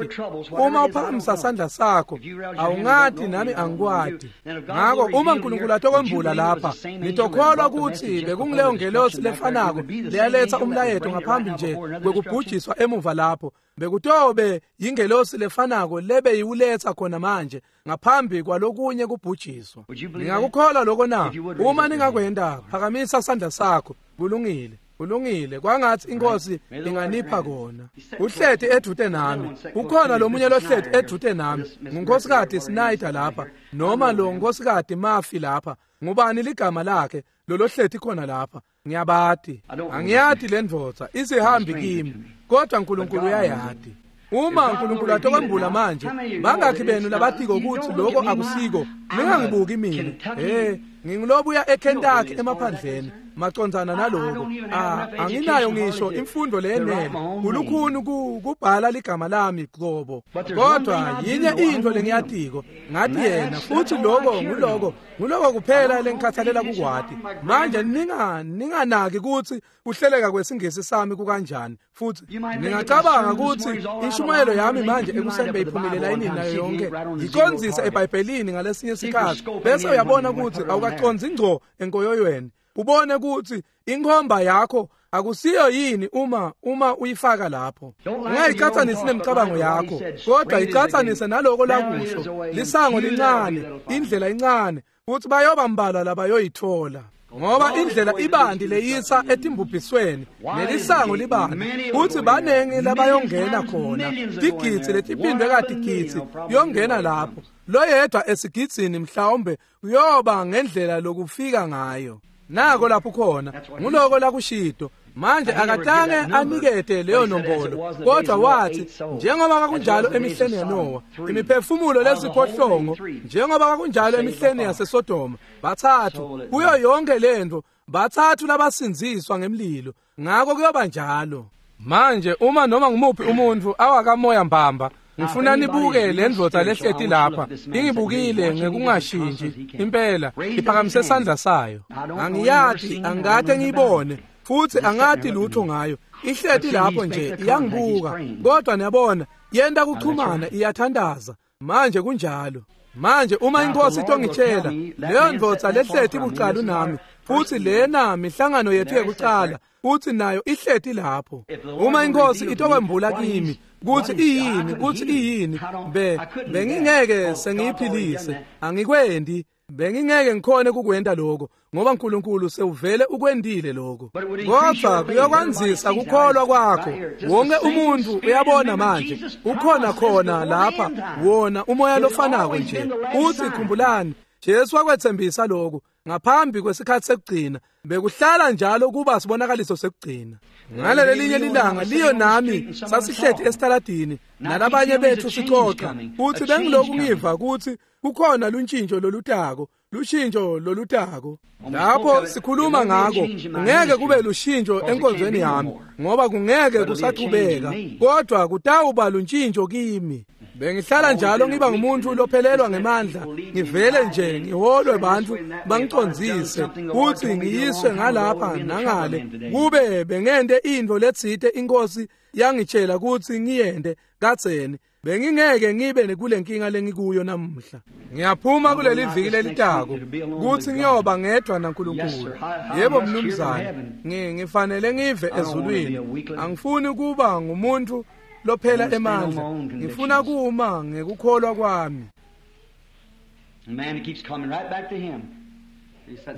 uma uphakamisa sandla sakho awungati nami angikwati. Ngako uma uNkulunkulu atokwembula lapha, ngitokholwa ukuthi bekungileyo ngelosi lefanako leyaletha umlayeto ngaphambi nje kwekubhujiswa emuva lapho. Bekutobe yingelosi lefanako lebe yiwuletha khona manje ngaphambi kwalokunye kubhujiswa. Ngingakukholwa lokho na? Uma ningakwenda, phakamisa sandla sakho. Kulungile. Kulungile, kwangathi inkosi inganipha kona. Uhleti edvute nami. Ukhona lomunye lohleti edvute nami. Ngunkosikazi Snyder lapha noma lo nkosikazi Murphy lapha. Ngubani ligama lakhe lolohleti khona lapha? Ngiyabati. Angiyati le ndvodza, isihambi kimi, kodwa uNkulunkulu uyayati. Uma uNkulunkulu atokwembula manje, bangakhi benu labatiko ukuthi lokho akusiko? Ningangibuki mina. Eh, ngingulobuya eKentucky emaphandleni macondzana naloko. Ah, anginayo ngisho imfundo leyenele. Kulukhuni kubhala ligama lami qobo. Kodwa yinye into lengiyatiko, ngathi yena futhi lokho nguloko, nguloko kuphela lengikhathalela kukwati. Manje ninga ninganaki ukuthi kuhleleka kwesingisi sami kukanjani. Futhi ningacabanga ukuthi inshumayelo yami manje ekuseni beyiphumile layinini nayo yonke. Ngicondzise eBhayibhelini ngalesinye isikhathi bese uyabona ukuthi awukaconzi ngco enkoyoyweni. Ubone ukuthi inkhomba yakho akusiyo yini uma uma uyifaka lapho. Ungayiqhathanisi nemicabango yakho, kodwa iqhathanise naloko lakusho. Lisango lincane, indlela incane, futhi bayoba mbalwa labayoyithola. Ngoba indlela ibandi leyisa etimbubhisweni, nelisango libandi, futhi banengi labayongena khona. Tigidzi letiphindwe katigidzi yongena lapho. Loyedwa esigidzini mhlawumbe uyoba ngendlela lokufika ngayo. Nako lapho khona, nguloko lakushido. Manje akatange anikete leyo nombolo, kodwa wathi njengoba kwakunjalo emihleni yaNowa, imiphefumulo lesiphohlongo, njengoba kwakunjalo emihleni yaseSodoma, bathathu kuyo yonke lento, bathathu labasinziswa ngemlilo. Ngako kuyoba njalo. Manje uma noma ngumuphi umuntu awakamoya mbamba, Ngifuna nibuke le ndvodza lehleti lapha ingibukile ngekungashintshi impela iphakamise sandla sayo. Angiyati, angikade ngiyibone futhi angati lutho ngayo. Ihleti lapho nje iyangibuka, kodwa niyabona yenta kuchumana, iyathandaza. Manje kunjalo. Manje uma inkosi itongitshela leyo ndvodza lehleti bucalu nami, futhi lena mihlangano yethu yekucala, futhi nayo ihleti lapho, uma inkosi itokwembula kimi kuthi iyini, kuthi iyini, be bengingeke sengiyiphilise, angikwendi, bengingeke ngikhone kukwenta lokho, ngoba uNkulunkulu sewuvele ukwendile lokho. Kodwa kuyokwanzisa kukholwa kwakho. Wonke umuntu uyabona manje ukhona khona lapha wona umoya lofanako nje. Uthi khumbulani, Jesu wakwethembisa lokho ngaphambi kwesikhathi sekugcina, bekuhlala njalo kuba sibonakaliso sekugcina. Ngaleli linye lilanga liyo nami sasihleti esitaladini nalabanye bethu sixoxa, uthi bengiloku ngiva ukuthi kukhona luntshintsho lolutako, lushintsho lolutako. Lapho sikhuluma ngako, ngeke kube lushintsho enkonzweni yami, ngoba kungeke kusachubeka, kodwa kutawuba luntshintsho kimi. Bengihlala njalo ngiba ngumuntu lophelelwa ngemandla, ngivele nje ngiholwe bantu bangicondzise kuthi ngiyiswe ngalapha nangale, kube bengente intfo letsite inkosi yangitshela ukuthi ngiyente kadzeni, bengingeke ngibe kule nkinga lengikuyo namuhla. Ngiyaphuma kuleli viki lelitako kuthi ngiyoba ngedwa naNkulunkulu. Yebo mnumzane, ngifanele ngive ezulwini. Angifuni kuba ngumuntu lophela emandla, ngifuna kuma ngekukholwa kwami.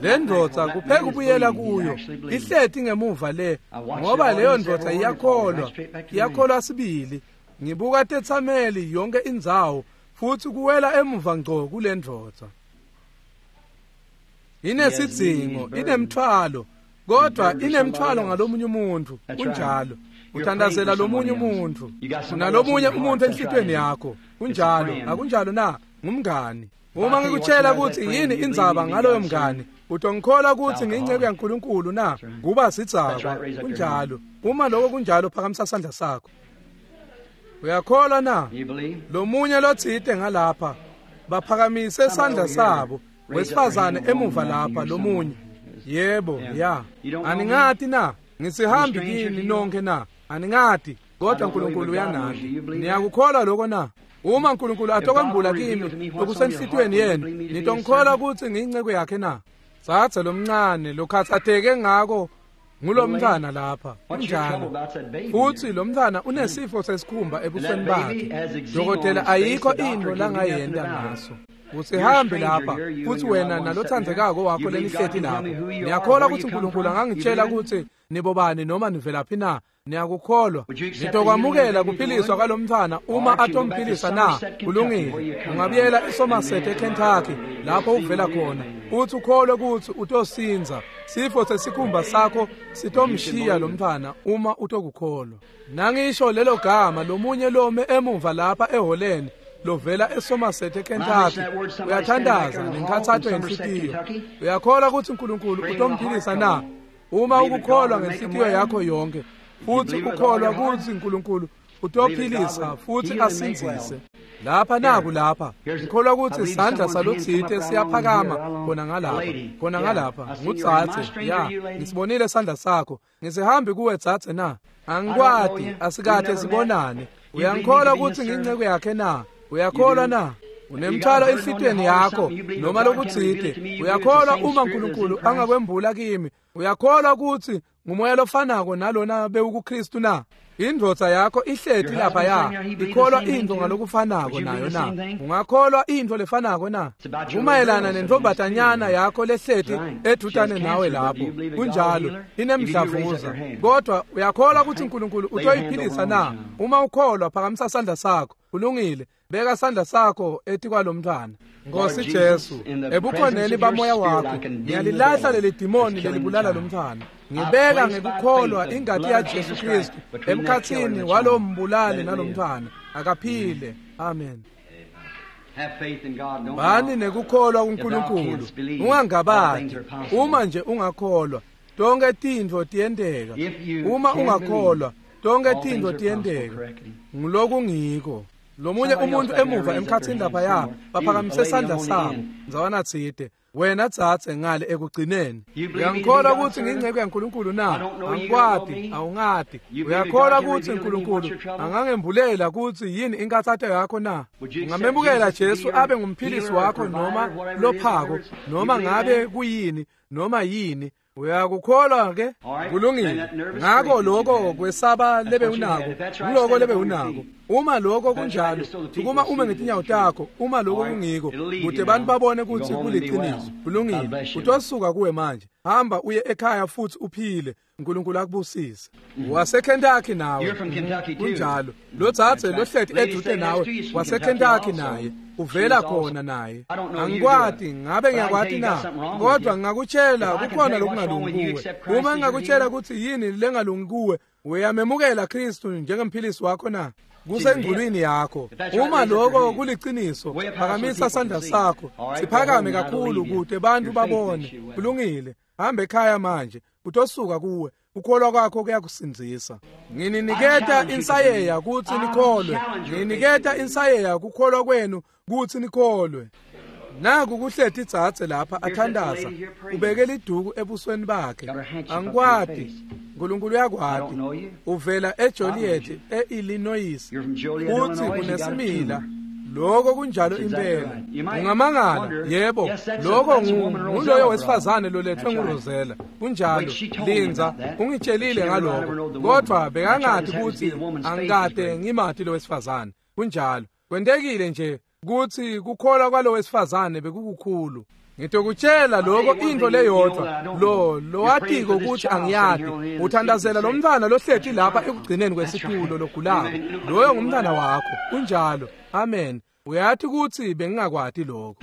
Le ndvodza kupheka ubuyela kuyo, ihleti ngemuva le, ngoba leyo ndvodza iyakholwa, iyakholwa sibili. Ngibuka tetsameli yonke indzawo futhi kuwela emuva ngco kule ndvodza. Inesidzingo, inemthwalo, kodwa inemthwalo ngalomunye umuntu. Kunjalo. Uthandazela lomunye umuntu, unalomunye umuntu enhlitweni yakho. Kunjalo, akunjalo na? Ngumngani. Uma ngikutshela ukuthi yini indzaba ngaloyo mngani, utongikholwa ukuthi ngiyinceku yaNkulunkulu na? Kuba sidzakwa. Kunjalo. Uma lokho kunjalo, phakamisa sandla sakho. Uyakholwa na? Lomunye lotsite ngalapha baphakamise sandla sabo, wesifazane emuva lapha lomunye. Yebo, ya. Aningati na? Ngisihambi kini nonke na? Aningati, kodwa uNkulunkulu uyanati. Niyakukholwa lokho na? Uma uNkulunkulu atokwembula kimi okusenhlitweni yenu, nitongikholwa ukuthi ngiyinceku yakhe na? Tsatsa lomncane lokhathatheke ngako ngulomntwana lapha. Kunjalo. Futhi lomntwana unesifo sesikhumba ebusweni bakhe. Dokotela ayikho into langayenta ngaso. Usihambe lapha futhi wena nalothandzekako wakho lenihleti lapho. Niyakholwa ukuthi uNkulunkulu angangitshela ukuthi nibobani noma nivelaphi na? Niyakukholwa? Nitokwamukela kuphiliswa kwalomntwana uma atomphilisa na? Kulungile. Ungabuyela eSomerset eKentucky lapho uvela khona, uthi ukholwe ukuthi utosinza. Sifo sesikhumba sakho sitomshiya lomntwana uma utokukholwa. Nangisho lelo gama lomunye lome emuva lapha eholeni lovela eSomerset eKentucky, uyathandaza nenkhathato yenhlitiyo. Uyakholwa ukuthi uNkulunkulu utomphilisa na? Uma ukukholwa ngenhlitiyo yakho yonke futhi ukholwa ukuthi uNkulunkulu utophilisa futhi asindzise. Lapha naku lapha ngikholwa ukuthi isandla salotsite siyaphakama khona ngalapha, khona ngalapha ngutsatse. Ya, ngisibonile isandla sakho. Ngisihambi kuwe tsatse na? Angikwati, asikade sibonane. Uyangikholwa ukuthi ngiyinceku yakhe na? Uyakholwa na? Unemthwalo enhlitweni yakho noma lokutsite. Uyakholwa uma uNkulunkulu angakwembula kimi? Uyakholwa ukuthi ngumoya lofanako nalona bewukuKristu na? Indvodza yakho ihleti lapha ya ikholwa into ngalokufanako nayo na? Ungakholwa into lefanako na? Kumayelana nentombatanyana yakho lehleti edutane nawe lapho. Kunjalo, inemdlavuza. Kodwa uyakholwa ukuthi uNkulunkulu utoyiphilisa na? Uma ukholwa, phakamisa sandla sakho. Kulungile. Beka sandla sakho etikwalomntwana. Nkosi Jesu, ebukhoneni bamoya wakho ngiyalilahla leli dimoni lelibulala lomntwana. Ngibeka ngekukholwa ingati ya Jesu Kristu emkhatsini walombulali nalomntwana. Akaphile. Amen. Bani nekukholwa kuNkulunkulu, ungangabati. Uma nje ungakholwa, tonke tintfo tiyenteka. Uma ungakholwa, tonke tintfo tiyenteka. Ngilokungiko. Lomunye umuntu emuva emkhatsini laphaya baphakamise sandla sabo ndzawana tsite. Wena dzadze ngale ekugcineni. Uyangikholwa kutsi ngingcebo yaNkulunkulu na? Angikwati, awungati. Uyakholwa kutsi uNkulunkulu angangembulela kutsi yini inkathato yakho na? Ungamemukela Jesu abe ngumphilisi wakho noma lophako noma ngabe kuyini noma yini. Uyakukholwa ke? Kulungile. Ngako lokho kwesaba lebe unako, ngiloko lebe unako. Uma lokho kunjalo, sukuma ume ngetinyawo takho. Uma lokho kungiko, kude bantu babone kutsi kuliqiniso. Kulungile. Utosuka kuwe manje. Hamba uye ekhaya futhi uphile. uNkulunkulu akubusise. WaseKentucky nawe. Kunjalo. Lo dzadze lohleti eduze nawe waseKentucky naye. Uvela khona naye. Angikwati, ngabe ngiyakwati na? Kodwa ngingakutshela kukhona lokungalungi kuwe. Uma ngingakutshela kutsi yini lengalungi kuwe, uyamemukela Kristu njengemphilisi wakho na? Kusengculwini yakho. Uma lokho kuliciniso, phakamisa sandla sakho. Siphakame kakhulu kude bantu babone. Kulungile. Hamba ekhaya manje. Utosuka kuwe. Ukholwa kwakho kuyakusindzisa. Ngininiketa insayeya kutsi nikholwe. Ngininiketa insayeya kukholwa kwenu kutsi nikholwe. Naku kuhleti dzadze lapha athandaza. Ubeke liduku ebusweni bakhe. Angikwati. uNkulunkulu uyakwati. Uvela eJoliet eIllinois. Uthi unesimila. Lokho kunjalo impela. Ungamangala, yebo, lokho nguloyo wesifazane lolethwe nguRosella. Kunjalo, Linza, ungitshelile ngalokho. Kodwa bekangati kutsi angikade ngimati lo wesifazane. Kunjalo. Kwentekile nje kutsi kukholwa kwalo wesifazane bekukukhulu. Ngitokutshela lokho into leyodwa lo lowatiko ukuthi angiyati. Uthandazela lo mntwana lohleti lapha ekugcineni kwesitulo logulako. Loyo ngumntwana wakho. Kunjalo. Amen. Uyathi kutsi bengingakwati lokho.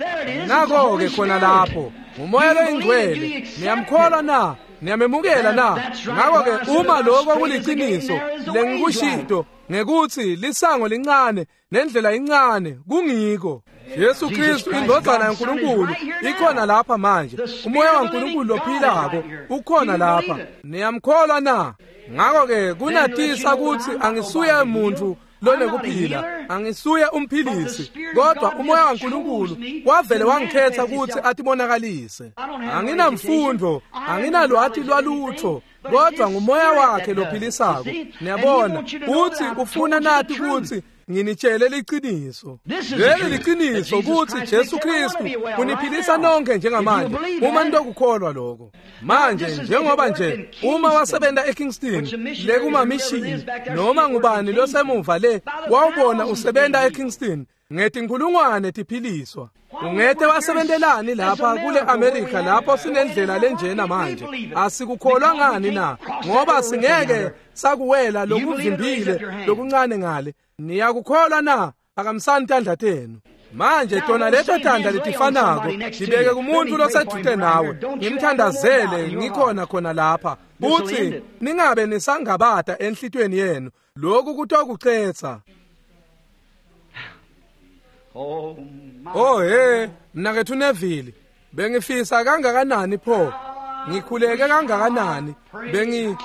Nako ke khona lapho ngumoya loyingcwele. Niyamkholwa na? Niyamemukela na? Ngako ke uma lokho kuliciniso lengikushito ngekutsi lisango lincane nendlela incane kungiko. Jesu Kristu indvodzana yaNkulunkulu ikhona lapha manje. Umoya waNkulunkulu lophilako ukhona lapha. Niyamkholwa na? Ngako ke kunatisa kutsi angisuye umuntu lonekuphila, angisuye umphilisi, kodwa umoya waNkulunkulu wavele wangikhetha kutsi atibonakalise. Anginamfundo, anginalwati lwalutho, kodwa ngumoya wakhe lophilisako. Niyabona, uthi ufuna nathi kutsi nginitshele liciniso. Leli liciniso kutsi Jesu Kristu uniphilisa nonke njengamanje uma nitokukholwa lokho. Manje njengoba nje uma wasebenta eKingston lekumamishini noma ngubani losemuva le wawubona usebenta eKingston ngetinkhulungwane tiphiliswa. Ungete wasebentelani lapha kule America lapho sinendlela lenjena manje? Asikukholwa ngani na? Ngoba singeke sakuwela lokuvimbile lokuncane ngale. Niyakukholwa na? Phakamisani tandla tenu. Manje tona leto tandla letifanako ngibeke kumuntu loseduze nawe, ngimthandazele ngikhona khona lapha. Uthi ningabe nisangabata enhlitweni yenu. Lokhu kutokucetsa. Oh hey, mnakethu Neville, bengifisa kangakanani pho? Ngikhuleke kangakanani? Bengi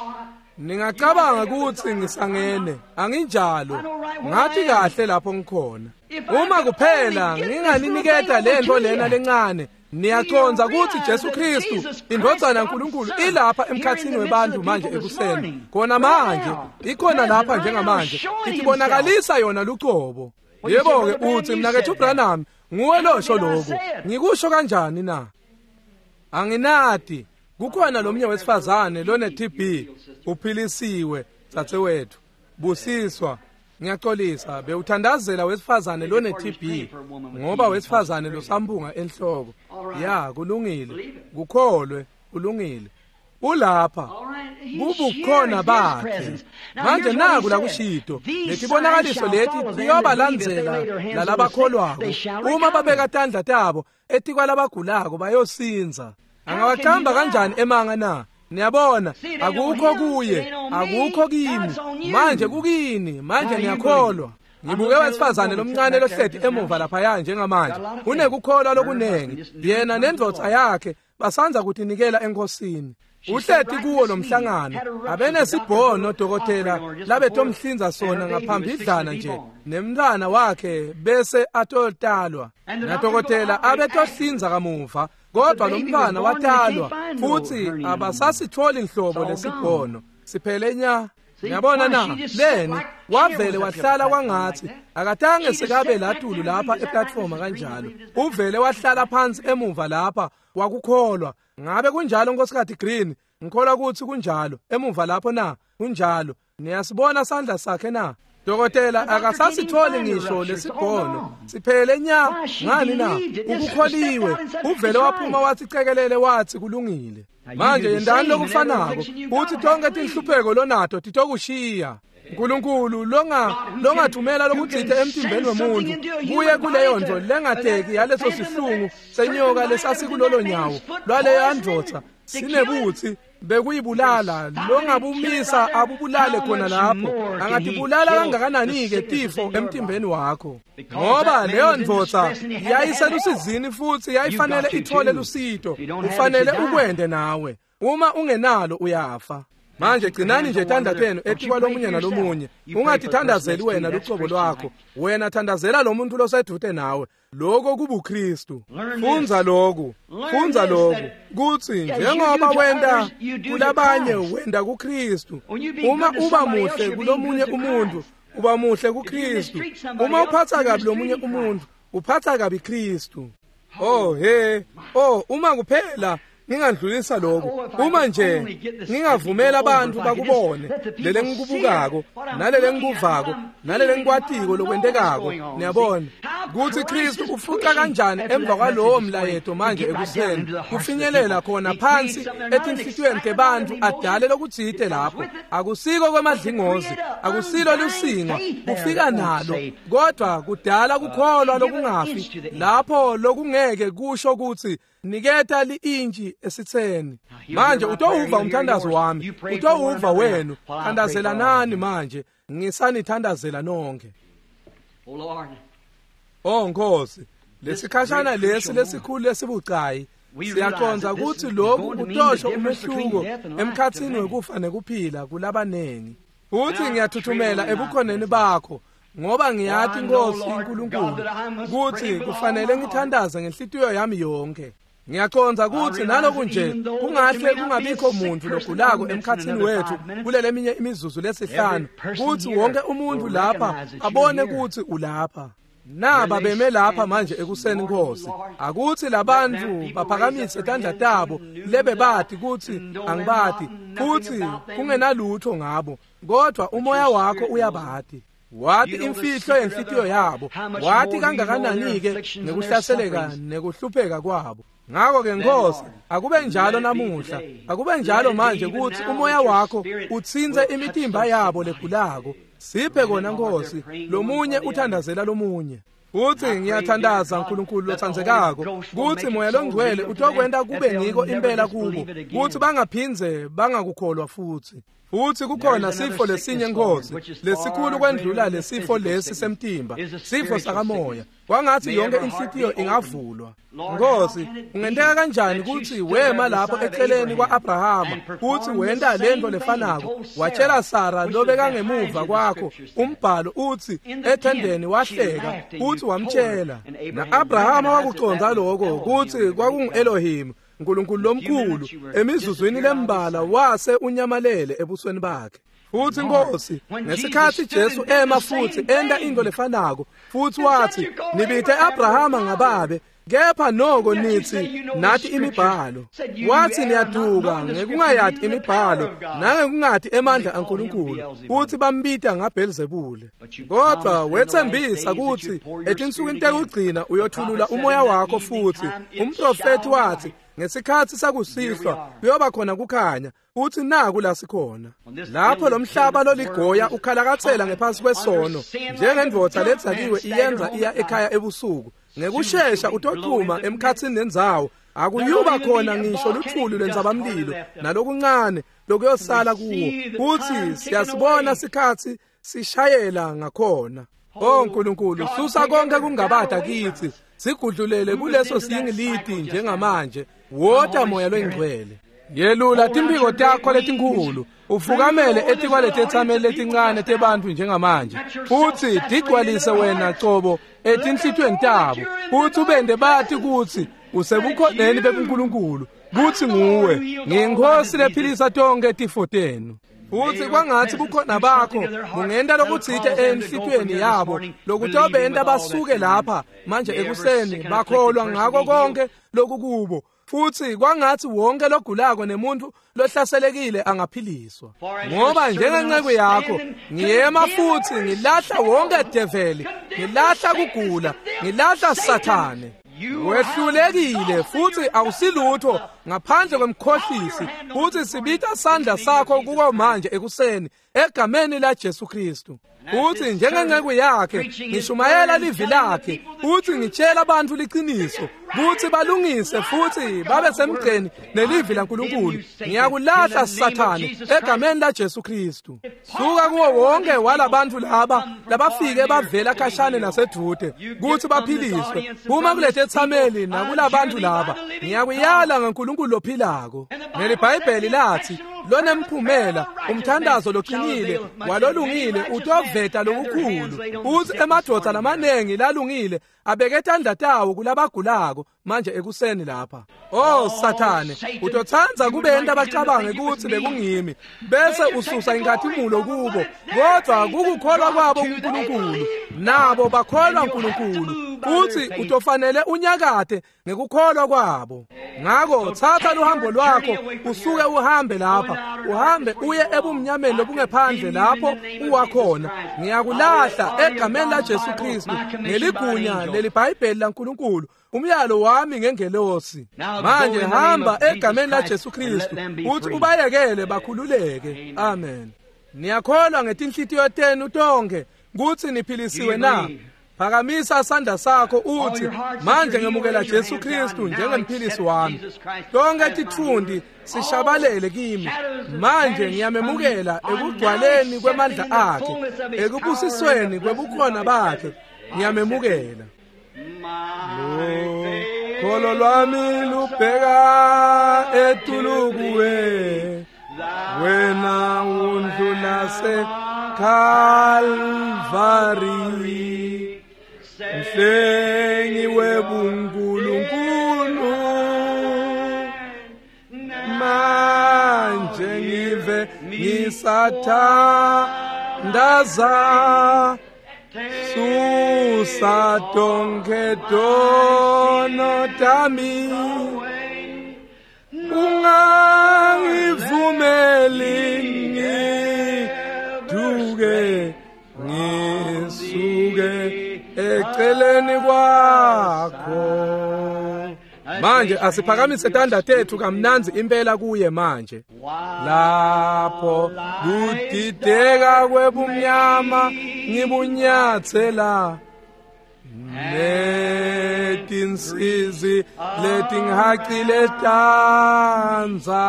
ningacabanga kutsi ngisangene, anginjalo. Ngathi kahle lapho ngikhona. Uma kuphela nginganiniketa lento lena lencane, niyacondza kutsi Jesu Kristu indvodzana yaNkulunkulu ilapha emkhatsini webantu manje ekuseni. Khona manje, ikhona lapha njengamanje, itibonakalisa yona lucobo. Yebo ke uthi mnakethu Branham, nguwe losho lokho. Ngikusho kanjani na? Anginati. Kukhona lomnye wesifazane lone T B uphilisiwe dzadzewethu. Busiswa. Ngiyaxolisa, bewuthandazela wesifazane lone T B ngoba wesifazane losambunga enhloko. Ya, kulungile. Kukholwe, kulungile. Ulapha. Kubukhona bakhe. Manje naku la kushito, letibonakaliso leti tiyobalandzela lalabakholwako. Uma babeka tandla tabo etikwalabagulako bayosinza. Angawaqamba kanjani emanga na? Niyabona, akukho kuye, akukho kimi. Manje kukini, manje niyakholwa. Ngibuke wesifazane lomncane lohleti emuva laphaya njengamanje. Unekukholwa lokunengi. Yena nendvodza yakhe Basandza kutinikela enkosini. Uhleti kuwo lo mhlangano abenesibhono dokotela labetomhlinza sona ngaphambidlana nje nemntwana wakhe bese atotalwa nadokotela abetohlinza kamuva kodwa lo mntwana watalwa futhi abasasitholi nhlobo lesibhono siphele nya. Ngiyabona na leni wavele wahlala kwangathi akatange sekabe latulu lapha eplatform kanjalo uvele wahlala phansi emuva lapha wakukholwa. Ngabe kunjalo Nkosikazi Green? Ngikholwa ukuthi kunjalo emuva lapho na kunjalo. Niyasibona sandla sakhe na? Dokotela akasasitholi ngisho lesibhono siphele nya. Ngani na? Ukukholiwe. Uvele waphuma wathi cekelele wathi kulungile. Manje yendani lokufanako uthi tonke tinhlupheko lonato titokushiya. uNkulunkulu longa longathumela lokutsite emtimbeni womuntu kuye kuleyo nto lengateki yaleso sihlungu senyoka lesasikulolo nyawo lwaleyo ndvodza sinebuthi bekuyibulala longabumisa abubulale khona lapho angatibulala kangakanani-ke tifo emtimbeni wakho ngoba leyo ndvodza yayiselusizini futhi yayifanele ithole lusito. Ufanele ukwende nawe uma ungenalo uyafa. Manje gcinani nje tandla tenu etikwa lomunye nalomunye. Ungatithandazeli wena lucobo lwakho, wena thandazela lo muntu losedute nawe. Lokho kubuKristu. Fundza lokhu, fundza lokhu kuthi njengoba wenda kulabanye wenda kuKristu. Uma uba muhle kulomunye umuntu uba muhle kuKristu. Uma uphatha kabi lomunye umuntu uphatha kabi Kristu. Oh he, oh uma kuphela ngingandlulisa lokho uma nje ngingavumela abantu bakubone lele ngikubukako nalele ngikuvako nalele ngikwatiko lokwentekako. Niyabona ukuthi Kristu ufuqa kanjani emva kwalowo mlayeto manje ekuseni kufinyelela khona phansi etinhlitiyweni tebantu adale lokutsite lapho. Akusiko kwemadlingozi, akusilo lusingo kufika nalo, kodwa kudala kukholwa lokungafi lapho lokungeke kusho ukuthi niketa li-intshi esitheni. Manje utowuva umthandazo wami, utowuva wenu. Thandazelanani manje, ngisanithandazela nonke. Oh Nkosi, lesikhashana lesi lesikhulu lesibucayi siyaqonda ukuthi lokhu kutosho umehluko emkhathini wekufa nekuphila kulabanengi. Uthi ngiyathuthumela ebukhoneni bakho ngoba ngiyathi Nkosi uNkulunkulu ukuthi kufanele ngithandaze ngenhlitiyo yami yonke. Ngiyaqonda ukuthi naloku nje kungahle kungabikho umuntu logulako emkhathini wethu kulele minye imizuzu lesihlanu kuthi wonke umuntu lapha abone ukuthi ulapha. Naba beme lapha manje ekuseni Nkosi, akuthi labantu baphakamise tandla tabo lebe bathi kuthi angibati futhi kungenalutho ngabo, kodwa umoya wakho uyabati. Wathi imfihlo yenhlitiyo yabo, wathi kangakanani-ke nekuhlaseleka nekuhlupheka kwabo. Ngakho-ke Nkosi, akube njalo namuhla, akube njalo manje kuthi umoya wakho utsintse imitimba yabo legulako. Siphe kona Nkosi, lomunye uthandazela lomunye. Uthi ngiyathandaza uNkulunkulu lothandzekako kuthi moya longcwele utokwenta kube ngiko impela kubo kuthi bangaphinze bangakukholwa futhi. Futhi kukhona sifo lesinye Nkosi lesikhulu kwendlula lesifo lesi semtimba, sifo sakamoya. Kwangathi yonke inhlitiyo ingavulwa. Nkosi, ungenteka kanjani ukuthi wema lapho eceleni kwa-Abrahama uthi wenta lento lefanako watshela Sara lobekangemuva kwakho umbhalo uthi ethendeni wahleka uthi wamtshela. Na-Abrahama wakuconza lokho kuthi kwakungu-Elohim uNkulunkulu lomkhulu emizuzwini lembala wase unyamalele ebusweni bakhe. Futhi Nkosi, ngesikhathi Jesu ema futhi enda into lefanako futhi wathi nibithe Abrahama ngababe kepha noko nithi nathi imibhalo. Wathi niyaduka ngekungayati imibhalo nangekungati emandla aNkulunkulu uthi bambita ngaBhelzebule. Kodwa wethembisa ukuthi etinsukwini tekugcina uyothulula umoya wakho futhi. Umprofeti wathi ngesikhathi sakusihlwa kuyoba khona kukhanya. Uthi naku la sikhona lapho lo mhlaba loligoya ukhalakathela ngephansi kwesono njengendvodza letsakiwe iyenza iya ekhaya ebusuku ngekushesha utochuma emkhathini nendzawo akuyuba khona ngisho luthuli lwentsabamlilo nalokuncane lokuyosala kuwo. Uthi siyasibona sikhathi sishayela ngakhona. Oh uNkulunkulu, susa konke kungabada kithi sigudlulele kuleso siyingiliti njengamanje. Wota Moya loyiNgcwele. Yelula timphiko takho letinkhulu, ufukamele etikwaletetsameli letincane tebantfu njengamanje, futsi tigcwalise wena cobo etinhlitiyweni tabo, futsi ubente bati kutsi usebukhoneni bebuNkulunkulu, kutsi nguwe ngiyiNkhosi lephilisa tonkhe tifo tenu. Futsi kwangatsi bukhona bakho bungenta lokutsite enhlitiyweni yabo lokutobenta basuke lapha manje ekuseni bakholwa ngako konke lokukubo. Futsi kwangatsi wonke logulako nemuntu lohlaselekile angaphiliswa. Ngoba njengenceku yakho ngiyema futsi ngilahla wonke develi, ngilahla kugula, ngilahla Sathane. Wehlulekile futsi awusilutho ngaphandle kwemkhohlisi, futsi sibita sandla sakho kuko manje ekuseni egameni la Jesu Kristu. Futsi njengenceku yakhe ngishumayela livi lakhe, futsi ngitshela abantu liqiniso kutsi balungise futsi babe semgceni nelivi laNkulunkulu. Ngiyakulahla Sathane egameni la Jesu Kristu. Suka kuwo wonke walabantu laba labafike bavela khashane nasedvute kutsi baphiliswe. Phuma kuletetsameli nakulabantu laba. Ngiyakuyala ngaNkulunkulu lophilako. NeliBhayibheli lathi lonemphumela umthandazo loqinile walolungile utoveta lokukhulu. Uthi emadvodza lamanengi lalungile abeke tandla tawo kulabagulako manje ekuseni lapha. Oh Sathane, utotsandza kubenta bacabange kutsi bekungimi bese ususa inkhatimulo kubo, kodwa kukukholwa kwabo kuNkulunkulu, nabo bakholwa uNkulunkulu. Uthi utofanele unyakate ngekukholwa kwabo. Ngako thatha luhambo lwakho usuke uhambe lapha, uhambe uye ebumnyameni lobungephandle lapho uwakhona. Ngiyakulahla egameni la Jesu Kristu ngeligunya leliBhayibheli laNkulunkulu, umyalo wami ngengelosi. Manje hamba egameni la Jesu Kristu uthi ubayekele bakhululeke. Amen. Niyakholwa ngetinhlitiyo tenu tonke kutsi niphilisiwe na? Phakamisa sandla sakho uthi manje ngemukela Jesu Kristu njengemphilisi wami. Tonke titfundi sishabalele kimi. Manje ngiyamemukela ekugcwaleni kwemandla akhe, ekubusisweni kwebukhona bakhe. Ngiyamemukela. Kholo lwami lubheka etulu kuwe, wena undlula seKalvari, mhlengi webuNkulunkulu. Manje ngive ngisathandaza, susa tonke tono tami, ungangivumeli ngiduke ngisuke eceleni kwakho. Manje asiphakamise tandla tethu kamnandzi impela kuye manje. Lapho kudideka kwebumnyama ngibunyathela, netinsizi letingihacile tanza,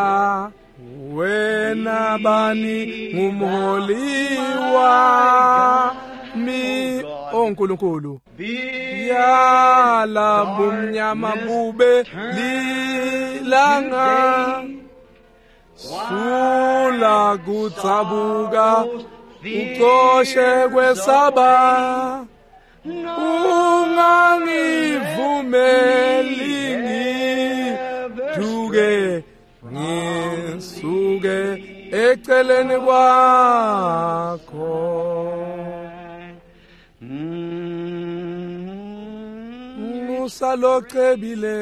wena bani ngumholi wami. O Nkulunkulu, yala bumnyama bube lilanga, sula kutsabuka ucoshe kwesaba, ungangivumeli ngiduke ngisuke eceleni kwakho. Musa locebile